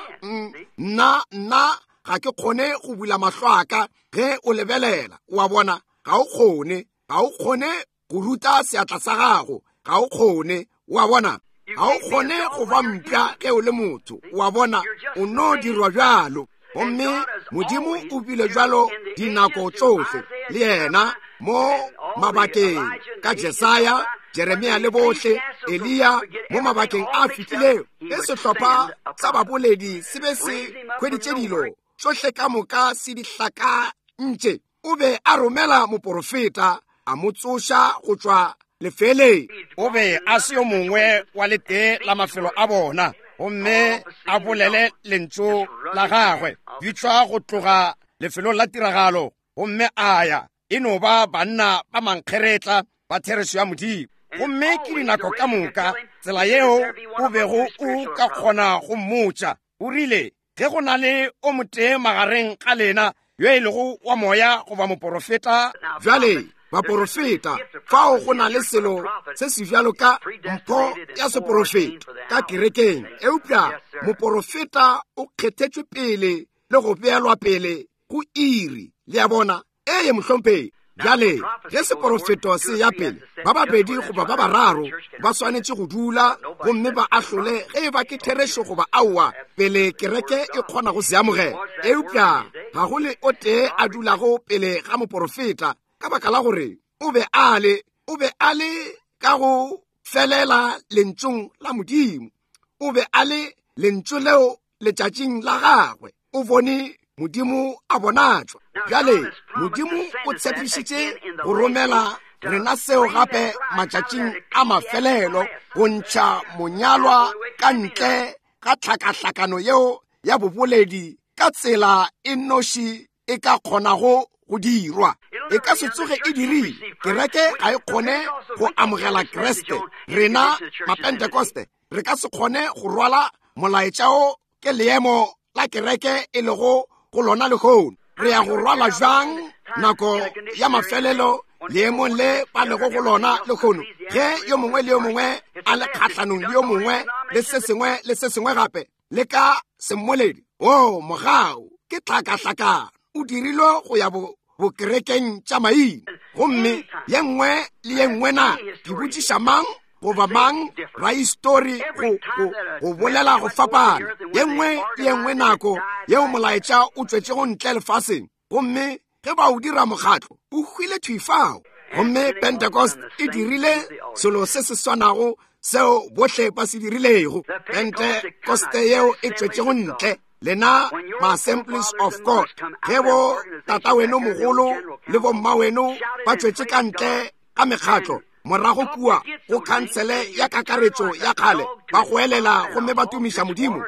nna, nna ga ke kgone go bula mahlo a ka ge o lebelela, wa bona, ga o kgone, ga o kgone go ruta seatla sa gago, ga o kgone, wa bona, ga o kgone go ba mpša ge o le motho, wa bona, o no dirwa bjalo. Gomme Modimo o bile bjalo dinako tšohle le yena mo mabakeng ka Jesaya, Jeremia le bohle, Eliya, mo mabakeng a fetilego. Ge sehlopha sa baboledi se be se hweditše dilo tšohle ka moka se di hlakantše, o be a romela moporofeta a mo tsoša go tšwa lefeleng. O be a se yo mongwe wa letee la mafelo a bona, gomme a bolele lentšu la gagwe bitšwa go tloga lefelong la tiragalo, gomme a ya. E no ba banna ba mankgeretla ba therešo ya Modimo. Gomme ke dinako ka moka tsela yeo o bego o ka kgona go mmotša. O rile, ge go na le o motee magareng ga lena yo e lego wa moya goba moporofeta. Bjale baporofeta, fao go na le selo se se bjalo ka mpho ya seporofeta ka kerekeng, eupša moporofeta o kgethetšwe pele le go beelwa pele go iri. Le a bona? Ee, mohlomphegi. Bjale ge seporofeto se ya pele, ba babedi goba ba bararo ba swanetše go dula gomme ba ahlole ge e ba ke therešo goba aowa pele kereke e kgona go se amogela. Eupša ga go le o tee a dulago pele ga moporofeta, ka baka la gore o be a le, o be a le ka go felela lentšung la Modimo. O be a le lentšu leo letšatšing la gagwe. O bone Modimo a bonatšwa. Bjale Modimo o tshepišitše go romela rena seo gape matšatšing a mafelelo, go ntšha monyalwa ka ntle ga tlhakahlakano yeo ya boboledi ka tsela e nnoši e ka kgonago go dirwa. E ka se tsoge e dirile. Kereke ga e kgone go amogela Kriste. Rena Mapentekoste re ka se kgone go rwala molaetša o ke leemo la kereke e lego go lona lehono. Re ya go rwala jwang nako ya mafelelo leemong le ba lego go lona lehono, ge yo mongwe le yo mongwe a le kgahlanong le yo mongwe le se sengwe le se sengwe gape le ka semmoledi? O mogau ke tlhakahlakano, o dirilwe go ya bo bokerekeng tša maina. Gomme ye nngwe le ye nngwe na ke botšiša mang goba mang rahistori go, go, go bolela go fapana. Ye nngwe le ye nngwe nako yeo molaetša o tšwetšego ntle lefaseng, gomme ge ba o dira mokgatlo, o hwile thwi fao. Gomme Pentecost e dirile selo se se swanago seo bohle ba se dirilego. Pentecoste yeo e tšwetšego ntle, lena ma-Assemblies of God, ge bo tata weno mogolo le bo mma weno ba tšwetše ka ntle ka mekgatlo morago kua go khansele ya kakaretšo ya kgale, ba goelela gomme ba tumiša Modimo,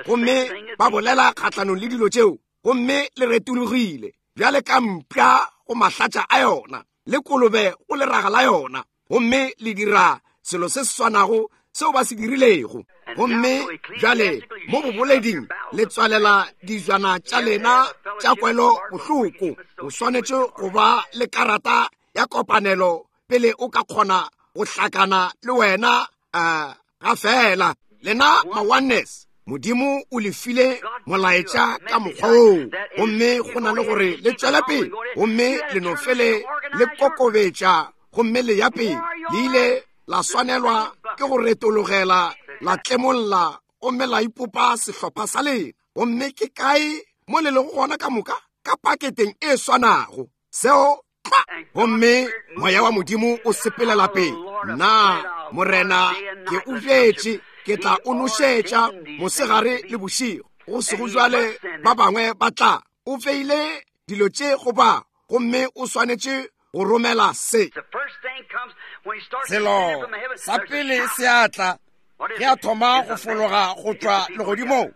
gomme ba bolela kgahlanong le dilo tšeo, gomme le retologile bjale ka mpša go mahlatša a yona le kolobe go leraga la yona, gomme le dira selo se se swanago seo ba se dirilego. Gomme bjale mo boboleding le tswalela dijwana tša lena tša kwelo bohloko. O swanetše go ba le karata ya kopanelo pele o ka kgona go hlakana le wena uh, Ga fela lena ma-oneness, Modimo o le file molaetša ka mokgwa woo, gomme go na le gore le tšwele pele, gomme le no fele le kokobetša gomme le ya pele. Le ile la swanelwa ke go retologela la tlemolla gomme la ipopa sehlopha sa lena. Gomme ke kae mo le lego gona ka moka? Ka paketeng e swanago. Seo tlwa. Gomme moya wa Modimo o sepelela pele. Nna Morena ke o bjetše, ke tla o nošetša mosegare le bošego. Go sego jwale ba bangwe ba tla. O feile dilo tše go ba, gomme o swanetše go romela se. Selo sa pele se a tla ge a thoma go fologa go tšwa legodimong.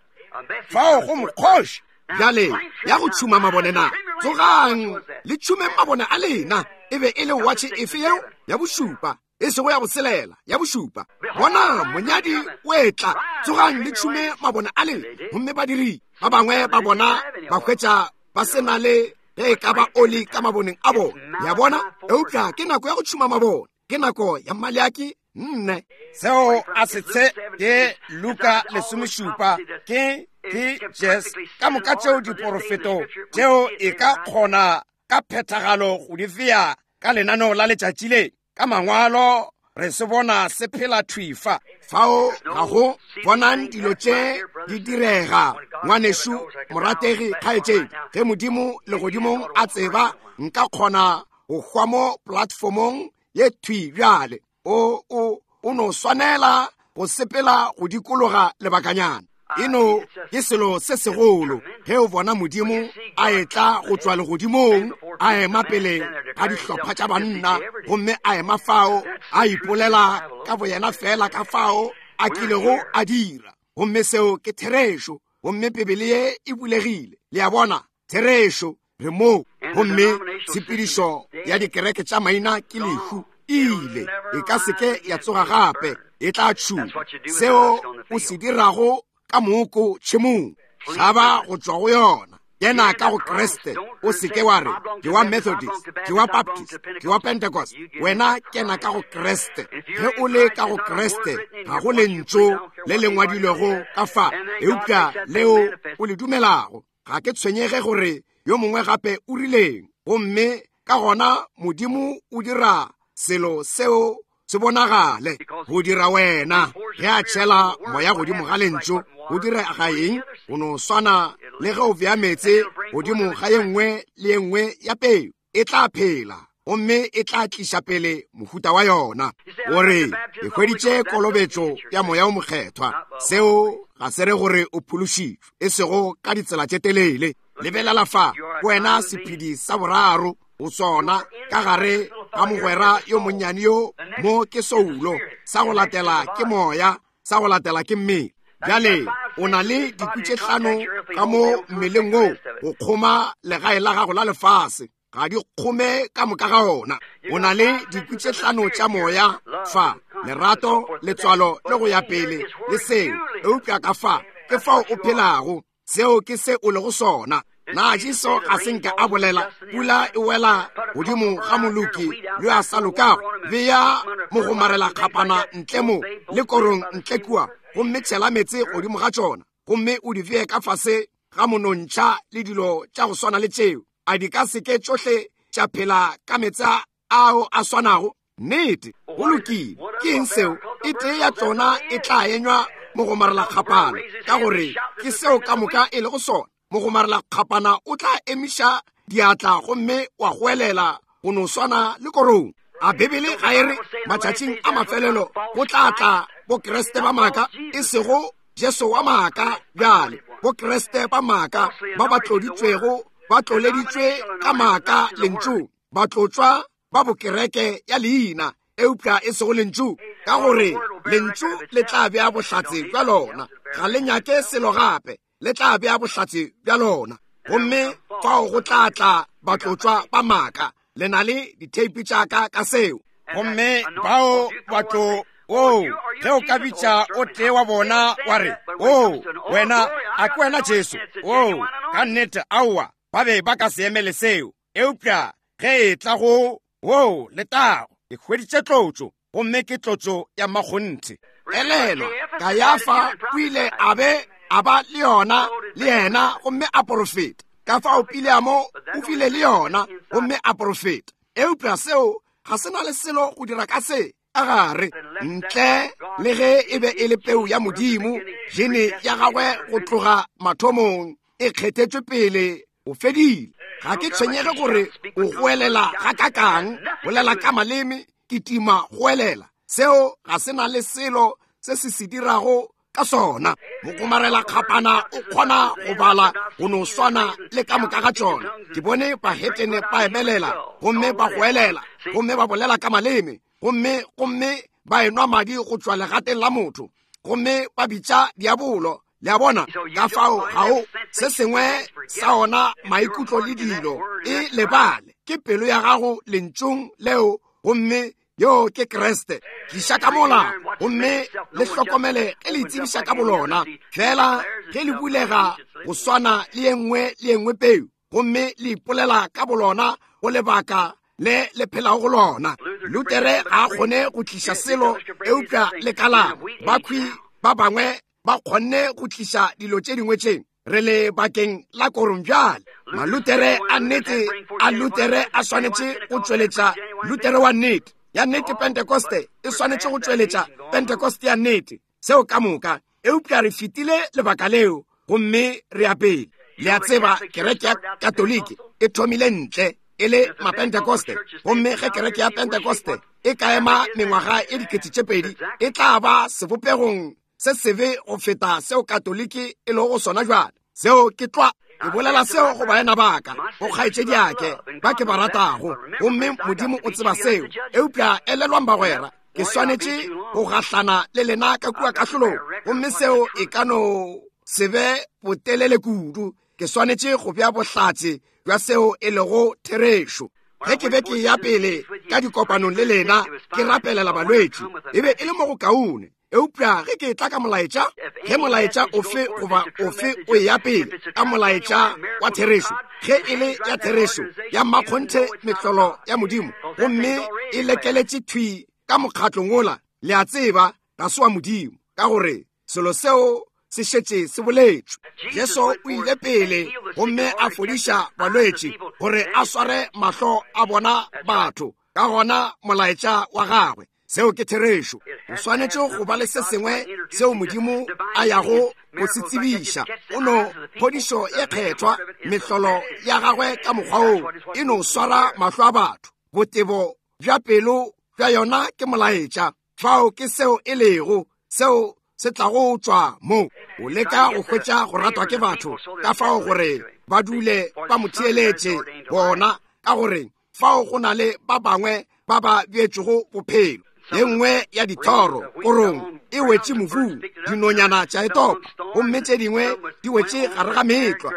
Fao go mokgoši. Bjale ya go tšhuma mabone na? Tsogang le tšhumeng mabone a lena. E be e le watšhe efe yeo? Ya bošupa, e sego ya boselela, ya bošupa. Bona monyadi o etla. Tsogang le tšhume mabone a lena. Gomme badiri ba bangwe ba bona ba hwetša ba se na le ge e ka ba oli ka maboneng a bona. Ya bona? Eupša ke nako ya go tšhuma mabone, ke nako ya Maleaki nne. Seo a se tshe ke Luka lesomešupa, ke ke Jes ka moka tšeo diporofeto tšeo e ka kgona ka phethagalo go di fea ka lenaneo la letšatši le. Ka mangwalo re se bona se phela thwifa. Fao ga go bonang dilo tše di direga. Ngwanešu morategi kgaetšedi, ge Modimo legodimong a tseba nka kgona go hwa mo platformong ye thwi bjale. O o o no swanela go sepela go dikologa lebakanyana. Eno ke selo se segolo ge o bona Modimo a etla go tšwa legodimong, a ema pele ga dihlopha tša banna, gomme a ema fao a ipolela ka boyena fela ka fao a kilego a dira. Gomme seo ke therešo. Gomme Bibele ye e bulegile. Le a bona? Therešo re mo. Gomme tshepedišo ya dikereke tša maina ke lehu. Ile e ka seke ya tsoga gape, e tla tšhuma. Seo o se dirago ka moko tšhemong, hlaba go tšwa go yona. Kena ka go Kriste. O seke wa re ke wa Methodist, ke wa Baptist, ke wa Pentecost. Wena kena ka go Kriste. Ge o le ka go Kriste, ga go lentšu le le ngwadilwego ka fa, eupša leo o le dumelago. Ga ke tshwenyege gore yo mongwe gape o rileng. Gomme ka gona Modimo o dira selo seo se bonagale go dira wena. Ge a tšhela moya godimo ga lentšu, go direga eng? Go no swana le ge o bea meetse godimo ga ye nngwe le ye nngwe ya peu, e tla phela gomme e tla tliša pele mohuta wa yona. Gore e hweditše kolobetšo ya moya o mokgethwa, seo ga se re gore o phološitšwe, e sego ka ditsela tše telele. Lebelela fa, wena sephedi sa boraro o sona ka gare ga mogwera yo monnyane yo mo ke soulo, sa go latela ke moya, sa go latela ke mmele. Bjale o na le dikwi tše hlano ka mo mmeleng wo go kgoma legae la gago la lefase, ga di kgome ka moka ga ona. O na le dikwi tše hlano tša moya fa, lerato, letswalo le go ya pele le seo, eupša ka fa ke fao o phelago. Seo ke se o lego sona. Na Jesu ga se nka a bolela pula e wela godimo ga moloki yo a sa lokago? Bea mogomarela kgapana ntle mo le korong ntle kua, gomme tšhela meetse godimo ga tšona, gomme o di bee ka fase ga monontšha le dilo tša go swana le tšeo. A di ka seke tšohle tša phela ka meetse ao a swanago? Nnete, go lokile. Ke eng seo? E tee ya tšona e tla enywa mogomarela kgapana, ka gore ke seo ka moka e lego sona. Mogomarela kgapana o tla emiša diatla gomme wa goelela go no swana le korong. A Bibele ga e re matšatšing a mafelelo go tla tla bokreste ba maaka, e sego Jesu wa maaka bjale, bokreste ba maaka ba ba tloditšwego, ba tloleditšwe ka maaka lentšu, ba tlotswa ba bokereke ya leina, eupša e sego lentšu, ka gore lentšu le tla bea bohlatse bja lona. Ga le nyake selo gape, le tla bea bohlatse bja lona. Gomme fao go tla tla batlotswa ba maaka. Le na le ditheipi tša ka ka seo. Gomme bao batlo o ge o ka bitša o tee wa bona wa re, o wena a ke wena Jesu? O ka nnete aowa, ba be ba ka se emele seo. Eupša ge e tla go o letago, ke hweditše tlotšo, gomme ke tlotšo ya makgonthe. Elelwa, Kayafa o ile a be a ba le yona le yena gomme a porofeta. Ka fao Pileamo o file le yona gomme a porofeta. Eupša seo ga se na le selo go dira ka se a gare ntle le ge e be e le peu ya Modimo, gene ya gagwe go tloga mathomong e kgethetšwe pele o fedile. Ga ke tshwenyege gore o goelela ga kakang, bolela ka maleme, kitima goelela. Seo ga se na le selo se se se dirago ka sona. Mokomarela kgapana o kgona go bala go no swana le ka moka ga tšona. Ke bone bahetene ba emelela gomme ba goelela gomme ba bolela ka maleme gomme gomme ba enwa madi go tšwa legateng la motho gomme ba bitša diabolo. Le a bona? Ka fao ga o se sengwe sa ona maikutlo le dilo e lebale. Ke pelo ya gago lentšung leo gomme yo ke Kriste. Tliša ka mola gomme le hlokomele ge le itsebiša ka bolona. Fela ge le bulega go swana le ye nngwe le ye nngwe peu gomme le ipolela ka bolona go lebaka le le phelago go lona. Lutere ga a kgone go tliša selo eupša le kalamo. Bakhwi ba bangwe ba kgonne go tliša dilo tše dingwe tše. Re le bakeng la korong bjale. Malutere a nnete a Lutere a swanetše go tšweletša Lutere wa nnete. Ya nnete Pentecoste e swanetše go tšweletša Pentecoste ya nnete. Seo ka moka. Eupša re fetile lebaka leo gomme re ya pele. Le a tseba kereke ya Katoliki e thomile ntle e le Mapentecoste, gomme ge kereke ya Pentecoste e ka ema mengwaga e dikete tše pedi e tla ba sebopegong se sebe go feta seo Katoliki e lego sona jwale. Seo ke tlwa. Ke bolela seo go baena baka, go kgaetšediake ba ke ba ratago, gomme Modimo o tseba seo. Eupša elelwang bagwera, ke swanetše go gahlana le lena ka kua kahlolong, gomme seo e ka no se be botelele kudu. Ke swanetše go bea bohlatse bja seo e lego therešo. Ge ke be ke ya pele ka dikopanong le lena ke rapelela balwetši, e be e le mo go kaone. Eupša ge ke tla ka molaetša, ge molaetša ofe goba ofe o ya pele ka molaetša wa therešo, ge e le ya therešo ya mmakgonthe mehlolo ya Modimo, gomme e lekeletše thwi ka mokgatlong ola, le a tseba ga se wa Modimo, ka gore selo seo se šetše se boletšwe. Jesu o ile pele gomme a fodiša balwetši gore a sware mahlo a bona batho, ka gona molaetša wa gagwe. Seo ke therešo. O swanetše go ba le se sengwe seo Modimo a yago go se tsebiša. O no phodišo ye kgethwa, mehlolo ya gagwe ka mokgwa oo e no swara mahlo a batho. Botebo bja pelo bja yona ke molaetša. Fao ke seo e lego, seo se tlago tšwa mo. O leka go hwetša go ratwa ke batho ka fao gore ba dule ba mo theeletše bona, ka gore fao go na le ba bangwe ba ba bjetšego bophelo. Ye nngwe ya dithoro korong e wetše mobung, dinonyana tša e topa, gomme tše dingwe di wetše gare ga meetlwa,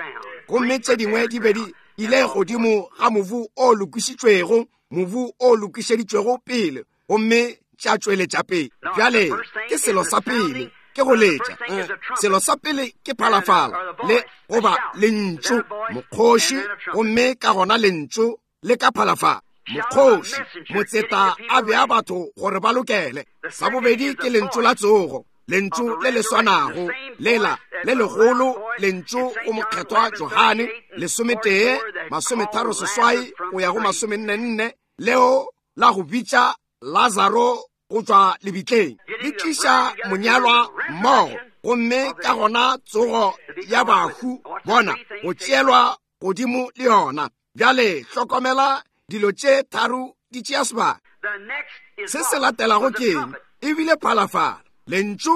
gomme tše dingwe di be di ile godimo ga mobu o lokišitšwego, mobu o lokišeditšwego pele, gomme tša tšweletša pele. Bjale ke selo sa pele ke go letša. Selo sa pele ke phalafala le goba lentšu mokgoši, gomme ka gona lentšu le ka phalafala. Mokgoši motseta a bea batho gore ba lokele. Sa bobedi ke lentšu la tsogo, lentšu le le swanago lela le legolo, lentšu go mokgethwa Johane lesometee masometharo seswai go ya go masomenne nne, leo la go bitša Lazaro go tšwa lebitleng, le tliša monyalwa mmogo, gomme ka gona tsogo ya bahu bona go tšeelwa godimo le yona. Bjale hlokomela dilo tše tharo di tšea sebaka. Se se latelago ke eng? Ebile phalafala, lentšu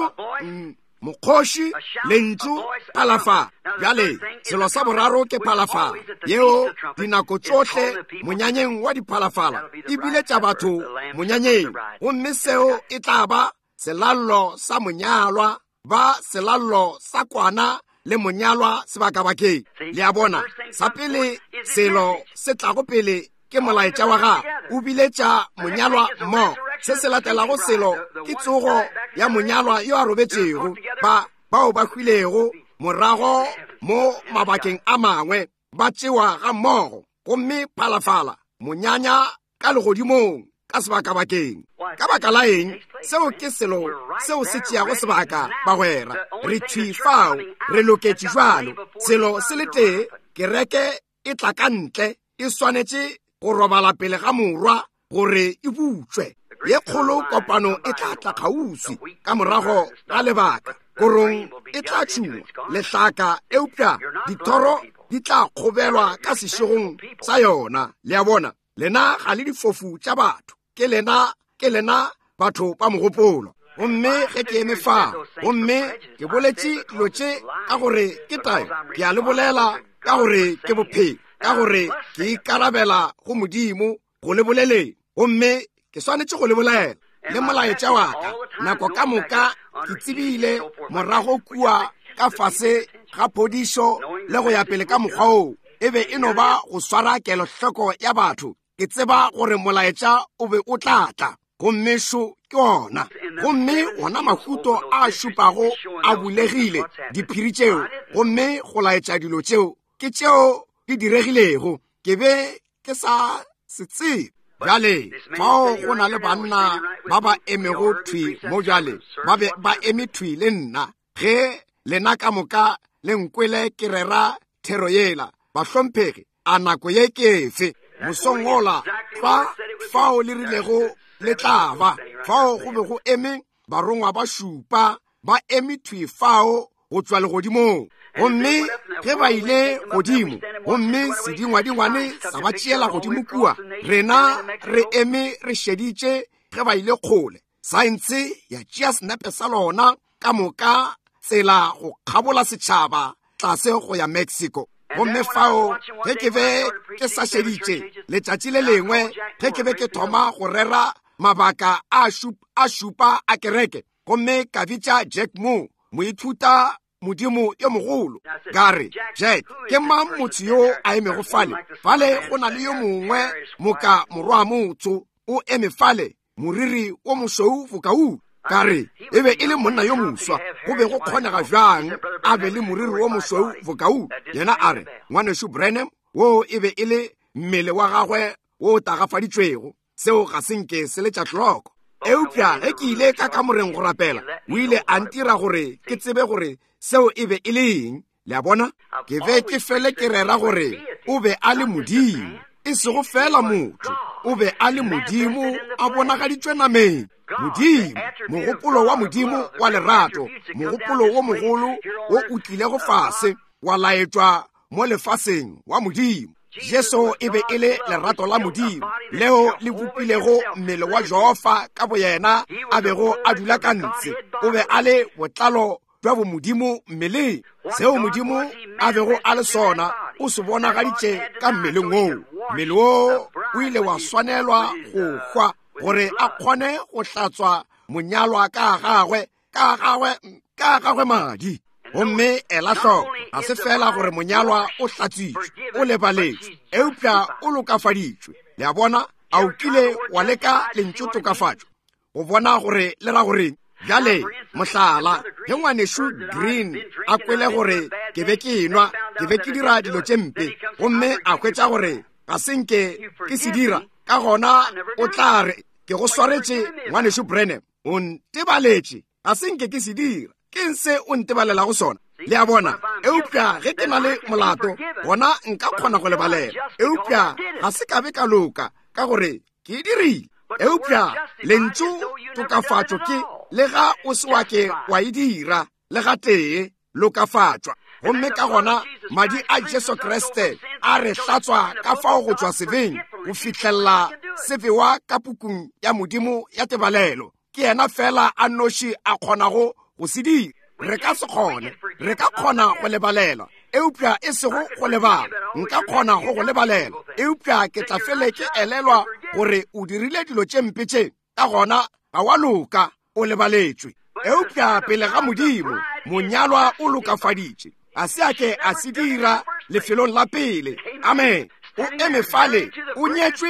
mokgoši, lentšu phalafala. Bjale selo sa boraro ke phalafala, yeo dinako tšohle monyanyeng wa diphalafala e biletša batho monyanyeng, gomme seo e tla ba selallo sa monyalwa, ba selallo sa kwana le monyalwa sebakabakeng. Le a bona, sa pele selo se tlago pele ke molaetša wa gagwe, o biletša monyalwa mmogo. Se se latelago selo ke tsogo ya monyalwa yo a robetšego, ba bao ba hwilego morago mo mabakeng a mangwe ba tšewa ga mmogo, gomme phalafala monyanya ka legodimong ka sebakabakeng. Ka baka la eng? Seo ke selo seo se tšeago sebaka, bagwera. Re thwi fao, re loketše jwalo. Selo se le tee, kereke e tla ka ntle, e swanetše go robala pele ga morwa gore e butšwe. Ye kgolo kopano e tla tla kgauswi ka morago ga lebaka. Korong e tla tšhungwa lehlaka, eupša dithoro di tla kgobelwa ka sešegong sa yona. Le a bona, lena ga le difofu tša batho, ke lena ke lena batho ba mogopolo. Gomme ge ke eme fa, gomme ke boletše dilo tše ka gore ke tayo, ke a le bolela ka gore ke bophelo, ka gore ke ikarabela go Modimo go le boleleng, gomme ke swanetše go le bolela. Le molaetša wa ka nako ka moka ke tsebile morago kua ka fase ga phodišo le go ya pele ka mokgwa oo, e be e no ba go swara kelohloko ya batho. Ke tseba gore molaetša o be o tla tla, gomme šo ke ona. Gomme wona mahuto a šupago a bulegile, diphiri tšeo, gomme go laetša dilo tšeo ke tšeo di diregilego. Ke be ke sa se tsebe. Bjale fao go na le banna ba ba emego thwi mo bjale, ba be ba eme thwi le nna ge lena ka moka le nkwele ke rera thero yela. Bahlomphegi, a nako ye ke efe? Mosong ola fa fao le rilego le tla ba fao, go be go eme barongwa ba šupa ba eme thwi fao go tšwa legodimong. Gomme ge ba ile godimo, gomme sedingwadingwane sa ba tšeela godimo kua, rena re eme re šeditše ge ba ile kgole. Saense ya tšea senepe sa lona ka moka tsela go kgabola setšhaba tlase go ya Mexico. Gomme fao ge ke be ke sa šeditše letšatši le lengwe, ge ke be ke thoma go rera mabaka a a šupa a kereke, gomme ka bitša Jack Moore, moithuta Modimo yo mogolo, ka re, Jack, ke mang motho yo a emego fale? Fale go na le yo mongwe moka morwa motho o eme fale, moriri wo mošweu bokau. Ka re, e be e le monna yo moswa, go be go kgonega bjang a be le moriri wo mošweu bokau? Yena a re, ngwanešu Branham, wo e be e le mmele wa gagwe wo o tagafaditšwego, seo ga se nke se letša hloko. Eupša ge ke ile ka kamoreng go rapela, o ile a ntira gore ke tsebe gore seo e be e le eng. Le a bona, ke be ke fele ke rera gore o be a le Modimo, e sego fela motho, o be a le Modimo a bonagaditšwe nameng. Modimo, mogopolo wa Modimo wa lerato, mogopolo wo mogolo wo o tlilego fase wa laetšwa mo lefaseng wa Modimo. Jesu e be e le lerato la Modimo leo le bopilego mmele wa Jehofa ka boyena a bego a dula ka ntshe. O be a le botlalo bja bomodimo mmeleng. Seo Modimo a bego a le sona o se bonagaditše ka mmeleng woo. Mmele woo o ile wa swanelwa go hwa gore a kgone go hlatswa monyalwa ka gagwe ka gagwe ka gagwe madi. Gomme ela hloko, ga se fela gore monyalwa o hlatswitšwe, o lebaletšwe, eupša o lokafaditšwe. Le a bona, a o kile wa leka lentšu tokafatšo go bona gore le ra goreng? Bjale mohlala, ge ngwanešu Green a kwele gore ke be ke enwa, ke be ke dira dilo tše mpe, gomme a hwetša gore ga se nke ke se dira, ka gona o tla re, ke go swaretše ngwanešu Branham, o ntebaletše, ga se nke ke se dira. Ke se o ntebalelago sona? Le a bona, eupša ge ke na le molato, gona nka kgona go lebalela, eupša ga se ka be ka loka ka gore ke e dirile. Eupša lentšu tokafatšo ke le ga o se wa ke wa e dira le ga tee, lokafatšwa. Gomme ka gona madi a Jesu Kriste a re hlatswa ka fao go tšwa sebeng go fihlella se bewa ka pukung ya Modimo ya tebalelo. Ke yena fela a noši a kgonago go se dira. Re ka se kgone, re ka kgona go lebalela, eupša e sego go lebala. Nka kgona go go lebalela, eupša ke tla fele ke elelwa gore o dirile dilo tše mpe tše, ka gona ga wa loka, o lebaletšwe. Eupša pele ga Modimo, monyalwa o lokafaditše, a se a ke a se dira lefelong la pele. Amen. O eme fale, o nyetšwe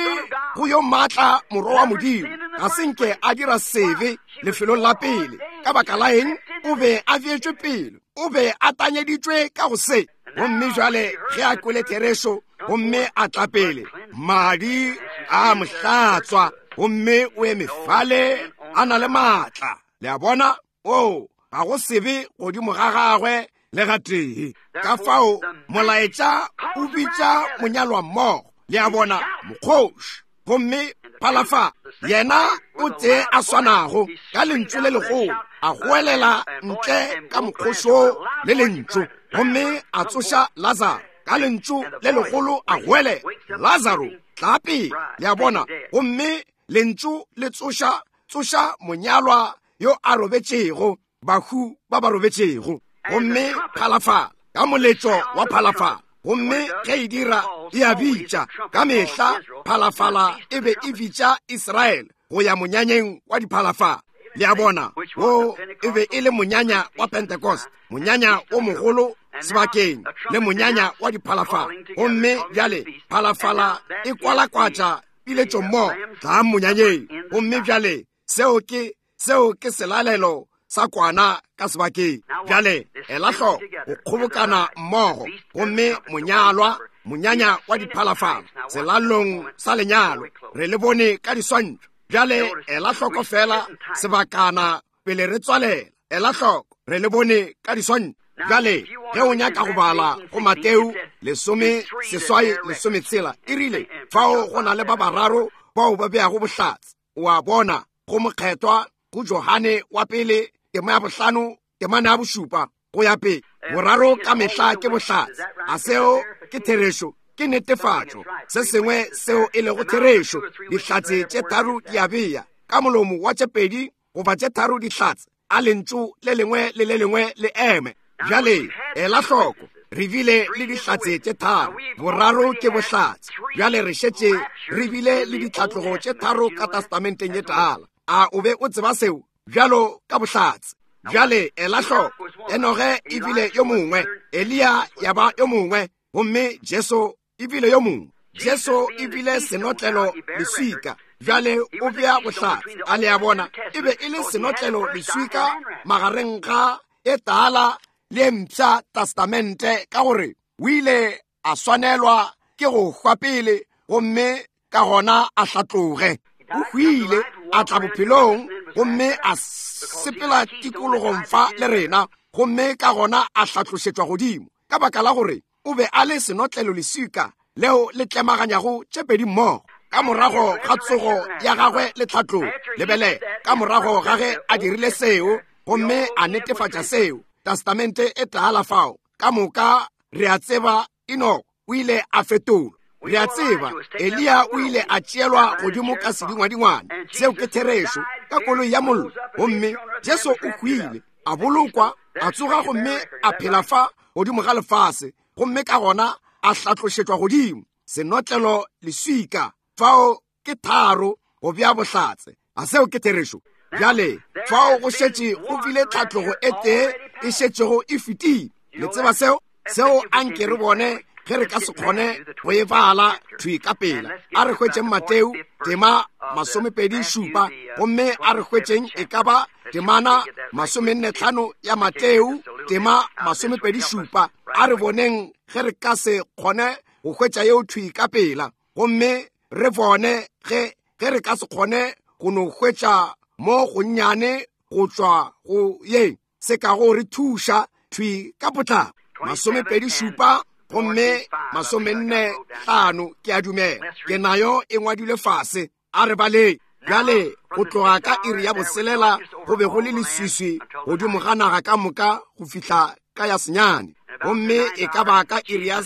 go yo maatla morwa wa Modimo, ga se nke a dira sebe lefelong la pele. Ka baka la eng? O be a beetšwe pele, o be a tanyeditšwe ka go se. Gomme jwale ge a kwele therešo gomme a tla pele, madi a mo hlatswa Gomme o eme fale a na le maatla. Le a bona? O, ga go sebe godimo ga gagwe le gatee. Ka fao molaetša o bitša monyalwa mmogo. Le a bona? Mokgoši. Gomme phalafa yena o tee a swanago ka lentšu le legolo, a goelela ntle ka mokgošo le lentšu, gomme a tsoša Lazaro ka lentšu le legolo, a goele Lazaro tla pele. Le a bona? Gomme lentšu le tsoša tsoša monyalwa yo a robetšego, bahu ba ba robetšego. Gomme phalafala ka moletšo wa phalafala, gomme ge e dira e a bitša ka mehla. Phalafala e be e bitša Israele go ya monyanyeng wa diphalafala. Le a bona? Wo e be e le monyanya wa Pentecost, monyanya o mogolo sebakeng, le monyanya wa diphalafala. Gomme bjale phalafala e kwalakwatša piletšo mmogo, tla monyanyeng. Gomme bjale seo ke seo ke selalelo sa kwana ka sebakeng. Bjale ela hloko go kgobokana mmogo, gomme monyalwa, monyanya wa diphalafala selalong sa lenyalo, re le bone ka diswantšho. Bjale ela hloko fela sebakana pele re tswalela. Ela hloko, re le bone ka diswantšho. Bjale ge o nyaka go bala go Mateo lesome seswai lesome tshela, e rile fao go na le ba bararo bao ba beago bohlatse. O a bona, go mokgethwa, go Johane wa pele tema ya bohlano temana ya bošupa go ya pele. Boraro ka mehla ke bohlatse. A seo ke therešo? Ke netefatšo. Se sengwe seo e lego therešo. Dihlatse tše tharo di a bea ka molomo wa tše pedi goba tše tharo dihlatse, a lentšu le lengwe le le lengwe le eme. Bjale ela hloko, re bile le dihlatse tše tharo, boraro ke bohlatse. Bjale re šetše re bile le ditlhatlogo tše tharo ka testamenteng ye tala. A o be o tseba seo? Bjalo ka bohlatse. Bjale ela hloko, Enoge e bile yo mongwe, Eliya ya ba yo mongwe, gomme Jesu e bile yo mongwe. Jesu e bile senotlelo leswika. Bjale o bea bohlatse. A le a bona? E be e le senotlelo leswika magareng ga e tala le mpsha testamente, ka gore o ile a swanelwa ke go hwa pele, gomme ka gona a hlatloge. O hwile, a tla bophelong, gomme a sepela tikologong fa le rena, gomme ka gona a hlatlošetšwa godimo, ka baka la gore o be a le senotlelo leswika leo le tlemaganyago tše pedi mmogo. Ka morago ga tsogo ya gagwe le tlhatlogo, lebele, ka morago ga ge a dirile seo gomme a netefatša seo, testamente e tala fao ka moka re a tseba Enoch o ile a fetolwa. Re a tseba Eliya o ile a tšeelwa godimo ka sedingwadingwane, seo ke therešo, ka koloi ya mollo. Gomme Jesu o hwile, a bolokwa, a tsoga, gomme a phela fa godimo ga lefase, gomme ka gona a hlatlošetšwa godimo. Senotlelo leswika fao ke tharo go bea bohlatse. A seo ke therešo? Bjale fao go šetše go bile tlhatlogo e tee e šetšego e fetile. Le tseba seo? Seo anke re bone ge re ka se kgone go e bala thwi ka pela. A re hwetšeng Mateo tema masomepedi šupa, gomme a re hwetšeng e ka ba temana masomenne tlhano ya Mateo tema masomepedi šupa. A re boneng ge re ka se kgone go hwetša yeo thwi ka pela, gomme re bone ge ge re ka se kgone go no hwetša mo gonnyane go tšwa go ye se ka go re thuša thwi ka potlako. Masomepedi šupa gomme masomenne hlano, ke a dumela ke nayo e ngwadilwe fase. A re baleng. Bjale go tloga ka iri ya boselela go be go le leswiswi godimo ga naga ka moka go fihla ka ya senyane. Gomme e ka ba ka iri ya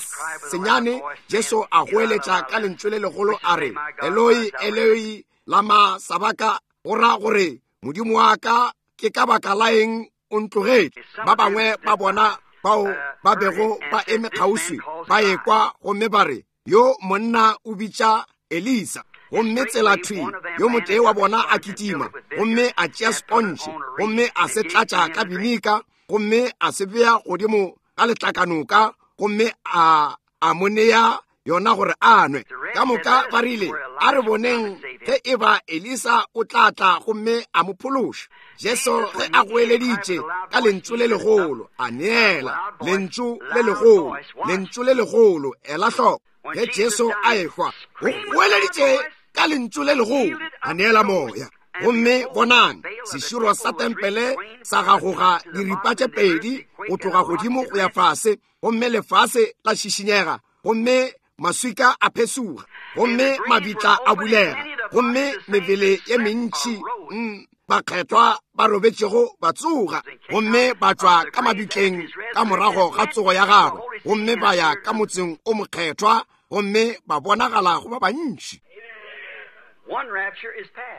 senyane Jesu a goeletša ka lentšu le legolo a re, Eloi, Eloi, lama sabaka, go ra gore Modimo wa ka, ke ka baka la eng o ntlogetše? Ba bangwe ba bona bao ba bego ba eme kgauswi ba ekwa gomme ba re, yo monna o bitša Elisa. Gomme tsela thwi yo motee wa bona a kitima, gomme a tšea spontšhe, gomme a se tlatša ka binika, gomme a se bea godimo ga letlakanoka, gomme a a mo nea yona gore a nwe. Ka moka ba rile, a re boneng ge e ba Elisa o tla tla gomme a mo phološa. Jesu ge a goeleditše ka lentšu le legolo, a neela lentšu le legolo, lentšu le legolo. Ela hloko, ge Jesu a ehwa, o goeleditše ka lentšu le legolo a neela moya. Gomme bonang, seširo sa tempele sa gagoga diripa tše pedi go tloga godimo go ya fase, gomme lefase la šišinyega, gomme maswika a phesuga, gomme mabitla a bulega, gomme mebele ye mentši mm, bakgethwa ba robetšego ba tsoga, gomme ba tšwa ka mabitleng ka morago ga tsogo ya gagwe, gomme ba ya ka motseng o mokgethwa, gomme ba bonagala go ba bantši.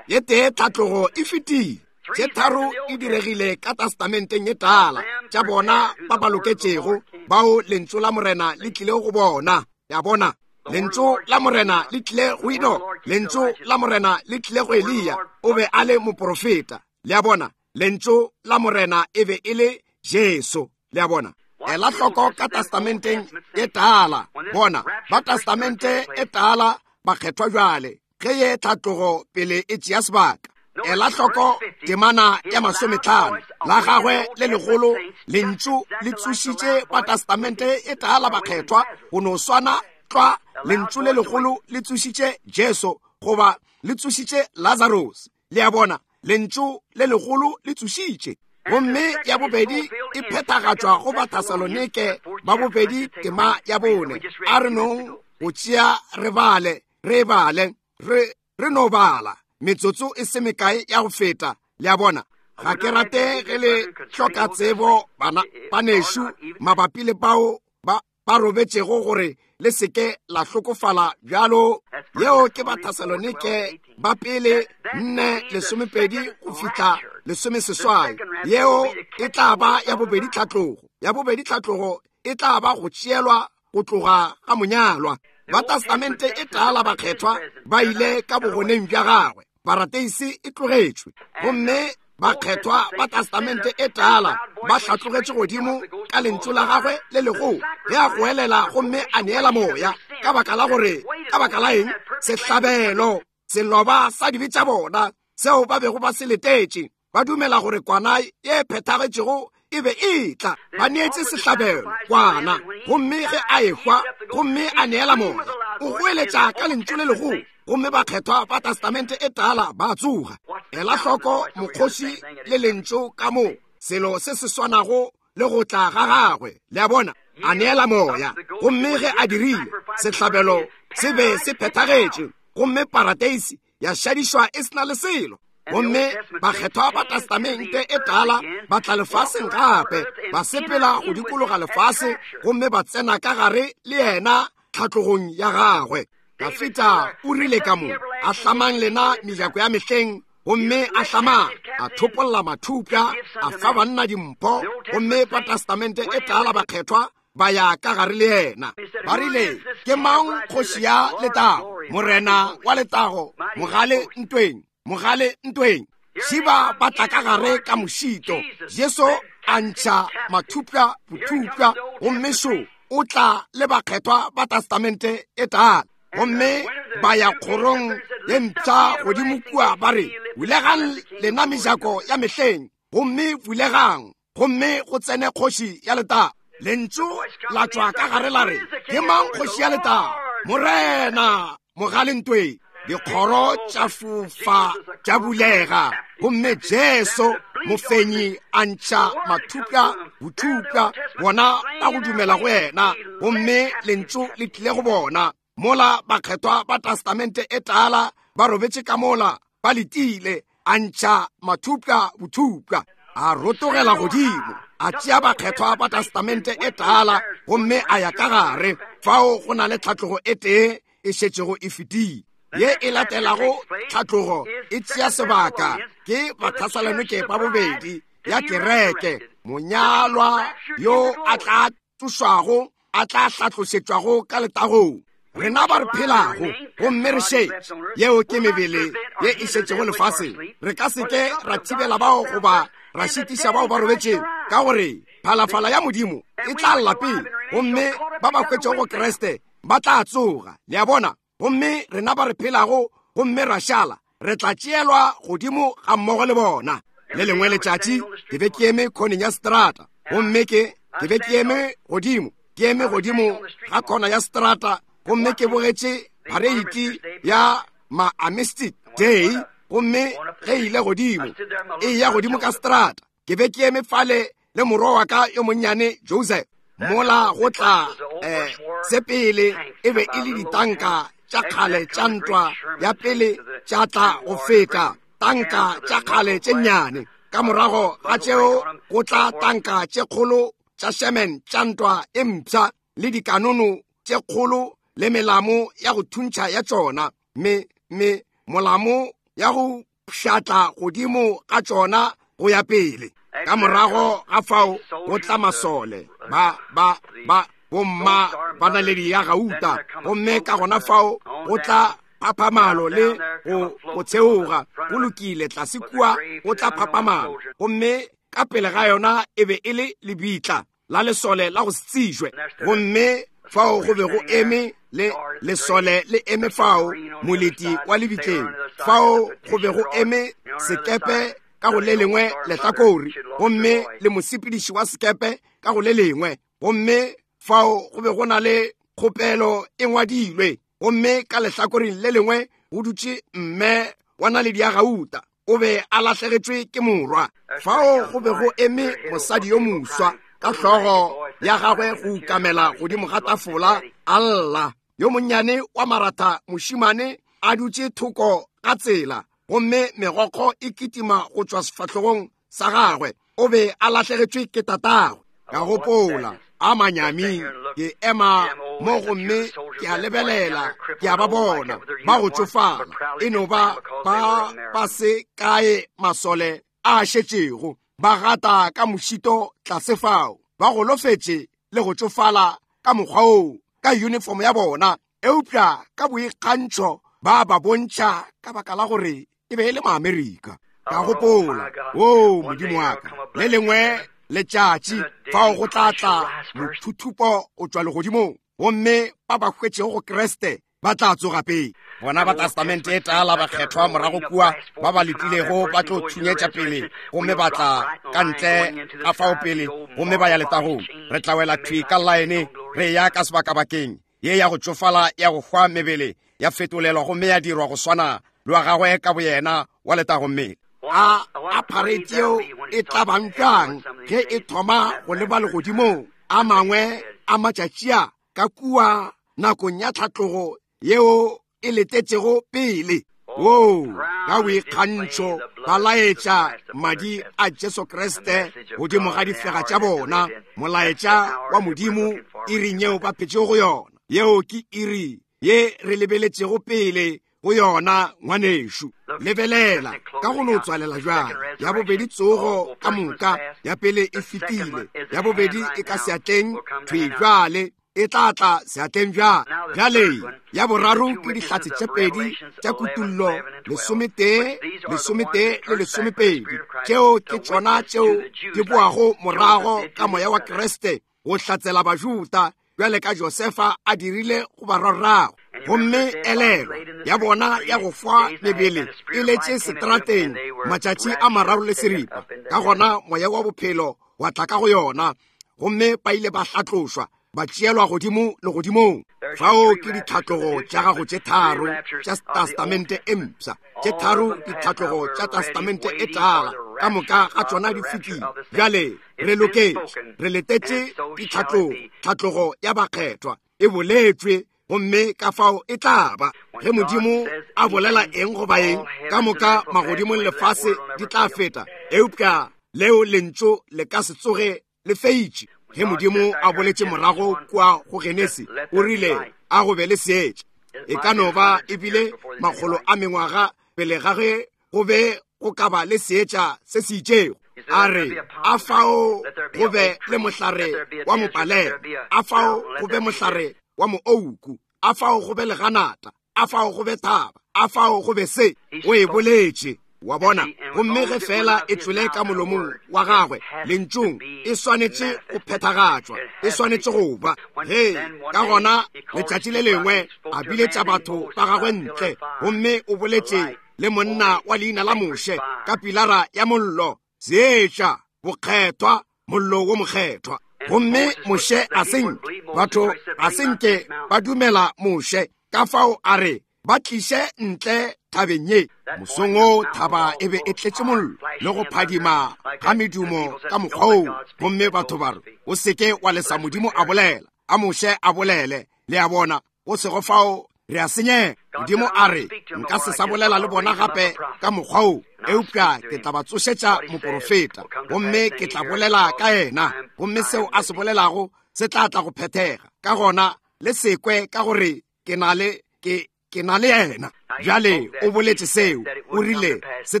Ye tee tlhatlogo e fetile, tše tharo e diregile ka testamenteng ye tala, tša bona ba ba loketšego, bao lentšu la Morena le tlile go bona. Ya bona, lentšu la Morena le tlile go Enoch, lentšu la Morena le tlile go Eliya, o be a le moprofeta. Le a bona, lentšu la Morena e be e le Jesu. Le a bona, ela hloko ka testamenteng e tala. Bona, ba testamente e tala bakgethwa jwale, ge ye tlhatlogo pele e tšea sebaka. Ela hloko temana ya masometlhano, la gagwe le legolo lentšu le tsošitše ba testamente e tala bakgethwa, go no swana tlwa lentšu le legolo le tsošitše Jesu goba le tsošitše Lazarus. Le a bona, lentšu le legolo le tsošitše. Gomme ya bobedi e phethagatšwa go Bathesalonike ba bobedi tema ya bone. A re nong go tšea re bale, re bale, re re no bala metsotso e se mekae ya go feta. Le a bona, ga ke rate ge le hloka tsebo bana banešu mabapi le bao ba ba robetšego gore le seke la hlokofala bjalo. Yeo ke Bathesalonike ba pele nne lesomepedi go fihla lesomeseswai. Yeo e tla ba ya bobedi tlhatlogo. Ya bobedi tlhatlogo e tla ba go tšeelwa go tloga ga monyalwa. Ba testamente e tala bakgethwa ba ile ka bogoneng bja gagwe, parateisi e tlogetšwe, gomme bakgethwa ba testamente e tala ba hlatlogetše godimo ka lentšu la gagwe le legolo, ge a goelela gomme a neela moya. Ka baka la gore, ka baka la eng? Sehlabelo, seloba sa dibe tša bona seo ba bego ba se letetše, ba dumela gore kwana ye phethagetšego e be e tla. Ba neetse sehlabelo kwana, gomme ge a ehwa gomme a neela moya, o goeletša ka lentšu le legolo, gomme bakgethwa ba testamente e tala ba tsoga. Ela hloko mokgoši le lentšu ka mo, selo se se swanago le go tla ga gagwe. Le a bona, a neela moya, gomme ge a dirile, sehlabelo se be se phethagetše, gomme parateisi ya šadišwa e sena le selo. Gomme bakgethwa ba testamente e tala ba tla lefaseng gape, ba sepela go dikologa lefase, gomme ba tsena ka gare le yena tlhatlogong ya gagwe. Dafita o rile ka mo, a hlamang lena mejako ya mehleng, gomme a hlamang, a thopolla mathupša, a fa banna dimpho, gomme ba testamente e tala bakgethwa ba ya ka gare le yena. Ba rile, ke mang kgoši ya letago, morena wa letago, mogale ntweng, mogale ntweng? Šiba ba tla ka gare ka mošito. Jesu a ntšha mathupša bothupša, gomme šo o tla le bakgethwa ba testamente e tala. Gomme ba ya kgorong ye mpsha godimo kua, ba re, bulegang lena mejako ya mehleng, gomme bulegang, gomme go tsene kgoši ya letago. Lentšu la tšwa ka gare la re, ke mang kgoši ya letago? Morena mogale ntweng. Dikgoro tša fofa tša bulega, gomme Jesu mofenyi a ntšha mathupša bothupša, bona ba go dumela go yena, gomme lentšu le tlile go bona. Mola bakgethwa ba testamente e tala ba robetše ka mola ba letile, a ntšha mathupša bothupša, a rotogela godimo, a tšea bakgethwa ba testamente e tala, gomme a ya ka gare. Fao go na le tlhatlogo e tee e šetšego e fetile. Ye e latelago tlhatlogo e tšea sebaka ke Bathesalonike ba bobedi ya kereke, monyalwa yo a tla tsošwago, a tla hlatlošetšwago ka letagong. Rena ba re phelago gomme re šetše, yeo ke mebele ye e šetšego lefaseng, re ka se ke ra thibela bao goba ra šitiša bao ba robetšego, ka gore phalafala ya Modimo e tla lla pele, gomme ba ba hwetšego go Kriste ba tla tsoga. Le a bona, gomme rena ba re phelago gomme ra šala, re tla tšeelwa godimo ga mmogo le bona. Le lengwe letšatši ke be ke eme khoneng ya strata, gomme ke ke be ke eme godimo, ke eme godimo ga khona ya strata, gomme ke bogetše pareiti ya Ma-Armistice Day, gomme ge ile godimo e ya godimo ka strata. Ke be ke eme fale le morwa wa ka yo monnyane Joseph. Mola go tla eh, se pele e be e le ditanka tša kgale tša ntwa ya pele tša tla go feta tanka tša kgale tše nnyane. Ka morago ga tšeo go tla tanka tše kgolo tša Sherman tša ntwa e mpsha le dikanono tše kgolo le melamo ya go thuntšha ya tšona, me me molamo ya go pšhatla godimo ga tšona go ya pele. Ka morago ga fao go tla masole ba ba ba bomma ba naledi ya gauta, gomme ka gona fao go tla phaphamalo le go go theoga. Go lokile, tlase kua go tla phaphamalo, gomme ka pele ga yona e be e le lebitla la lesole la go se tsejwe. Gomme fao go be go eme le lesole le eme fao moleti wa lebitleng. Fao go be go eme sekepe ka go le lengwe lehlakore, gomme le mosepediši wa sekepe ka go le lengwe. Gomme fao go be go na le kgopelo e ngwadilwe, gomme ka lehlakoreng le lengwe go dutše mme wa naledi ya gauta, o be a lahlegetšwe ke morwa. Fao go be go eme mosadi yo moswa ka hlogo ya gagwe go ukamela godimo ga tafola a lla. Yo monnyane wa maratha mošimane a dutše thoko ga tsela, gomme megokgo e kitima go tšwa sefahlogong sa gagwe. O be a lahlegetšwe ke tatagwe. Ka gopola, a manyami, ke ema mo gomme ke a lebelela, ke a ba bona ba go tšofala, e no ba ba ba se kae masole a šetšego, ba gata ka mošito tlase fao, ba golofetše le go tšofala ka mokgwa oo ka uniform ya bona, eupša ka boikgantšho ba ba bontšha ka baka la gore e be e le Maamerika. Ka gopola, o Modimo wa ka, le lengwe letšatši fao go tla tla mothuthupo o tšwa legodimong, gomme ba ba hwetšego go Kriste ba tla tsoga pele. Bona ba Testamente e tala bakgethwa morago kua ba ba letilego ba tlo thunyetša pele, gomme ba tla ka ntle ga fao pele, gomme ba ya letagong. Re tla wela thwi ka laene, re ya ka sebakabakeng ye ya go tšofala ya go hwa mebele ya fetolelwa gomme ya dirwa go swana le wa gagwe ka boyena wa letago mmele. A a parade yeo e tla bang bjang ge e thoma go leba legodimong a mangwe a matšatši a ka kua nakong ya tlhatlogo yeo e letetšego pele. Wo ka boikgantšho ba laetša madi a Jesu Kriste godimo ga difega tša bona, molaetša wa Modimo iring yeo ba phetšego go yona. Yeo ke iri ye re lebeletšego pele go yona, ngwanešu. Lebelela ka go no tswalela bjang. Ya bobedi tsogo ka moka, ya pele e fetile, ya bobedi e ka seatleng thwi bjale, e tla tla seatleng bjale. Bjale ya boraro ke dihlatse tše pedi tša kutullo lesometee, lesometee le lesomepedi. Tšeo ke tšona tšeo di boago morago ka moya wa Kriste go hlatsela Bajuda bjale ka Josefa a dirile go barwarrago. Gomme elelo ya bona ya go fa mebele e letše seterateng matšatši a mararo le seripa. Ka gona moya wa bophelo wa tla ka go yona, gomme ba ile ba hlatlošwa ba tšeelwa godimo legodimong. Fao ke ditlhatlogo tša gago tše tharo tša Testamente e mpsha, tše tharo ditlhatlogo tša Testamente e tala, ka moka ga tšona di fetile. Bjale re loketše, re letetše ditlhatlogo, tlhatlogo ya bakgethwa e boletšwe, gomme ka fao e tla ba. Ge Modimo a bolela eng goba eng, ka moka magodimong lefase di tla feta, eupša leo lentšu le ka se tsoge le feitše. Ge Modimo a boletše morago kua go Genesi, o rile a go be le seetša. E ka no ba ebile makgolo a mengwaga pele ga ge go be go ka ba le seetša se se itšego. A re, a fao go be le mohlare wa mopalema, a fao go be mohlare wa moouku, a fao go be leganata, a fao go be thaba, a fao go be se. O e boletše, wa bona. Gomme ge fela e tšwele ka molomong wa gagwe lentšung, e swanetše go phethagatšwa, e swanetše go ba. Ge ka gona letšatši le lengwe a biletša batho ba gagwe ntle, gomme o boletše le monna wa leina la Moshe ka pilara ya mollo, seetša, bokgethwa, mollo wo mokgethwa. Gomme Moshe a senke, batho a senke ba dumela Moshe. Ka fao a re Ba tliše ntle thabeng ye. Mosong wo thaba e be e tletše mollo le go phadima ga medumo ka mokgwa woo, gomme batho ba re, o seke wa lesa Modimo a bolela, a Moshe a bolele. Le a bona, go sego fao re a senyega. Modimo a re, nka se sa bolela le bona gape ka mokgwa wo, eupša ke tla ba tsošetša moporofeta, gomme ke tla bolela ka yena, gomme seo a se bolelago se tla tla go phethega. Ka gona le sekwe ka gore ke na le ke ke na le yena. Bjale o boletše seo, o rile se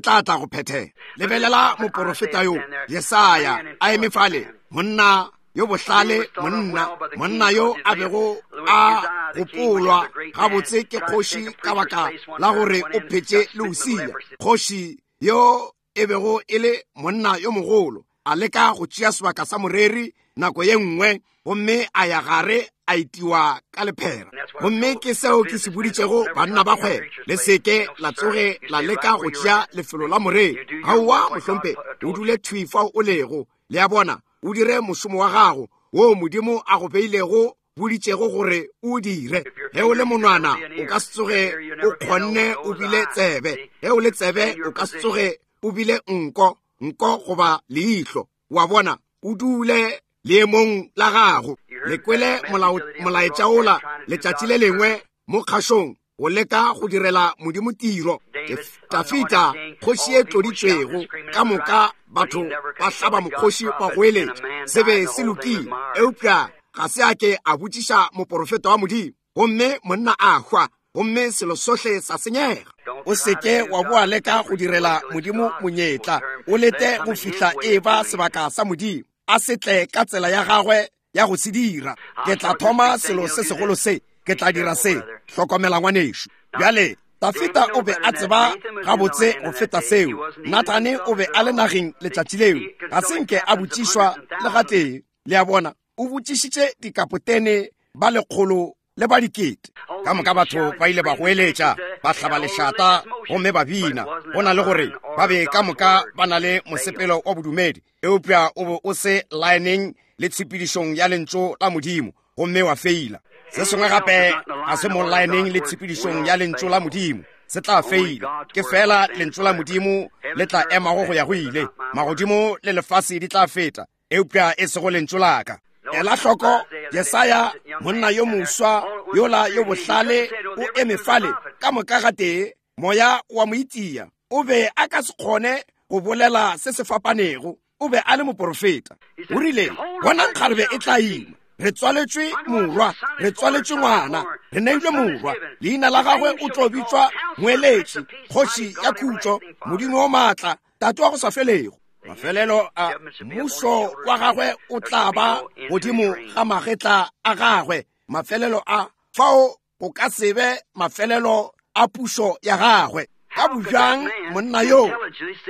tla tla go phethega. Lebelela moporofeta yo Jesaya a eme fale, monna yo bohlale, monna monna yo a bego a gopolwa gabotse ke kgoši ka baka la gore o phetše le Usia, kgoši yo e bego e le monna yo mogolo, a leka go tšea sebaka sa moreri nako ye nngwe, gomme a ya gare a itiwa ka lephera. Gomme ke seo ke se boditšego banna ba kgwebo, le seke la tsoge la leka go tšea lefelo la moreri. Aowa mohlompe, o dule thwi fao o lego. Le a bona, o dire mošomo wa gago wo Modimo a go beilego boditšego gore o dire. Ge o le monwana, o ka se tsoge o kgonne o bile tsebe. Ge o le tsebe, o ka se tsoge o bile nko, nko goba leihlo. Wa bona, o dule leemong la gago. Le kwele molaetša ola letšatši le lengwe mo kgašong, go leka go direla Modimo tiro. Dafita, kgoši e tloditšwego, ka moka batho ba hlaba mokgoši ba goeletša, se be se lokile, eupša ga se a ke a botšiša moporofeta wa Modimo, gomme monna a hwa, gomme selo sohle sa senyega. O seke wa boa leka go direla Modimo monyetla, o lete go fihla e ba sebaka sa Modimo, a se tle ka tsela ya gagwe ya go se dira. Ke tla thoma selo se segolo se, ke tla dira se. Hlokomela ngwanešu. Bjale Dafita o be a tseba gabotse go feta seo. Nathane o be a le nageng letšatši leo, ga se nke a botšišwa le gatee. Le a bona, o botšišitše dikapotene ba lekgolo le ba dikete. Ka moka batho ba ile ba goeletša, ba hlaba lešata gomme ba bina. Go na le gore ba be ka moka ba na le mosepelo wa bodumedi, eupša o be o se laeneng le tshepedišong ya lentšu la Modimo, gomme wa feila. Se sengwe gape ga se mo laeneng le tshepedišong ya lentšu la Modimo, se tla feila. Ke fela lentšu la Modimo le tla emago go ya go ile. Magodimo le lefase di tla feta, eupša e sego lentšu la ka. Ela hloko Jesaya, monna yo moswa yola yo bohlale, o eme fale ka moka gatee moya wa mo itia. O be a ka se kgone go bolela se se fapanego, o be a le moporofeta. O rile, bonang kgarebe e tla ima, re tswaletšwe morwa, re tswaletšwe ngwana, re neilwe morwa, leina la gagwe o tlo bitšwa Moeletši, kgoši ya khutšo, Modimo o maatla, Tate wa go sa felego. Mafelelo a mmušo wa gagwe o tla ba godimo ga magetla a gagwe. Mafelelo a fao go ka se be mafelelo a pušo ya gagwe. Ka bojang monna yo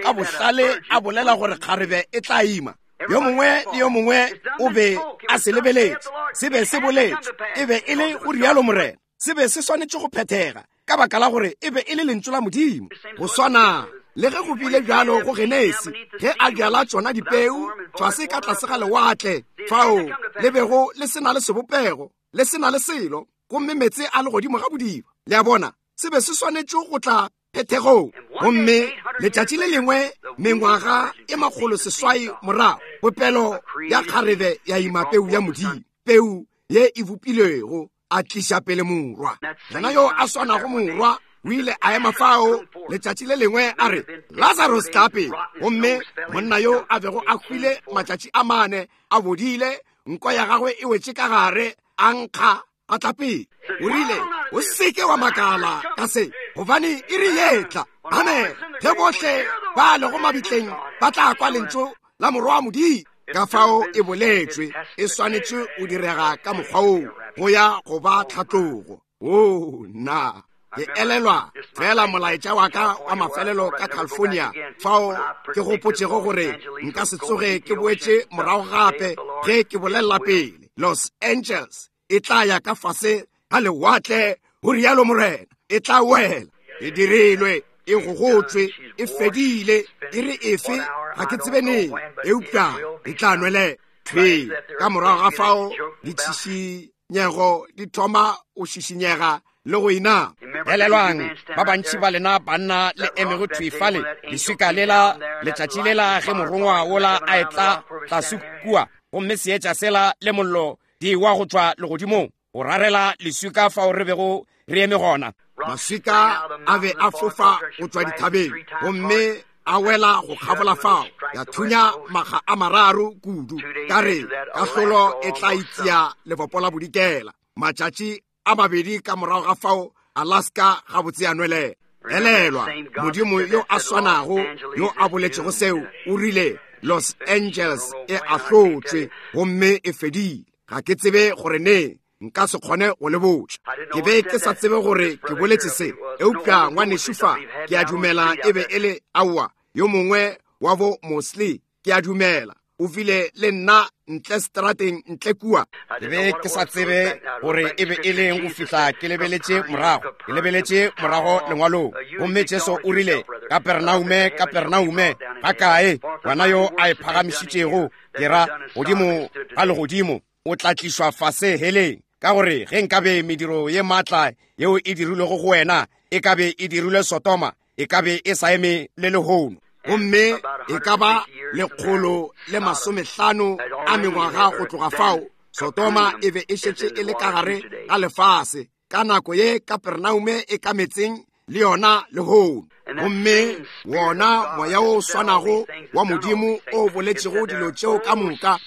ka bohlale a bolela gore kgarebe e tla ima. Yo mongwe le yo mongwe o be a se lebeletše, se be se boletše, e be e le go rialo Morena, se be se swanetše go phethega ka baka la gore e be e le lentšu la Modimo. Go swana le ge go bile bjalo go Genesi, ge a bjala tšona dipeu fase ka tlase ga lewatle, fao le bego le se na le sebopego, le se na le selo, gomme meetse a le godimo ga bodiba. Le a bona, se be se swanetše go tla phethegong. Gomme letšatši le lengwe mengwaga e makgolo seswai morago, popelo ya kgarebe ya ima peu ya Modimo, peu ye e bopilwego, a tliša pele morwa. Yena yo a swanago morwa o ile a ema fao letšatši le lengwe a re, Lazarus tla pele. Gomme monna yo a bego a hwile matšatši a mane a bodile, nko ya gagwe e wetše ka gare, a nkga a tla pele. O rile, o seke wa makala ka se, gobane e re yetla. Amen. Ge bohle ba lego mabitleng ba tla kwa lentšu la morwa wa Modimo. Ka fao e boletšwe, e swanetše o direga ka mokgwa woo, go ya go ba tlhatlogo. O nna ke elelwa fela molaetša wa ka wa mafelelo ka California, fao ke gopotšego gore nka se tsoge ke boetše morago gape ge ke bolelela pele. Los Angeles e tla ya ka fase ga lewatle, go rialo Morena, e tla wela. E dirilwe, e gogotšwe, e fedile, e re efe ga ke tsebe neng, eupša e tla nwelela. Thwe ka morago ga fao ditšhišinyego di thoma go šišinyega le go inama. Elelwang, ba bantši ba lena banna le emego thwi fale, leswika lela, letšatši lela ge morongwa wola a etla tlase kua, gomme seetša sela le mollo di wa go tšwa legodimong go rarela leswika fao re bego re eme gona. Maswika a be a fofa go tšwa dithabeng gomme a wela go kgabola fao, ya thunya maga a mararo kudu. Ka re kahlolo e tla itia lebopo la bodikela. Matšatši a mabedi ka morago ga fao, Alaska gabotse ya nwelela. Elelwa, Modimo yo a swanago yo a boletšego seo o rile Los Angeles e ahlotšwe gomme e fedile. Ga ke tsebe gore ne nka se kgone go le botša. Ke be ke sa tsebe gore ke boletše se, eupša ngwanešu fa ke a dumela e be e le aowa yo mongwe wa bo Mosley, ke a dumela o file le nna ntle strateng ntle kua. Ke be ke sa tsebe gore e be e leng go fihla ke lebeletše morago, ke lebeletše morago lengwalong. Gomme Jesu o rile, Kapernaume, Kapernaume, ga kae wena yo a e phagamišitšego, ke ra godimo ga legodimo, o tla tlišwa fase heleng. Ka gore ge nkabe mediro ye maatla yeo e dirilwego go wena e ka be e dirilwe Sodoma, e ka be e sa eme le lehono. Gomme e ka ba lekgolo le masomehlano a mengwaga go tloga fao, Sodoma e be e šetše e le ka gare ga lefase. Ka nako ye Kapernaume e ka metseng le yona lehono. Gomme wona moya o swanago wa Modimo o boletšego dilo tšeo ka moka,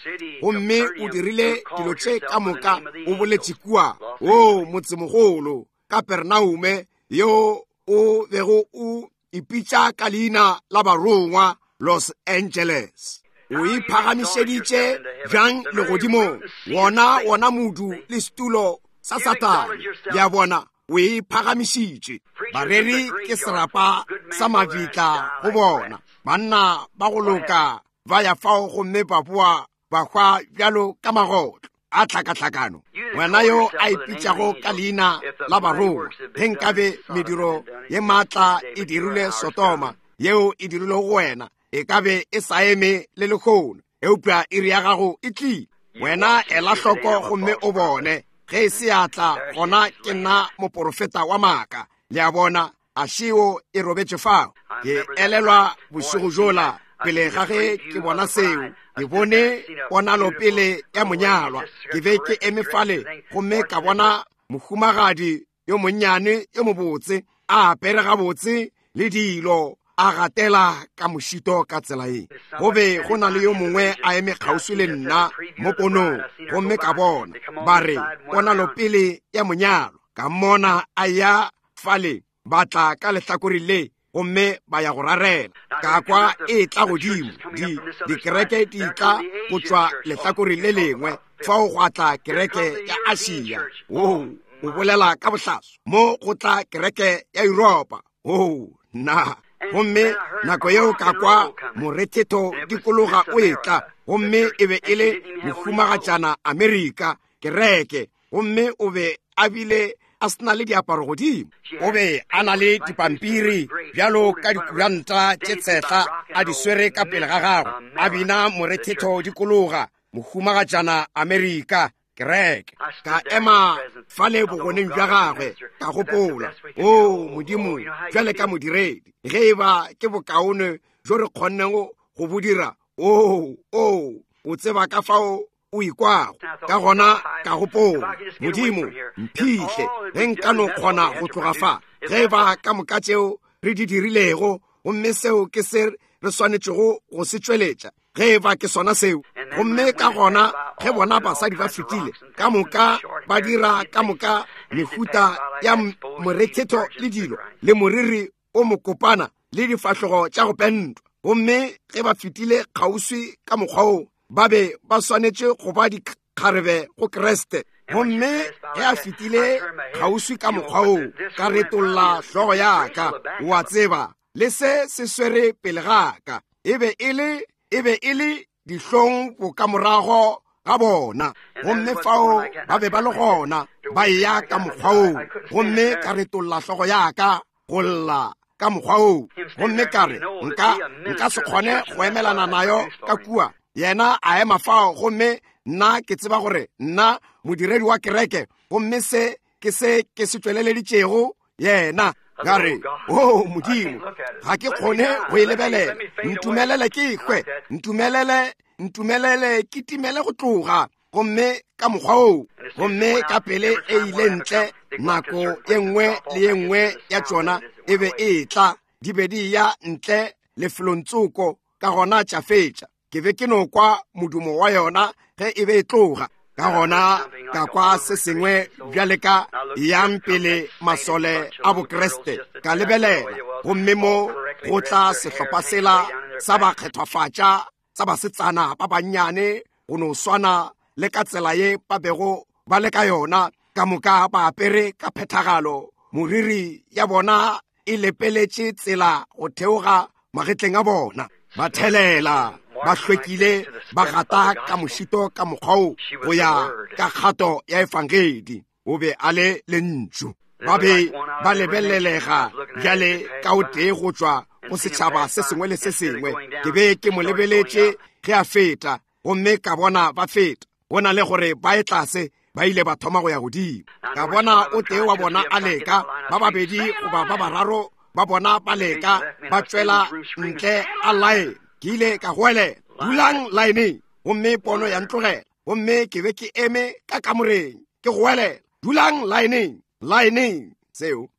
gomme o dirile dilo tše ka moka, o boletše kua, o motsemogolo Kapernaume yo o bego o ipitša ka leina la barongwa Los Angeles. O iphagamišeditše bjang legodimong, wona wona modu le setulo sa Satane. Le a bona, o iphagamišitše. Bareri ke serapa sa mabitla go bona. Banna ba go loka ba ya fao gomme ba boa ba hwa bjalo ka magotlo a tlhakatlhakano. Wena yo a ipitšago ka leina la barongwa, ge nkabe mediro ye maatla e dirilwe Sodoma yeo e dirilwe go wena, e ka be e sa eme le lehono, eupša iri ya gago e tlile. Wena ela hloko gomme o bone. Ge e se ya tla, gona ke nna moporofeta wa maaka. Le a bona, a šeo e robetše fao. Ke elelwa bošego jola pele ga ge ke bona seo, ke bone ponalo pele ya monyalwa. Ke be ke eme fale gomme ka bona mohumagadi yo monnyane yo mobotse a apere gabotse le dilo, a gatela ka mošito ka tsela ye. Go be go na le yo mongwe a eme kgauswi le nna mo ponong, gomme ka bona ba re ponalo pele ya monyalo. Ka mmona a ya fale, ba tla ka lehlakore le gomme ba ya go rarela. Ka kwa e tla godimo, di dikereke di tla go tšwa lehlakore le lengwe, fao gwa tla kereke ya Asia. Oo, o bolela ka bohlaso. Mo go tla kereke ya Yuropa. Oo, nna. Gomme nako yeo ka kwa morethetho dikologa o etla, gomme e be e le mohumagatšana Amerika kereke, gomme o be a bile a se na le diaparo godimo. O be a na le dipampiri bjalo ka dikuranta tše tshehla a di swere ka pele ga gagwe, a bina morethetho dikologa, mohumagatšana Amerika kereke. Ka ema fale bogoneng bja gagwe, ka gopola, o Modimo, bjale ka modiredi, ge e ba ke bokaone jo re kgonnego go bo dira, o o o tseba ka fao o ikwago. Ka gona ka gopola, Modimo, mphihle ge nka no kgona go tloga fa. Ge e ba ka moka tšeo re di dirilego, gomme seo ke se re swanetšego go se tšweletša, ge e ba ke sona seo. Gomme ka gona ge bona basadi ba fetile ka moka ba dira ka moka mehuta ya morethetho le dilo le moriri o mokopana le difahlogo tša go pentwa, gomme ge ba fetile kgauswi ka mokgwa wo, ba be ba swanetše go ba dikgarebe go Kriste. Gomme ge a fetile kgauswi ka mokgwa wo, ka retolla hlogo ya ka, o a tseba, le se se swere pele ga ka. E be e le e be e le dihlong bokamorago ga bona. Gomme fao ba be ba le gona ba eya ka mokgwa wo, gomme ka retolla hlogo ya ka go lla ka mokgwa wo. Gomme ka re, nka nka se kgone go emelana nayo ka kua. Yena a ema fao, gomme nna ke tseba gore nna modiredi wa kereke, gomme se Ke se ke se tšweleleditšego yena. Ka re, o Modimo, ga ke kgone go e lebelela. Ntumelele ke hwe, ntumelele, ntumelele ke timele go tloga. Gomme ka mokgwa oo, gomme ka pele e ile ntle, nako ye nngwe le ye nngwe ya tšona e be e tla, di be di ya ntle lefelong tsoko, ka gona tša fetša. Ke be ke no kwa modumo wa yona ge e be e tloga. Ka gona ka kwa se sengwe bjale ka yang pele masole a Bokriste. Ka lebelela, gomme mo go tla sehlopha sela sa bakgethwafatša sa basetsana ba bannyane go no swana le ka tsela ye ba bego ba le ka yona, ka moka ba apere ka phethagalo, moriri ya bona e lepeletše tsela go theoga magetleng a bona. Ba thelela, ba hlwekile, ba gata ka mošito ka mokgwa wo go ya ka kgato ya efangedi. O be a le lentšu. Ba be ba lebelelega bjale ka o tee go tšwa go setšhaba se sengwe le se sengwe. Ke be ke mo lebeletše ge a feta, gomme ka bona ba feta. Go na le gore ba ye tlase, ba ile ba thoma go ya godimo. Ka bona o tee wa bona a leka, ba babedi goba ba bararo ba bona ba leka, ba tšwela ntle a line. Ke ile ka goelela, dulang lineng, gomme pono ya ntlogela. Gomme ke be ke eme ka kamoreng, ke goelela, dulang lineng, lineng. Seo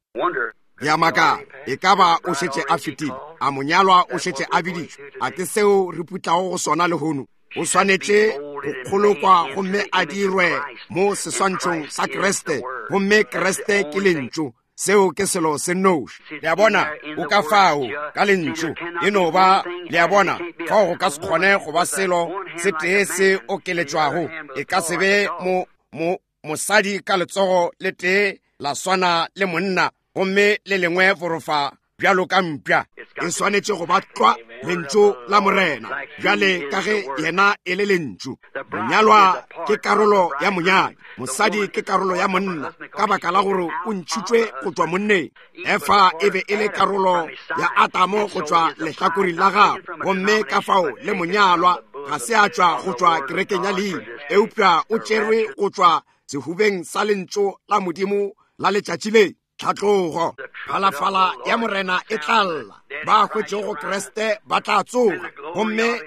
ya maka, e ka ba o šetše a fetile, a monyalwa o šetše a biditšwe. A ke seo re putlago go sona lehono? O swanetše go kgolokwa gomme a dirwe mo seswantšhong sa Kriste, gomme Kriste ke lentšu. Seo ke selo se nnoši. Le a bona, o ka fao ka lentšu e no ba, le a bona, fao go ka se kgone go ba selo se tee se okeletšwago. E ka se be mo, mo mosadi ka letsogo le tee la swana le monna, gomme le lengwe forofa bjalo ka mpša. E swanetše go ba tlwa lentšu la Morena, bjale ka ge yena e le lentšu. Monyalwa ke karolo ya monyadi, mosadi ke karolo ya monna, ka baka la gore o ntšhitšwe go tšwa monneng. Efa e be e le karolo ya Adamo go tšwa lehlakoreng la gagwe, gomme ka fao le monyalwa ga se a tšwa go tšwa kerekeng ya leina, eupša o tšerwe go tšwa sehubeng sa lentšu la Modimo la letšatši le. Tlhatlogo, phalafala ya Morena e tla lla, ba hwetšego Kriste ba tla tsoga, gomme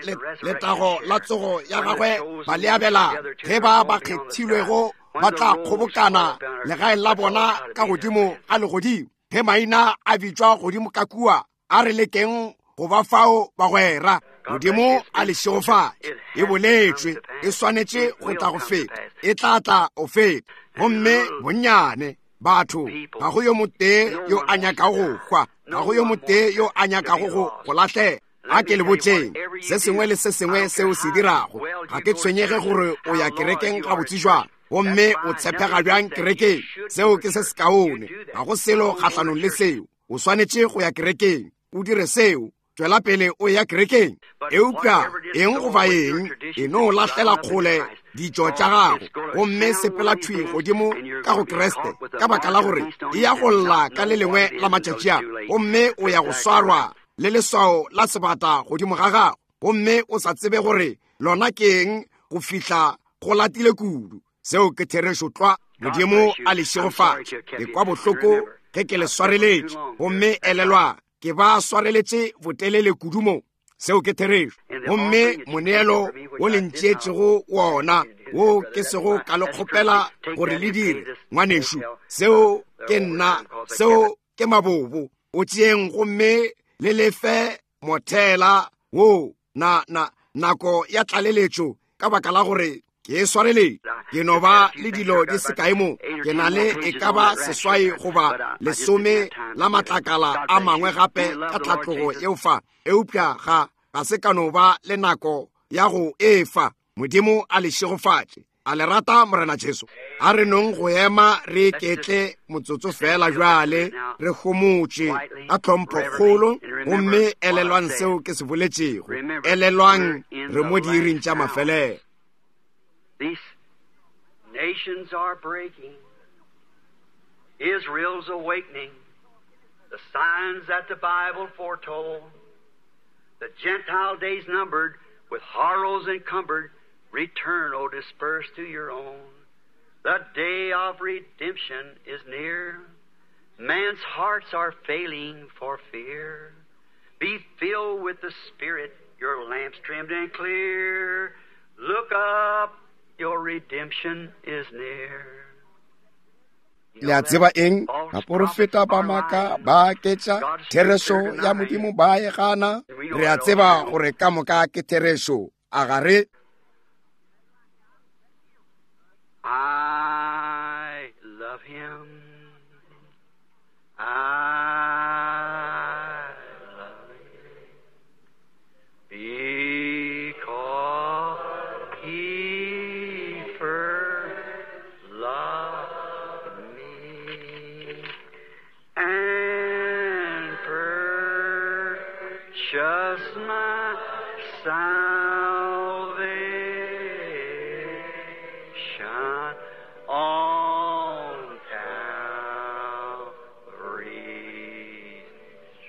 letago la tsogo ya gagwe ba le abela. Ge ba ba kgethilwego ba tla kgobokana legaeng la bona ka godimo ga legodimo. Ge maina a bitšwa godimo ka kua, a re lekeng go ba fao bagwera. Modimo a le šegofatše. E boletšwe, e swanetše go tla go feta, e tla tla o feta. Gomme bonnyane batho, ga go yo motee yo a nyakago go hwa, ga go yo motee yo a nyakago go go lahlega. A ke le botšeng se sengwe le se sengwe seo se dirago. Ga ke tshwenyege gore o ya kerekeng gabotse jwang, gomme o tshepega bjang kerekeng. Seo ke se sekaone, ga go selo kgahlanong le seo. O swanetše go ya kerekeng, o dire seo, tšwela pele o ya kerekeng. Eupša eng goba eng, e no lahlela kgole ditšo tša gago, gomme sepela thwi godimo ka go Kriste, ka baka la gore e ya go lla ka le lengwe la matšatši a, gomme o ya go swarwa le leswao la sebata godimo ga gago, gomme o sa tsebe gore lona ke eng go fihla go latile kudu. Seo ke therešo tlwa. Modimo a le šegofatše. Ke kwa bohloko ge ke le swareletše, gomme elelwa ke ba swareletše botelele kudu mo. Seo ke therešo. Gomme moneelo wo le ntšeetšego wona, wo ke sego ka le kgopela gore le dire, ngwanešu, seo ke nna, seo ke mabobo. O tšeeng gomme le lefe mothela wo na, na, nako ya tlaleletšo, ka baka la gore ke e swareletše. Ke no ba le dilo di se kae mo. Ke na le e ka ba seswai goba lesome la matlakala a mangwe gape ka tlhatlogo yeo fa, eupša ga ga se ka no ba le nako ya go e fa. Modimo a le šegofatše. A le rata Morena Jesu? A re nong go ema re iketle motsotso fela jwale, re homotše ka tlhomphokgolo, gomme elelwang seo ke se boletšego. Elelwang re mo diiring tša mafelelo. These nations are breaking. Israel's awakening. The signs that the Bible foretold. The Gentile days numbered, with horrors encumbered. Return, O dispersed to your own. The day of redemption is near. Man's hearts are failing for fear. Be filled with the Spirit, your lamps trimmed and clear. Look up, your redemption is near. Le a tseba eng? Baporofeta ba maaka ba aketša therešo ya Modimo ba e gana. Re a tseba gore ka moka ke therešo. A ga re? I love him. I love him. Because he first loved me and purchased my salvation on Calvary's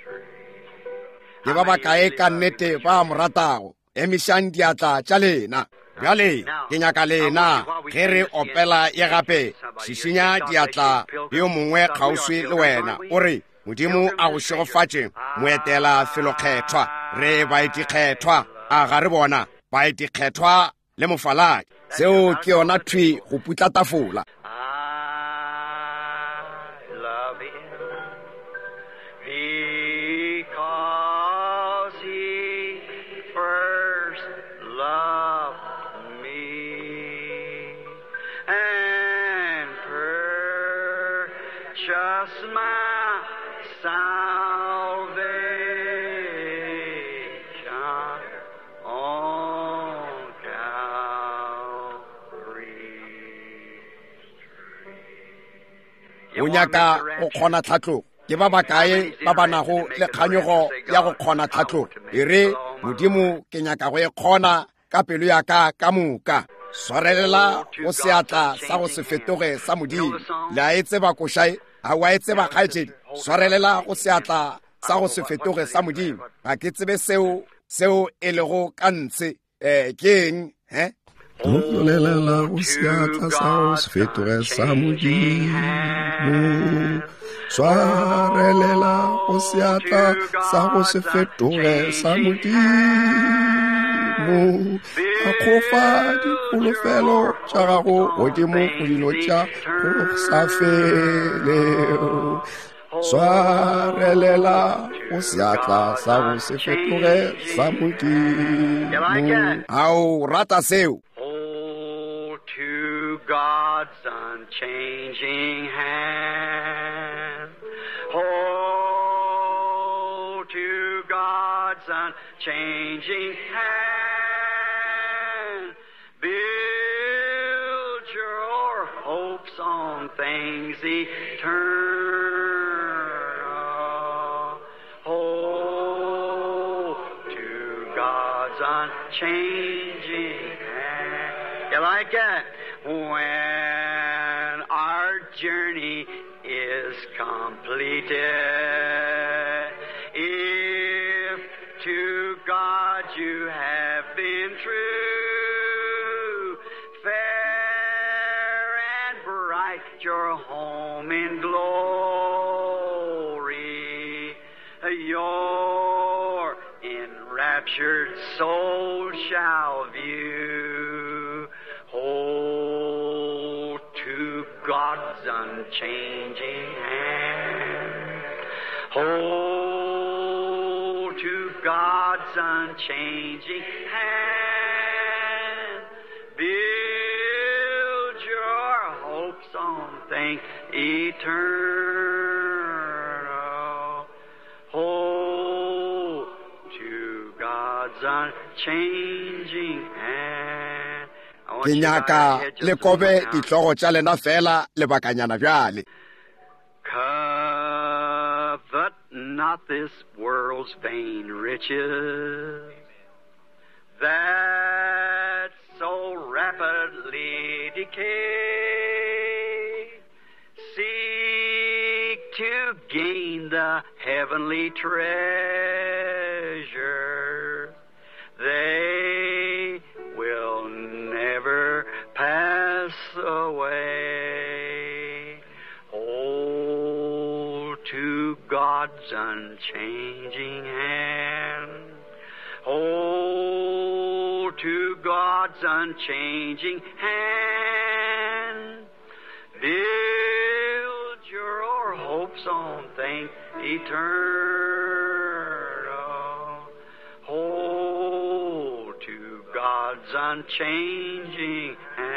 tree. Ke ba bakae ka nnete ba mo ratago? Emišang diatla tša lena. Bjale ke nyaka lena ge re opela ye gape, šišinya diatla le yo mongwe kgauswi le wena, o re Modimo a go šegofatše, moetela felokgethwa. Re baetikgethwa, a ga re bona baetikgethwa le mofaladi. Seo ke yona thwi go putla tafola. I love him because he first loved me and purchased my salvation on Calvary's tree. O nyaka go kgona tlhatlogo. Ke ba bakae ba ba nago le kganyogo ya go kgona tlhatlogo? E re, Modimo, ke nyaka go e kgona ka pelo ya ka ka moka. Swarelela go seatla sa go se fetoge sa Modimo. Le a e tseba košae? A wa e tseba kgaetšedi? Swarelela go seatla sa go se fetoge sa Modimo. Ga ke tsebe seo seo e lego ka ntshe. Eh, ke eng, he? Swarelela go seatla sa go se fetoge sa Modimo. Swarelela go seatla sa go se fetoge sa Modimo. Akgofa dikholofelo tša gago godimo go dilo tša go sa felego. Swarelela go seatla sa go se fetoge sa Modimo. Ao rata seo? Hold to God's unchanging hand. Hold to God's unchanging hand. Build your hopes on things eternal. Hold to God's unchanging hand. You like that? When our journey is completed, if to God you have been true, fair and bright your home in glory, your enraptured soul shall view. Hold to God's unchanging hand. Hold to God's unchanging hand. Build your hopes on things eternal. Hold to God's unchanging hand. I want Ke you to bow your nyaka head just le a kobe moment now. dihlogo tša lena fela lebakanyana bjale. Covet not this world's vain riches that so rapidly decay. Seek to gain the heavenly treasure. They will never pass away. away. Hold to God's unchanging hand. Hold to God's unchanging hand. Build your hopes on things eternal. Hold to God's unchanging hand.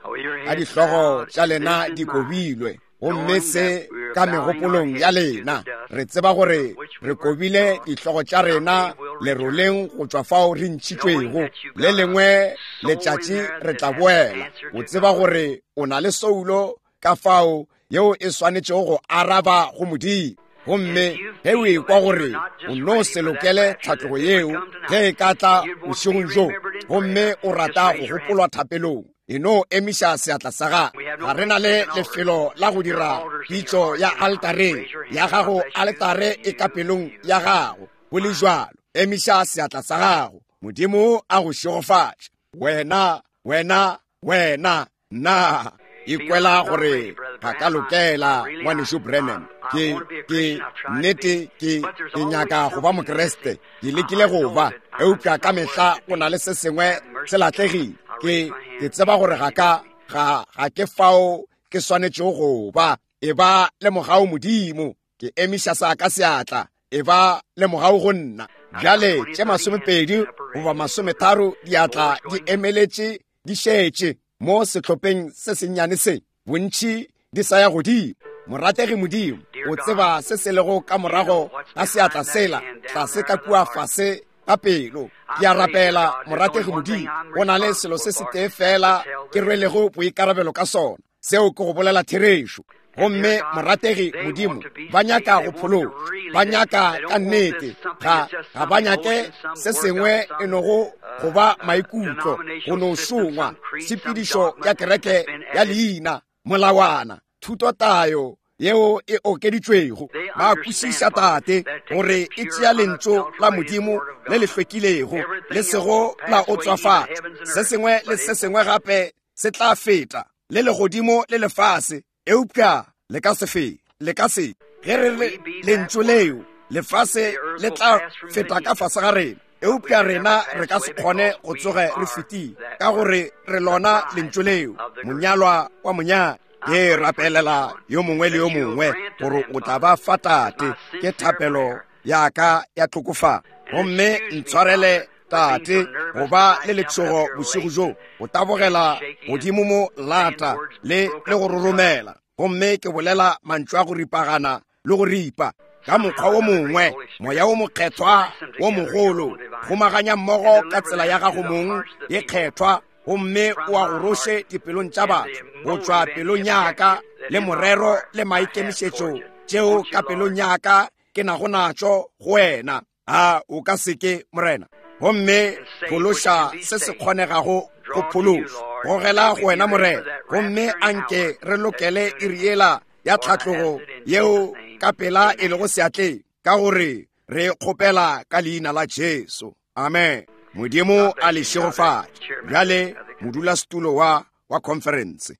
Oh, your Ka heads dihlogo bowed, tša lena this in di mind. kobilwe gomme se ka megopolong ya lena re tseba gore re kobile dihlogo tša rena leroleng go tšwa fao re ntšhitšwego le lengwe letšatši re tla boela o tseba gore o na le soulo ka fao yeo e swanetšego go araba go Modimo gomme ge o ekwa gore o no se lokele tlhatlogo yeo ge e ka tla bošegong bjo gomme o rata go gopolwa thapelong e no emiša seatla sa gago ga re na le lefelo la go dira pitšo ya altareng ya gago altare e ka pelong ya gago go le jwalo emiša seatla sa gago Modimo a go šegofatše wena wena wena nna ikwela gore ga ka lokela ngwanešu Branham ke ke nnete ke ke nyaka go ba mokreste ke lekile go ba eupša ka mehla go na le se sengwe se latlegile ke ke tseba gore ga ka ga ga ke fao ke swanetšego go ba e ba le mogau Modimo ke emiša sa ka seatla e ba le mogau go nna bjale tše masomepedi goba masometharo diatla di emeletše di šetše mo sehlopheng se sennyane se bontši di sa ya godimo morategi Modimo o tseba se se lego ka morago ga seatla sela tlase ka kua fase ka pelo ke a rapela morategi Modimo go na le selo se setee fela ke rwelego boikarabelo ka sona seo ke go bolela therešo gomme morategi Modimo ba nyaka go phološwa ba nyaka ka nnete ga ga ba nyake se sengwe e nogo go ba maikutlo go no šongwa tshepedišo ya kereke ya leina molawana thutotayo yeo e okeditšwego ba kwešiša tate gore e tšea lentšu la Modimo le le hlwekilego le sego la otswafatša se sengwe le se sengwe gape se tla feta le legodimo le lefase eupša le ka se fe le ka se ge re re lentšu leo lefase le tla feta ka fase ga rena eupša rena re ka se kgone go tsoge re fetile ka gore re lona lentšu leo monyalwa wa monyadi ke rapelela yo mongwe le yo mongwe gore o tla ba fa tate ke thapelo ya ka ya tlhokofalo gomme ntshwarele tate go ba le letšhogo bošego bjo go tabogela godimo mo lata le le go roromela gomme ke bolela mantšu a go ripagana le go ripa ka mokgwa wo mongwe moya wo mokgethwa wo mogolo kgomaganya mmogo ka tsela ya gago mong ye kgethwa gomme o a go roše dipelong tša batho go tšwa pelong ya ka le morero le maikemišetšo tšeo ka pelong ya ka ke nago natšo go wena a o ka se ke morena gomme phološa se se kgonegago go phološa gogela go wena morena gomme anke re lokele iri yela ya tlhatlogo yeo ka pela e lego seatleng ka gore re kgopela ka leina la Jesu amen Modimo a le šegofatše bjale modulasetulo wa wa conference.